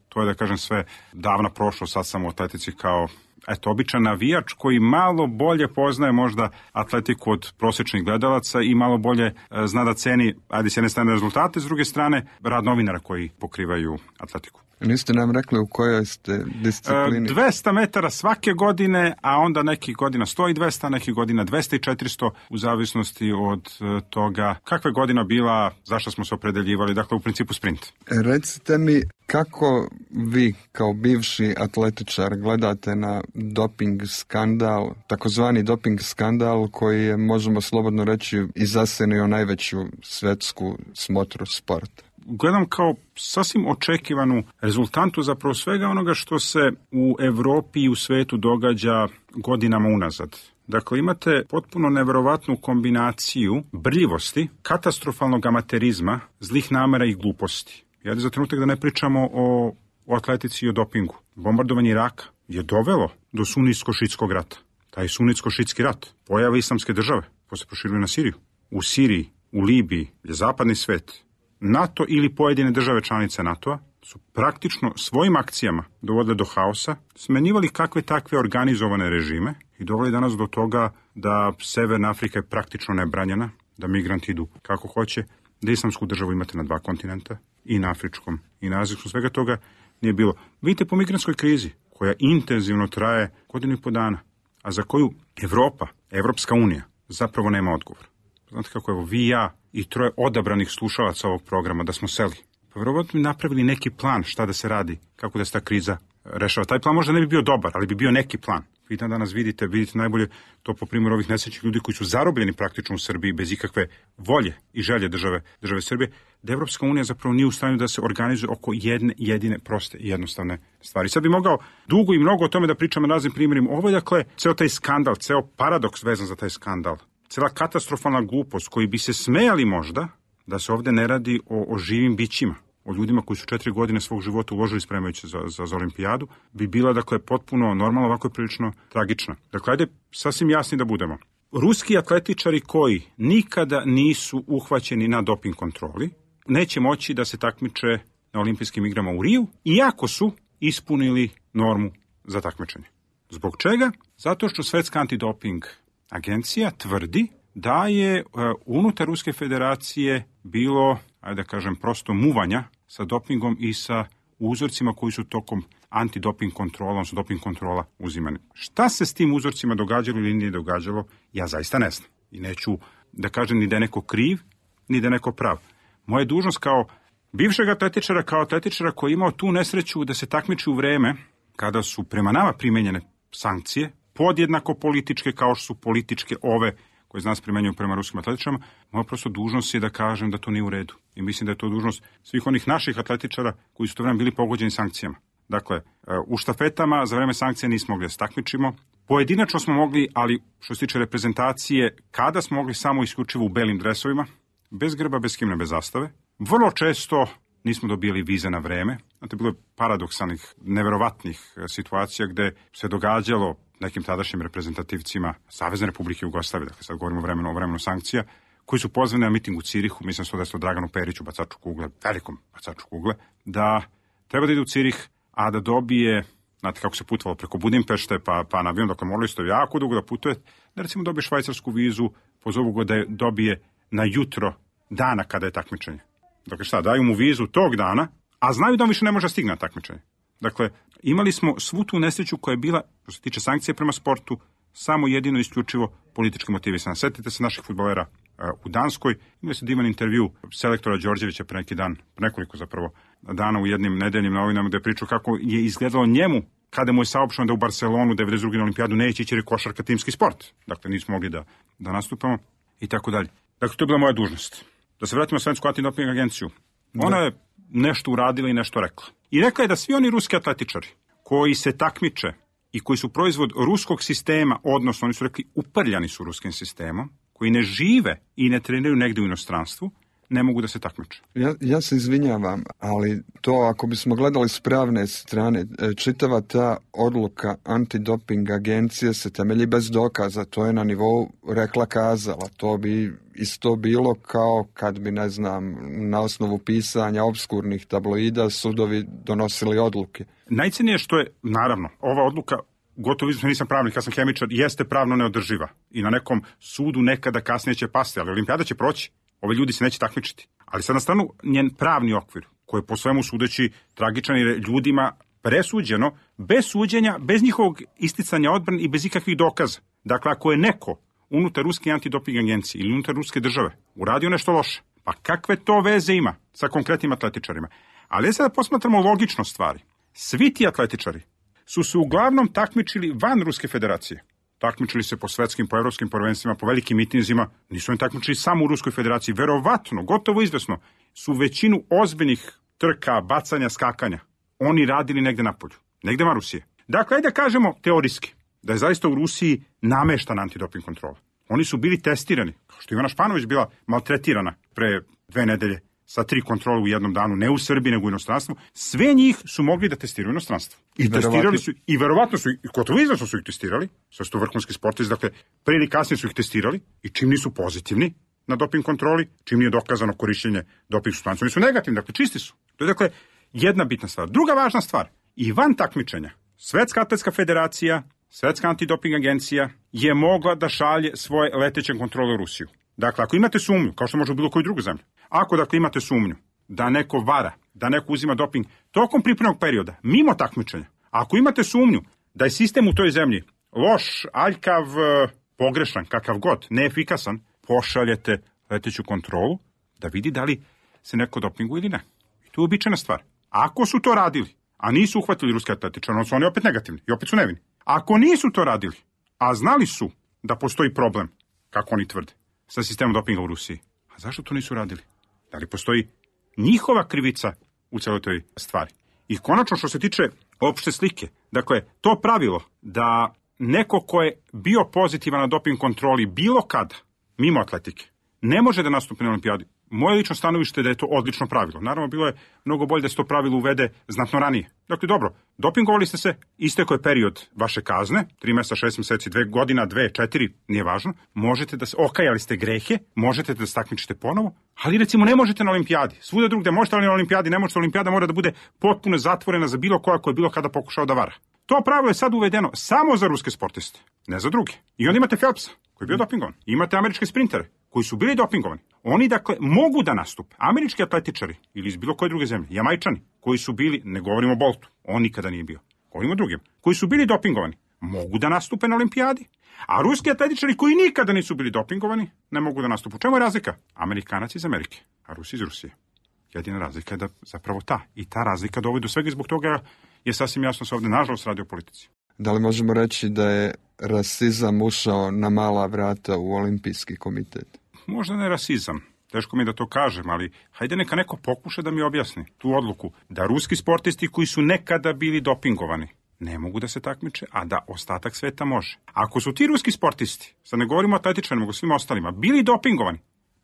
to je, da kažem, sve davna prošlo. Sad sam u atletici kao eto, običan navijač koji malo bolje poznaje možda atletiku od prosječnih gledalaca i malo bolje e, zna da ceni, ajde, s jedne strane rezultate, s druge strane rad novinara koji pokrivaju atletiku. Niste nam rekli u kojoj ste disciplini? E, dvesta metara svake godine, a onda nekih godina sto i dvesta, nekih godina dvesta i četiristo, u zavisnosti od e, toga kakva je godina bila, zašto smo se opredeljivali, dakle u principu sprint. Recite mi, kako vi kao bivši atletičar gledate na doping skandal, takozvani doping skandal koji je, možemo slobodno reći, izasenio najveću svetsku smotru sporta? Gledam kao sasvim očekivanu rezultantu zapravo svega onoga što se u Evropi i u svetu događa godinama unazad. Dakle, imate potpuno neverovatnu kombinaciju brljivosti, katastrofalnog amaterizma, zlih namera i gluposti. Ja za trenutak da ne pričamo o, o atletici i o dopingu. Bombardovanje Iraka je dovelo do sunitsko-šitskog rata. Taj sunitsko-šitski rat, pojava islamske države, posle proširili na Siriju. U Siriji, u Libiji je zapadni svet, NATO ili pojedine države članice NATO-a su praktično svojim akcijama dovodile do haosa, smenjivali kakve takve organizovane režime i doveli danas do toga da Severna Afrika je praktično nebranjena, da migranti idu kako hoće, da islamsku državu imate na dva kontinenta, i na afričkom i na azijskom, svega toga nije bilo. Vidite po migrantskoj krizi, koja intenzivno traje godinu i po dana, a za koju Evropa, Evropska unija, zapravo nema odgovor. Znate kako, evo, vi, ja i troje odabranih slušalaca ovog programa da smo seli. Pa vjerovatno bi napravili neki plan šta da se radi, kako da se ta kriza rešava. Taj plan možda ne bi bio dobar, ali bi bio neki plan. Vi danas vidite, vidite najbolje to po primjeru ovih nesrećnih ljudi koji su zarobljeni praktično u Srbiji bez ikakve volje i želje države, države Srbije, da Evropska unija zapravo nije u stanju da se organizuje oko jedne jedine proste i jednostavne stvari. Sad bi mogao dugo i mnogo o tome da pričam na raznim primjerima. Ovo je, dakle, ceo taj skandal, ceo paradoks vezan za taj skandal, cela katastrofalna glupost koji bi se smejali možda da se ovde ne radi o, o živim bićima, o ljudima koji su četiri godine svog života uložili spremajući za, za, za olimpijadu, bi bila, dakle, potpuno normalno, ovako je prilično tragična. Dakle, ajde sasvim jasni da budemo. Ruski atletičari koji nikada nisu uhvaćeni na doping kontroli, neće moći da se takmiče na olimpijskim igrama u Riju, iako su ispunili normu za takmičenje. Zbog čega? Zato što Svetska antidoping agencija tvrdi da je uh, unutar Ruske federacije bilo, ajde da kažem, prosto muvanja sa dopingom i sa uzorcima koji su tokom antidoping kontrola, odnosno doping kontrola uzimani. Šta se s tim uzorcima događalo ili nije događalo, ja zaista ne znam. I neću da kažem ni da je neko kriv, ni da je neko prav. Moja dužnost kao bivšeg atletičara, kao atletičara koji je imao tu nesreću da se takmiči u vreme kada su prema nama primenjene sankcije, podjednako političke kao što su političke ove koje nas primenjuju prema ruskim atletičarima, moja prosto dužnost je da kažem da to nije u redu. I mislim da je to dužnost svih onih naših atletičara koji su to vreme bili pogođeni sankcijama. Dakle, u štafetama za vreme sankcija nismo mogli da se takmičimo. Pojedinačno smo mogli, ali što se tiče reprezentacije, kada smo mogli samo isključivo u belim dresovima, bez grba, bez himne, bez zastave. Vrlo često nismo dobili vize na vreme. Znate, bilo je paradoksalnih, neverovatnih situacija gde se događalo nekim tadašnjim reprezentativcima Savezne Republike Jugoslavije, dakle sad govorimo o vremenu, o vremenu sankcija, koji su pozvani na miting u Cirihu, mislim se da je to Draganu Periću, bacaču kugle, velikom bacaču kugle, da treba da ide u Cirih, a da dobije, znate kako se putovalo preko Budimpešte, pa, pa na avion, dakle morali ste jako dugo da putuje, da recimo dobije švajcarsku vizu, pozovu ga da je dobije na jutro dana kada je takmičenje. Dakle šta, daju mu vizu tog dana, a znaju da on više ne može stigne na takmičenje. Dakle, imali smo svu tu nesreću koja je bila, što se tiče sankcije prema sportu, samo jedino isključivo politički motivisana. Sjetite se naših fudbalera u Danskoj. Imao se divan intervju selektora Đorđevića pre neki dan, nekoliko zapravo dana u jednim nedeljnim novinama, gde je pričao kako je izgledalo njemu kada mu je saopšteno da u Barcelonu devedeset druge na olimpijadu neće ići jer je košarka timski sport. Dakle, nismo mogli da, da nastupamo i tako dalje. Dakle, to je bila moja dužnost. Da se vratimo na Svetsku antidoping agenciju. Ona je nešto uradila i nešto rekla. I rekla je da svi oni ruski atletičari koji se takmiče i koji su proizvod ruskog sistema, odnosno oni su rekli uprljani su ruskim sistemom, koji ne žive i ne treniraju negde u inostranstvu, ne mogu da se takmiče. Ja, ja se izvinjavam, ali to ako bismo gledali s pravne strane, čitava ta odluka antidoping agencije se temelji bez dokaza, to je na nivou rekla kazala, to bi isto bilo kao kad bi, ne znam, na osnovu pisanja obskurnih tabloida sudovi donosili odluke. Najcenije što je, naravno, ova odluka, gotovo iznosno nisam pravnik, ja sam hemičar, jeste pravno neodrživa i na nekom sudu nekada kasnije će pasti, ali olimpijada će proći. Ove ljudi se neće takmičiti. Ali sad na stranu njen pravni okvir, koji je po svemu sudeći tragičan jer je ljudima presuđeno, bez suđenja, bez njihovog isticanja odbrane i bez ikakvih dokaza. Dakle, ako je neko unutar ruske antidoping agencije ili unutar ruske države uradio nešto loše, pa kakve to veze ima sa konkretnim atletičarima? Ali sada posmatramo logično stvari. Svi ti atletičari su se uglavnom takmičili van Ruske federacije. Takmičili se po svetskim, po evropskim prvenstvima, po velikim mitinzima, nisu oni takmičili samo u Ruskoj federaciji. Verovatno, gotovo izvesno, su većinu ozbiljnih trka, bacanja, skakanja oni radili negde napolju, negde van Rusije. Dakle, ajde da kažemo teorijski da je zaista u Rusiji nameštana antidoping kontrola. Oni su bili testirani, kao što je Ivana Španović bila maltretirana pre dve nedelje sa tri kontrole u jednom danu, ne u Srbiji, nego u inostranstvu. Sve njih su mogli da testiraju u inostranstvu. I, I testirali su, i verovatno su, i gotovo izvesno su ih testirali, sve su to vrhunski sportisti, dakle, pre ili kasnije su ih testirali i čim nisu pozitivni na doping kontroli, čim nije dokazano korišćenje doping supstanci, oni su negativni, dakle, čisti su. To je, dakle, jedna bitna stvar. Druga važna stvar, i van takmičenja, Svetska atletska federacija, Svetska antidoping agencija je mogla da šalje svoje leteće kontrole u Rusiju. Dakle, ako imate sumnju, kao što može u bilo koju drugu zemlju, ako dakle imate sumnju da neko vara, da neko uzima doping tokom pripremnog perioda, mimo takmičenja, ako imate sumnju da je sistem u toj zemlji loš, aljkav, pogrešan, kakav god, neefikasan, pošaljete leteću kontrolu da vidi da li se neko dopinguje ili ne. I to je uobičajena stvar. Ako su to radili, a nisu uhvatili ruske atletičare, onda su oni opet negativni i opet su nevini. Ako nisu to radili, a znali su da postoji problem, kako oni tvrde, sa sistemom dopinga u Rusiji, a zašto to nisu radili? Da li postoji njihova krivica u celoj toj stvari? I konačno što se tiče opšte slike, dakle, to pravilo da neko ko je bio pozitivan na doping kontroli bilo kada, mimo atletike, ne može da nastupi na olimpijadi. Moje lično stanovište je da je to odlično pravilo. Naravno, bilo je mnogo bolje da se to pravilo uvede znatno ranije. Dakle, dobro, dopingovali ste se, istekao je period vaše kazne, tri meseca, šest meseci, dve godina, dve, četiri, nije važno. Možete da se, okajali ste grehe, možete da se takmičite ponovo, ali recimo ne možete na olimpijadi. Svuda drugde možete, ali na olimpijadi ne možete. Olimpijada mora da bude potpuno zatvorena za bilo koja koja je bilo kada pokušao da vara. To pravilo je sad uvedeno samo za ruske sportiste, ne za druge. I onda imate Phelpsa, koji je bio dopingovan. Imate američke sprintere, koji su bili dopingovani. Oni, dakle, mogu da nastupe. Američki atletičari ili iz bilo koje druge zemlje, Jamajčani, koji su bili, ne govorimo o Boltu, on nikada nije bio, govorimo o drugim, koji su bili dopingovani, mogu da nastupe na olimpijadi. A ruski atletičari koji nikada nisu bili dopingovani, ne mogu da nastupe. U čemu je razlika? Amerikanac iz Amerike, a Rusi iz Rusije. Jedina razlika je da zapravo ta. I ta razlika dovodi do svega i zbog toga je sasvim jasno se ovde nažalost radi o politici. Da li možemo reći da je rasizam ušao na mala vrata u olimpijski komitet? Možda ne rasizam, teško mi da to kažem, ali hajde neka neko pokuša da mi objasni tu odluku da ruski sportisti koji su nekada bili dopingovani ne mogu da se takmiče, a da ostatak sveta može. Ako su ti ruski sportisti, sad ne govorimo o atletičarima, nego svim ostalima, bili dopingovani,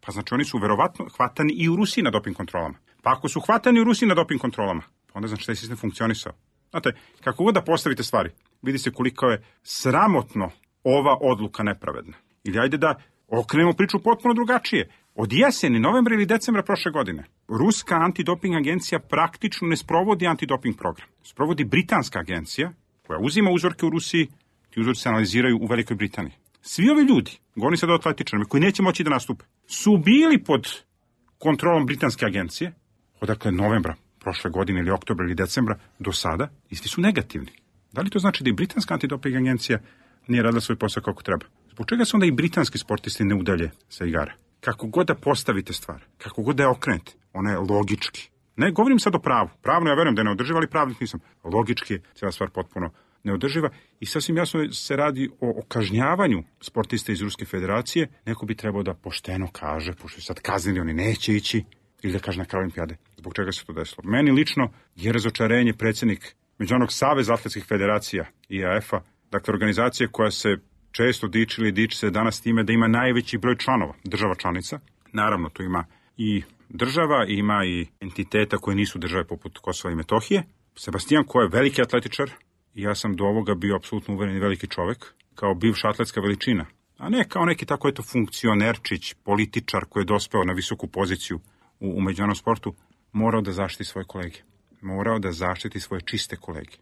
pa znači oni su verovatno hvatani i u Rusiji na doping kontrolama. Pa ako su hvatani u Rusiji na doping kontrolama, pa onda znači taj sistem funkcionisao. Znate, kako god da postavite stvari, vidi se koliko je sramotno ova odluka nepravedna. Ili ajde da okrenemo priču potpuno drugačije. Od jeseni, novembra ili decembra prošle godine, ruska antidoping agencija praktično ne sprovodi antidoping program. Sprovodi britanska agencija koja uzima uzorke u Rusiji, ti uzorci se analiziraju u Velikoj Britaniji. Svi ovi ljudi, govorim sad o atletičarima, koji neće moći da nastupe, su bili pod kontrolom britanske agencije, odakle novembra prošle godine ili oktobra ili decembra do sada, i svi su negativni. Da li to znači da i britanska antidoping agencija nije radila svoj posao kako treba? Zbog čega se onda i britanski sportisti ne udalje sa igara? kako god da postavite stvar, kako god da je okrenete, ona je logički. Ne govorim sad o pravu. Pravno ja verujem da je neodrživa, ali pravnik nisam. Logički je cijela stvar potpuno neodrživa i sasvim jasno se radi o, o kažnjavanju sportista iz Ruske federacije. Neko bi trebao da pošteno kaže, pošto sad kaznili, oni neće ići, ili da kaže na kraju olimpijade. Zbog čega se to desilo? Meni lično je razočarenje predsjednik Međunarodnog saveza atletskih federacija I A F-a, dakle organizacije koja se često diči ili diči se danas time da ima najveći broj članova, država članica. Naravno, tu ima i država, ima i entiteta koje nisu države poput Kosova i Metohije. Sebastijan, ko je veliki atletičar, i ja sam do ovoga bio apsolutno uveren i veliki čovek, kao bivša atletska veličina, a ne kao neki tako eto funkcionerčić, političar koji je dospeo na visoku poziciju u, u međunarodnom sportu, morao da zaštiti svoje kolege. Morao da zaštiti svoje čiste kolege.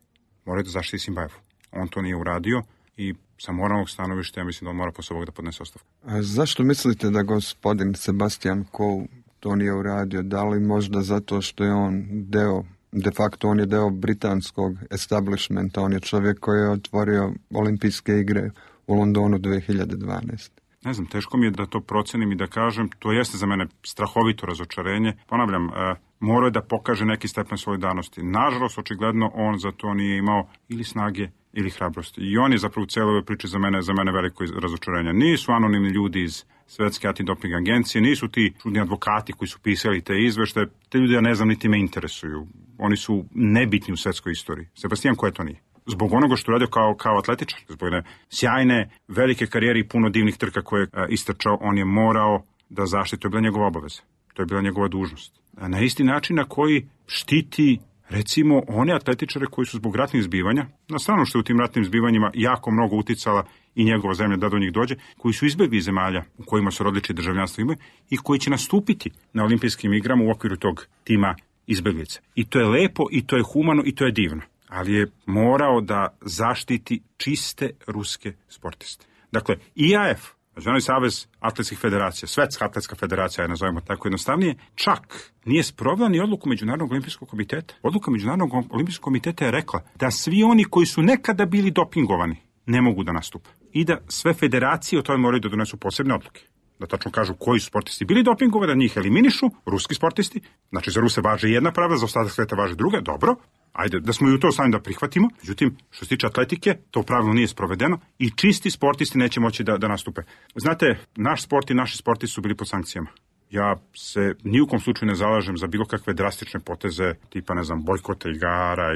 Morao da zaštiti Simbajevu. On to nije uradio i sa moralnog stanovišta ja mislim da on mora posle ovoga da podnese ostavku. A zašto mislite da gospodin Sebastian Coe to nije uradio? Da li možda zato što je on deo, de facto on je deo britanskog establishmenta, on je čovjek koji je otvorio olimpijske igre u Londonu dve hiljade dvanaeste. Ne znam, teško mi je da to procenim i da kažem, to jeste za mene strahovito razočarenje. Ponavljam, e, morao je da pokaže neki stepen solidarnosti. Nažalost, očigledno, on za to nije imao ili snage ili hrabrosti. I on je zapravo u cijeloj ovoj priči za mene, za mene veliko razočarenje. Nisu anonimni ljudi iz Svetske antidoping agencije, nisu ti čudni advokati koji su pisali te izveštaje, te ljudi ja ne znam niti me interesuju. Oni su nebitni u svetskoj istoriji. Sebastijan Coe to nije. Zbog onoga što radio kao, kao atletičar, zbog jedne sjajne, velike karijere i puno divnih trka koje je istrčao, on je morao da zaštiti, to je bila njegova obaveza, to je bila njegova dužnost. A na isti način na koji štiti, recimo, one atletičare koji su zbog ratnih zbivanja, na stranu što je u tim ratnim zbivanjima jako mnogo uticala i njegova zemlja da do njih dođe, koji su izbjegli iz zemalja u kojima su rodilički državljanstvo imaju i koji će nastupiti na olimpijskim igrama u okviru tog tima izbjeglice. I to je lepo, i to je humano, i to je divno. Ali je morao da zaštiti čiste ruske sportiste. Dakle, I A F, Međunarodni savez atletskih federacija, Svetska atletska federacija, je nazovemo tako jednostavnije, čak nije sprovela ni odluku Međunarodnog olimpijskog komiteta. Odluka Međunarodnog olimpijskog komiteta je rekla da svi oni koji su nekada bili dopingovani ne mogu da nastupe. I da sve federacije o tome moraju da donesu posebne odluke. Da tačno kažu koji su sportisti bili dopingovani, da njih eliminišu, ruski sportisti. Znači, za Ruse važe jedna pravda, za ostatak sveta važe druga, dobro. Ajde, da smo i u to stavljeni da prihvatimo. Međutim, što se tiče atletike, to pravilo nije sprovedeno i čisti sportisti neće moći da, da nastupe. Znate, naš sport i naši sportisti su bili pod sankcijama. Ja se ni u kom slučaju ne zalažem za bilo kakve drastične poteze, tipa, ne znam, bojkota igara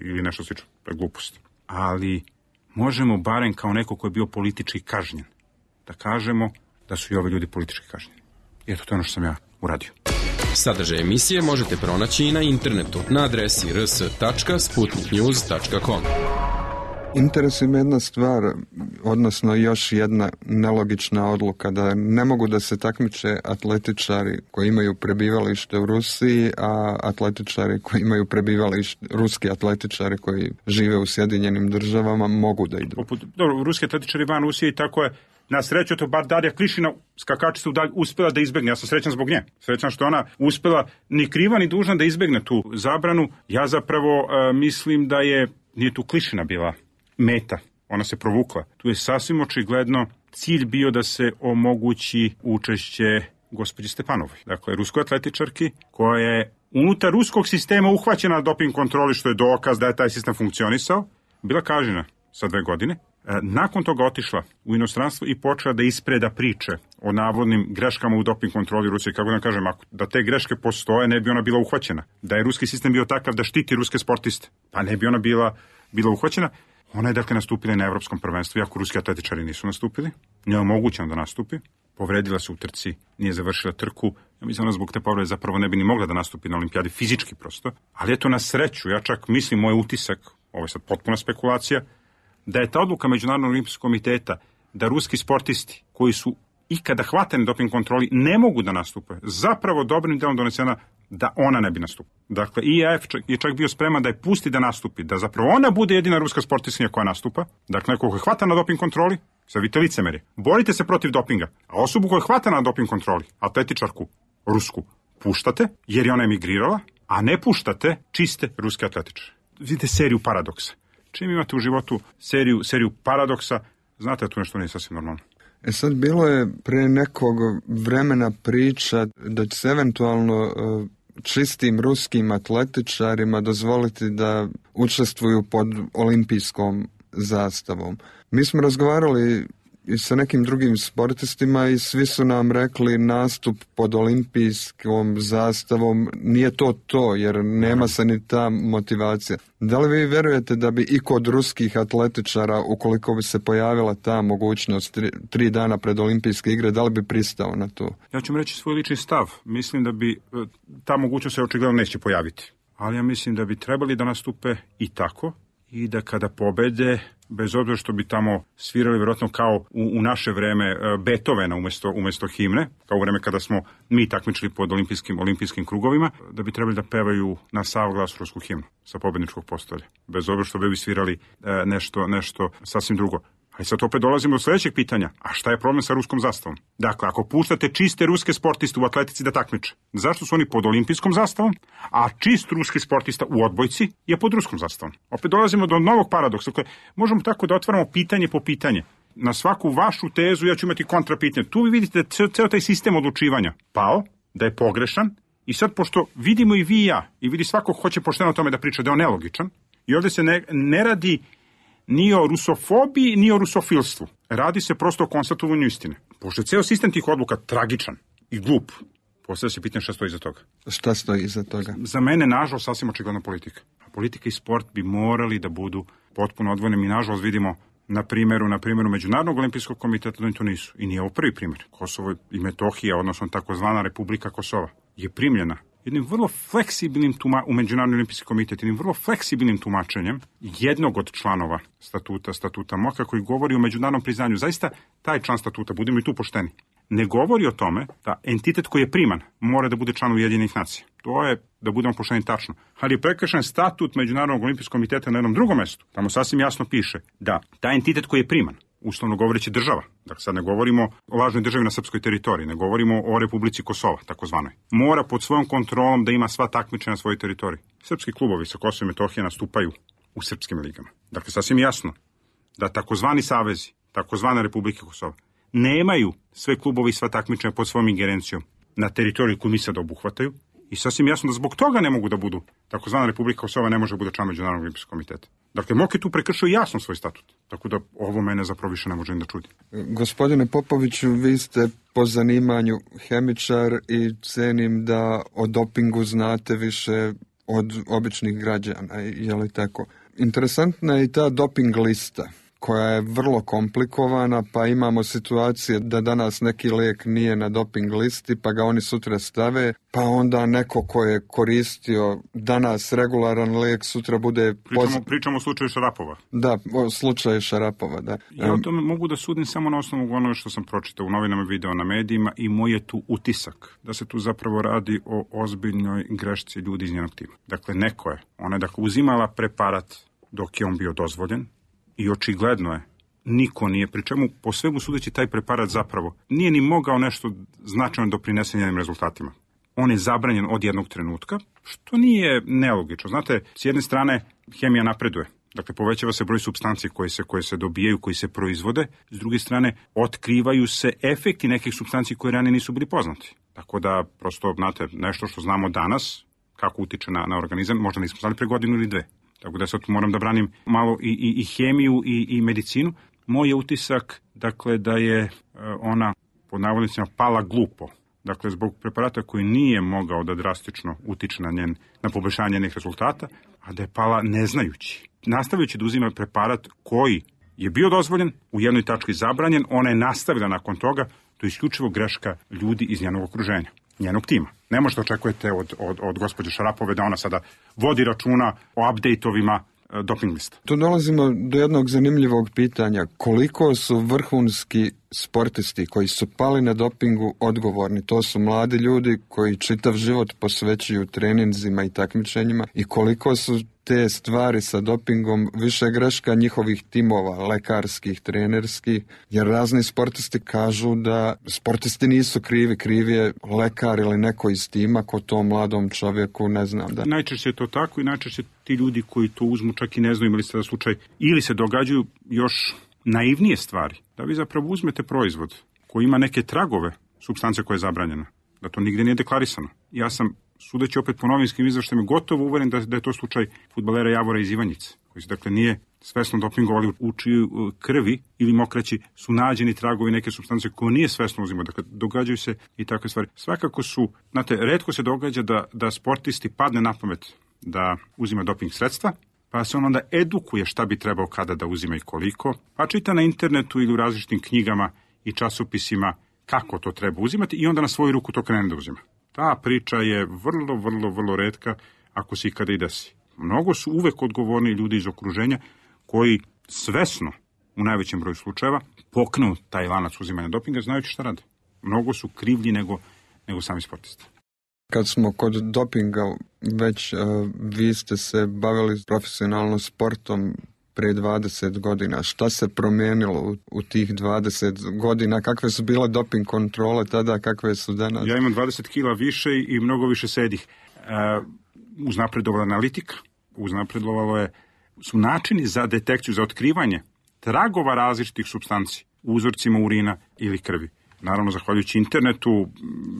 ili nešto slično, to je glupost. Ali možemo barem kao neko ko je bio politički kažnjen, da kažemo da su i ovi ljudi politički kažnjeni. I eto, to je ono što sam ja uradio. Sadržaj emisije možete pronaći i na internetu na adresi r s tačka sputnik news tačka com. Interesuje me jedna stvar, odnosno još jedna nelogična odluka, da ne mogu da se takmiče atletičari koji imaju prebivalište u Rusiji, a atletičari koji imaju prebivalište, ruski atletičari koji žive u Sjedinjenim državama mogu da idu. Dobro, ruski atletičari van Rusije i tako je. Na sreću, to bar Darija Klišina, skakačica, uspjela da izbegne. Ja sam srećan zbog nje. Srećan što ona uspjela ni kriva ni dužna da izbegne tu zabranu. Ja zapravo uh, mislim da je, nije tu Klišina bila meta. Ona se provukla. Tu je sasvim očigledno cilj bio da se omogući učešće gospođi Stepanovoj. Dakle, ruskoj atletičarki koja je unutar ruskog sistema uhvaćena na doping kontroli, što je dokaz da je taj sistem funkcionisao, bila kažnjena sa dve godine. Nakon toga otišla u inostranstvo i počela da ispreda priče o navodnim greškama u doping kontroli Rusije. Kako da kažem, ako da te greške postoje, ne bi ona bila uhvaćena. Da je ruski sistem bio takav da štiti ruske sportiste, pa ne bi ona bila, bila uhvaćena. Ona je dakle nastupila na evropskom prvenstvu, iako ruski atletičari nisu nastupili. Nije omogućeno da nastupi. Povredila se u trci, nije završila trku. Ja mislim da zbog te povrede zapravo ne bi ni mogla da nastupi na olimpijadi fizički prosto. Ali eto, na sreću, ja čak mislim, moj utisak, ovo je sad potpuna spekulacija, da je ta odluka Međunarodnog olimpijskog komiteta da ruski sportisti koji su ikada hvatani doping kontroli ne mogu da nastupe, zapravo dobrim delom donesena da ona ne bi nastupila. Dakle, I A F je čak bio spreman da je pusti da nastupi, da zapravo ona bude jedina ruska sportistkinja koja nastupa. Dakle, neko ko je hvata na doping kontroli, sad vidite licemerje, borite se protiv dopinga, a osobu koja je hvata na doping kontroli, atletičarku rusku, puštate jer je ona emigrirala, a ne puštate čiste ruske atletičare. Vidite seriju paradoksa. Čim imate u životu seriju, seriju paradoksa, znate da tu nešto nije sasvim normalno. E sad, bilo je pre nekog vremena priča da će se eventualno čistim ruskim atletičarima dozvoliti da učestvuju pod olimpijskom zastavom. Mi smo razgovarali i sa nekim drugim sportistima i svi su nam rekli nastup pod olimpijskom zastavom nije to to, jer nema se ni ta motivacija. Da li vi vjerujete da bi i kod ruskih atletičara, ukoliko bi se pojavila ta mogućnost tri, tri dana pred olimpijske igre, da li bi pristao na to? Ja ću vam reći svoj lični stav. Mislim da bi ta mogućnost se očigledno neće pojaviti. Ali ja mislim da bi trebali da nastupe i tako, i da kada pobede, bez obzira što bi tamo svirali vjerojatno kao u, u naše vreme Beethovena umjesto, umjesto himne, kao u vreme kada smo mi takmičili pod olimpijskim, olimpijskim krugovima, da bi trebali da pevaju na sav glas rusku himnu sa pobedničkog postolja. Bez obzira što bi svirali nešto, nešto sasvim drugo. Ali sad opet dolazimo do sljedećeg pitanja. A šta je problem sa ruskom zastavom? Dakle, ako puštate čiste ruske sportiste u atletici da takmiče, zašto su oni pod olimpijskom zastavom, a čist ruski sportista u odbojci je pod ruskom zastavom? Opet dolazimo do novog paradoksa. Dakle, možemo tako da otvaramo pitanje po pitanje. Na svaku vašu tezu ja ću imati kontrapitanje. Tu vi vidite da je ceo taj sistem odlučivanja pao, da je pogrešan, i sad pošto vidimo i vi i ja, i vidi svako hoće pošteno o tome da priča da je on nelogičan, i ovdje se ne, ne radi ni o rusofobiji, ni o rusofilstvu. Radi se prosto o konstatovanju istine. Pošto je ceo sistem tih odluka tragičan i glup, postavlja se pitanje šta stoji iza toga. Šta stoji iza toga? Za mene, nažalost, sasvim očigledna politika. A politika i sport bi morali da budu potpuno odvojeni. Mi, nažalost, vidimo na primjeru, na primjeru Međunarodnog olimpijskog komiteta da oni to nisu. I nije ovo prvi primjer. Kosovo i Metohija, odnosno takozvana Republika Kosova, je primljena jednim vrlo fleksibilnim tuma, u Međunarodni olimpijski komitet, jednim vrlo fleksibilnim tumačenjem jednog od članova statuta, statuta MOKA, koji govori o međunarodnom priznanju. Zaista, taj član statuta, budemo i tu pošteni, ne govori o tome da entitet koji je priman mora da bude član Ujedinjenih nacija. To je, da budemo pošteni, tačno. Ali je prekršen statut Međunarodnog olimpijskog komiteta na jednom drugom mestu. Tamo sasvim jasno piše da taj entitet koji je priman, uslovno govoreći država, dakle sad ne govorimo o lažnoj državi na srpskoj teritoriji, ne govorimo o Republici Kosova, takozvanoj, mora pod svojom kontrolom da ima sva takmičenja na svojoj teritoriji. Srpski klubovi sa Kosova i Metohije nastupaju u srpskim ligama. Dakle, sasvim jasno da takozvani savezi, takozvana Republike Kosova, nemaju sve klubovi i sva takmičenja pod svojom ingerencijom na teritoriji koju mi sad obuhvataju, i sasvim jasno da zbog toga ne mogu da budu, takozvana Republika Kosova ne može da bude član Međunarodnog olimpijskog komiteta. Dakle, MOK je tu prekršio jasno svoj statut, tako da ovo mene zapravo više ne može ni da čudi. Gospodine Popoviću, vi ste po zanimanju hemičar i cenim da o dopingu znate više od običnih građana, je li tako? Interesantna je i ta doping lista, koja je vrlo komplikovana, pa imamo situacije da danas neki lijek nije na doping listi, pa ga oni sutra stave, pa onda neko ko je koristio danas regularan lijek sutra bude... Pričamo, poz... pričamo o slučaju Šarapova. Da, o slučaju Šarapova, da. Ja o tome mogu da sudim samo na osnovu onoga što sam pročitao u novinama, video, na medijima, i moj je tu utisak da se tu zapravo radi o ozbiljnoj grešci ljudi iz njenog tima. Dakle, neko je, ona je dakle uzimala preparat dok je on bio dozvoljen, i očigledno je, niko nije, pri čemu po svemu sudeći taj preparat zapravo nije ni mogao nešto značajno doprinese njenim rezultatima. On je zabranjen od jednog trenutka, što nije nelogično. Znate, s jedne strane hemija napreduje, dakle povećava se broj supstanci koje se, koje se dobijaju, koji se proizvode, s druge strane otkrivaju se efekti nekih supstanci koje ranije nisu bili poznati. Tako da, prosto, znate, nešto što znamo danas, kako utiče na, na organizam, možda nismo znali pre godinu ili dve. Tako da sad moram da branim malo i, i, i hemiju i, i medicinu. Moj je utisak, dakle, da je ona, pod navodnicima, pala glupo. Dakle, zbog preparata koji nije mogao da drastično utiče na njen, na poboljšanje njenih rezultata, a da je pala neznajući. Nastavljajući da uzima preparat koji je bio dozvoljen, u jednoj tački zabranjen, ona je nastavila nakon toga, to je isključivo greška ljudi iz njenog okruženja, njenog tima. Ne možete očekujete od, od, od gospođe Šarapove da ona sada vodi računa o update-ovima e, doping lista. Tu dolazimo do jednog zanimljivog pitanja. Koliko su vrhunski sportisti koji su pali na dopingu odgovorni? To su mladi ljudi koji čitav život posvećuju treninzima i takmičenjima, i koliko su te stvari sa dopingom više greška njihovih timova, lekarskih, trenerskih, jer razni sportisti kažu da sportisti nisu krivi, krivi je lekar ili neko iz tima ko to mladom čovjeku, ne znam da. Najčešće je to tako i najčešće ti ljudi koji to uzmu čak i ne znaju imali ste da slučaj ili se događaju još naivnije stvari, da vi zapravo uzmete proizvod koji ima neke tragove supstance koja je zabranjena, da to nigde nije deklarisano. Ja sam, sudeći opet po novinskim izveštajima, gotovo uveren da, da je to slučaj fudbalera Javora iz Ivanjice, koji se dakle nije svesno dopingovali, u čiju krvi ili mokraći su nađeni tragovi neke supstance koje nije svesno uzimao. Dakle, događaju se i takve stvari. Svakako su, znate, retko se događa da, da sportisti padne na pamet da uzima doping sredstva, pa se on onda edukuje šta bi trebao kada da uzima i koliko, pa čita na internetu ili u različitim knjigama i časopisima kako to treba uzimati i onda na svoju ruku to krene da uzima. Ta priča je vrlo, vrlo, vrlo retka ako se ikada i desi. Mnogo su uvek odgovorni ljudi iz okruženja koji svesno, u najvećem broju slučajeva, poknu taj lanac uzimanja dopinga znajući šta rade. Mnogo su krivlji nego, nego sami sportisti. Kad smo kod dopinga, već uh, vi ste se bavili profesionalno sportom prije dvadeset godina. Šta se promijenilo u, u tih dvadeset godina? Kakve su bile doping kontrole tada, kakve su danas? Ja imam dvadeset kila više i mnogo više sedih. Uh, uznapredovala analitika, uznapredovalo je, su načini za detekciju, za otkrivanje tragova različitih supstanci u uzorcima urina ili krvi. Naravno, zahvaljujući internetu,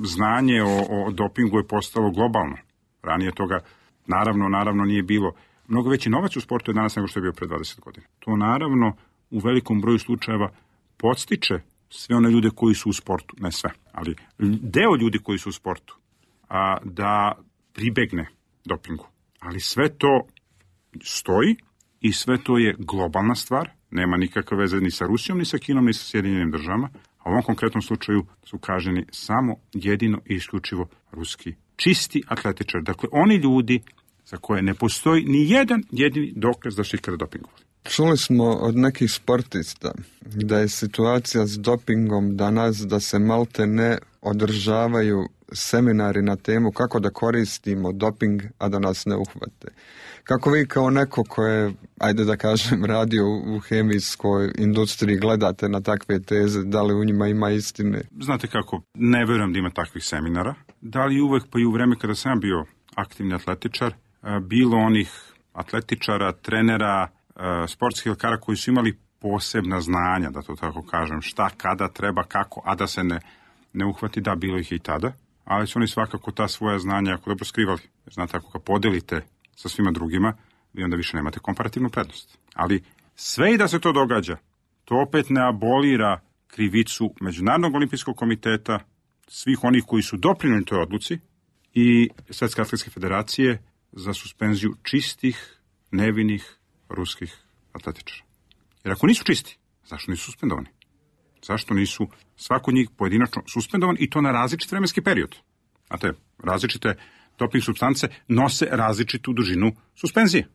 znanje o, o dopingu je postalo globalno. Ranije toga, naravno, naravno nije bilo. Mnogo veći novac u sportu je danas nego što je bio pre dvadeset godina. To, naravno, u velikom broju slučajeva podstiče sve one ljude koji su u sportu, ne sve, ali deo ljudi koji su u sportu, a, da pribegne dopingu. Ali sve to stoji i sve to je globalna stvar, nema nikakve veze ni sa Rusijom, ni sa Kinom, ni sa Sjedinjenim državama, a u ovom konkretnom slučaju su kažnjeni samo jedino i isključivo ruski čisti atletičari. Dakle, oni ljudi za koje ne postoji ni jedan jedini dokaz da su ikada dopingovali. Čuli smo od nekih sportista da je situacija s dopingom danas da se malte ne održavaju seminari na temu kako da koristimo doping, a da nas ne uhvate. Kako vi kao neko ko je, ajde da kažem, radio u hemijskoj industriji gledate na takve teze, da li u njima ima istine? Znate kako, ne verujem da ima takvih seminara. Da li uvek, pa i u vreme kada sam bio aktivni atletičar, bilo onih atletičara, trenera, sportskih lekara koji su imali posebna znanja, da to tako kažem, šta, kada, treba, kako, a da se ne, ne uhvati, da, bilo ih i tada, ali su oni svakako ta svoja znanja jako dobro skrivali. Znate, ako ga podelite sa svima drugima, vi onda više nemate komparativnu prednost. Ali sve i da se to događa, to opet ne abolira krivicu Međunarodnog olimpijskog komiteta, svih onih koji su doprinijeli toj odluci i Svetske atletske federacije za suspenziju čistih, nevinih ruskih atletičara. Jer ako nisu čisti, zašto nisu suspendovani? Zašto nisu svako njih pojedinačno suspendovan i to na različit vremenski period? Znate, različite doping supstance nose različitu dužinu suspenzije.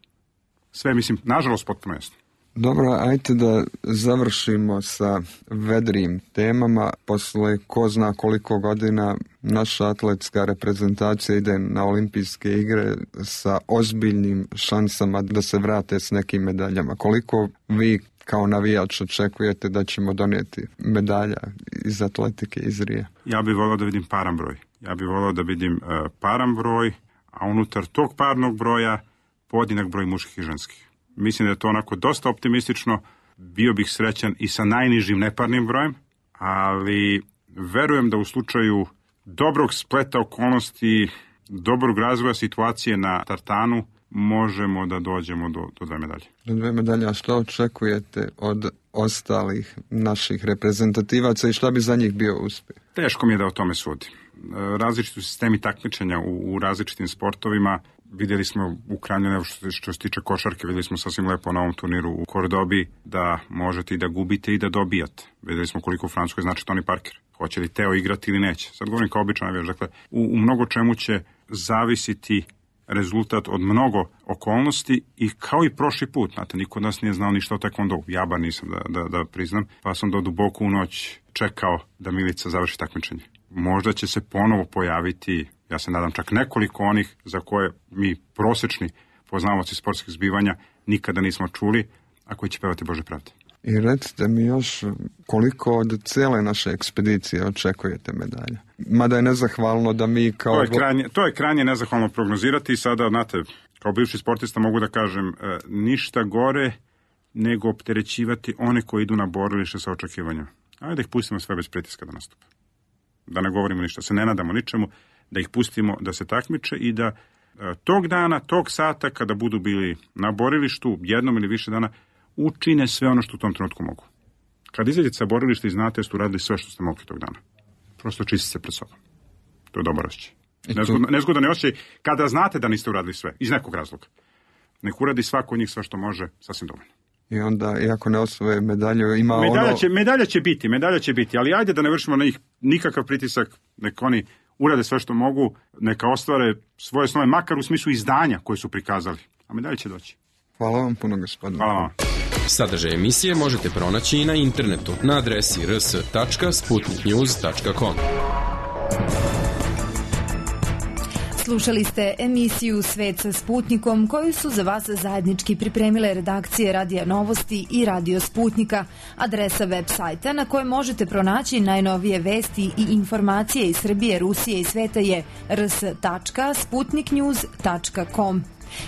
Sve, mislim, nažalost, potpuno jasno. Dobro, ajte da završimo sa vedrijim temama. Posle ko zna koliko godina naša atletska reprezentacija ide na olimpijske igre sa ozbiljnim šansama da se vrate s nekim medaljama. Koliko vi kao navijač očekujete da ćemo donijeti medalja iz atletike iz Rija? Ja bih volao da vidim paran broj. Ja bih volao da vidim uh, paran broj, a unutar tog parnog broja podinak broj muških i ženskih. Mislim da je to onako dosta optimistično. Bio bih srećan i sa najnižim neparnim brojem, ali verujem da u slučaju dobrog spleta okolnosti, dobrog razvoja situacije na tartanu, možemo da dođemo do, do dve medalje. Do dve medalje, a što očekujete od ostalih naših reprezentativaca i šta bi za njih bio uspjeh? Teško mi je da o tome sudim. Različiti sistemi takmičenja u, u različitim sportovima. Vidjeli smo u krajnjem, što, što se tiče košarke, vidjeli smo sasvim lepo na ovom turniru u Kordobi da možete i da gubite i da dobijate. Vidjeli smo koliko u Francuskoj znači Tony Parker. Hoće li Teo igrati ili neće. Sad govorim kao običan navijač. Dakle, u, u mnogo čemu će zavisiti rezultat od mnogo okolnosti i kao i prošli put. Znate, niko od nas nije znao ništa o taekwondou. Ja bar nisam da, da, da priznam. Pa sam do duboko u noć čekao da Milica završi takmičenje. Možda će se ponovo pojaviti, ja se nadam, čak nekoliko onih za koje mi prosečni poznavaoci sportskih zbivanja nikada nismo čuli, a koji će pevati Bože pravde. I recite mi još koliko od cijele naše ekspedicije očekujete medalja? Mada je nezahvalno da mi kao... To je krajnje, to je krajnje nezahvalno prognozirati i sada, znate, kao bivši sportista mogu da kažem, ništa gore nego opterećivati one koji idu na borilište sa očekivanjem. Ajde da ih pustimo sve bez pritiska da nastupe. Da ne govorimo ništa, se ne nadamo ničemu, da ih pustimo da se takmiče i da e, tog dana, tog sata, kada budu bili na borilištu, jednom ili više dana, učine sve ono što u tom trenutku mogu. Kad izađete sa borilišta i znate da ste uradili sve što ste mogli tog dana. Prosto čistite se pred sobom. To je dobar osjećaj. Nezgodno, nezgodan je osjećaj kada znate da niste uradili sve, iz nekog razloga. Nek uradi svako od njih sve što može, sasvim dovoljno. I onda, iako ne osvoje medalju, ima medalja ono... Će, medalja će biti, medalja će biti, ali ajde da ne vršimo na njih nikakav pritisak, nek oni urade sve što mogu, neka ostvare svoje snove, makar u smislu izdanja koje su prikazali. A medalja će doći. Hvala vam puno, gospodine. Hvala vam. Sadržaj emisije možete pronaći i na internetu na adresi r s tačka sputnik news tačka com. Slušali ste emisiju Svet sa Sputnikom koju su za vas zajednički pripremile redakcije Radija Novosti i Radio Sputnika. Adresa web sajta na kojoj možete pronaći najnovije vesti i informacije iz Srbije, Rusije i sveta je r s tačka sputnik news tačka com.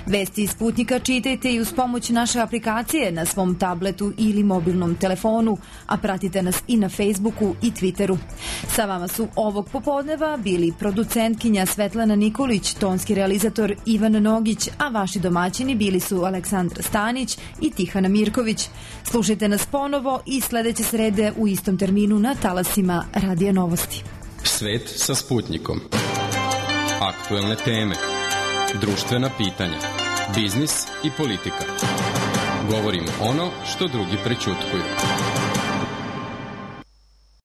Vesti iz Sputnika čitajte i uz pomoć naše aplikacije na svom tabletu ili mobilnom telefonu, a pratite nas i na Facebooku i Twitteru. Sa vama su ovog popodneva bili producentkinja Svetlana Nikolić, tonski realizator Ivan Nogić, a vaši domaćini bili su Aleksandra Stanić i Tihana Mirković. Slušajte nas ponovo i sledeće srede u istom terminu na talasima Radija Novosti. Svet sa Sputnikom. Aktuelne teme, društvena pitanja, biznis i politika. Govorimo ono što drugi prećutkuju.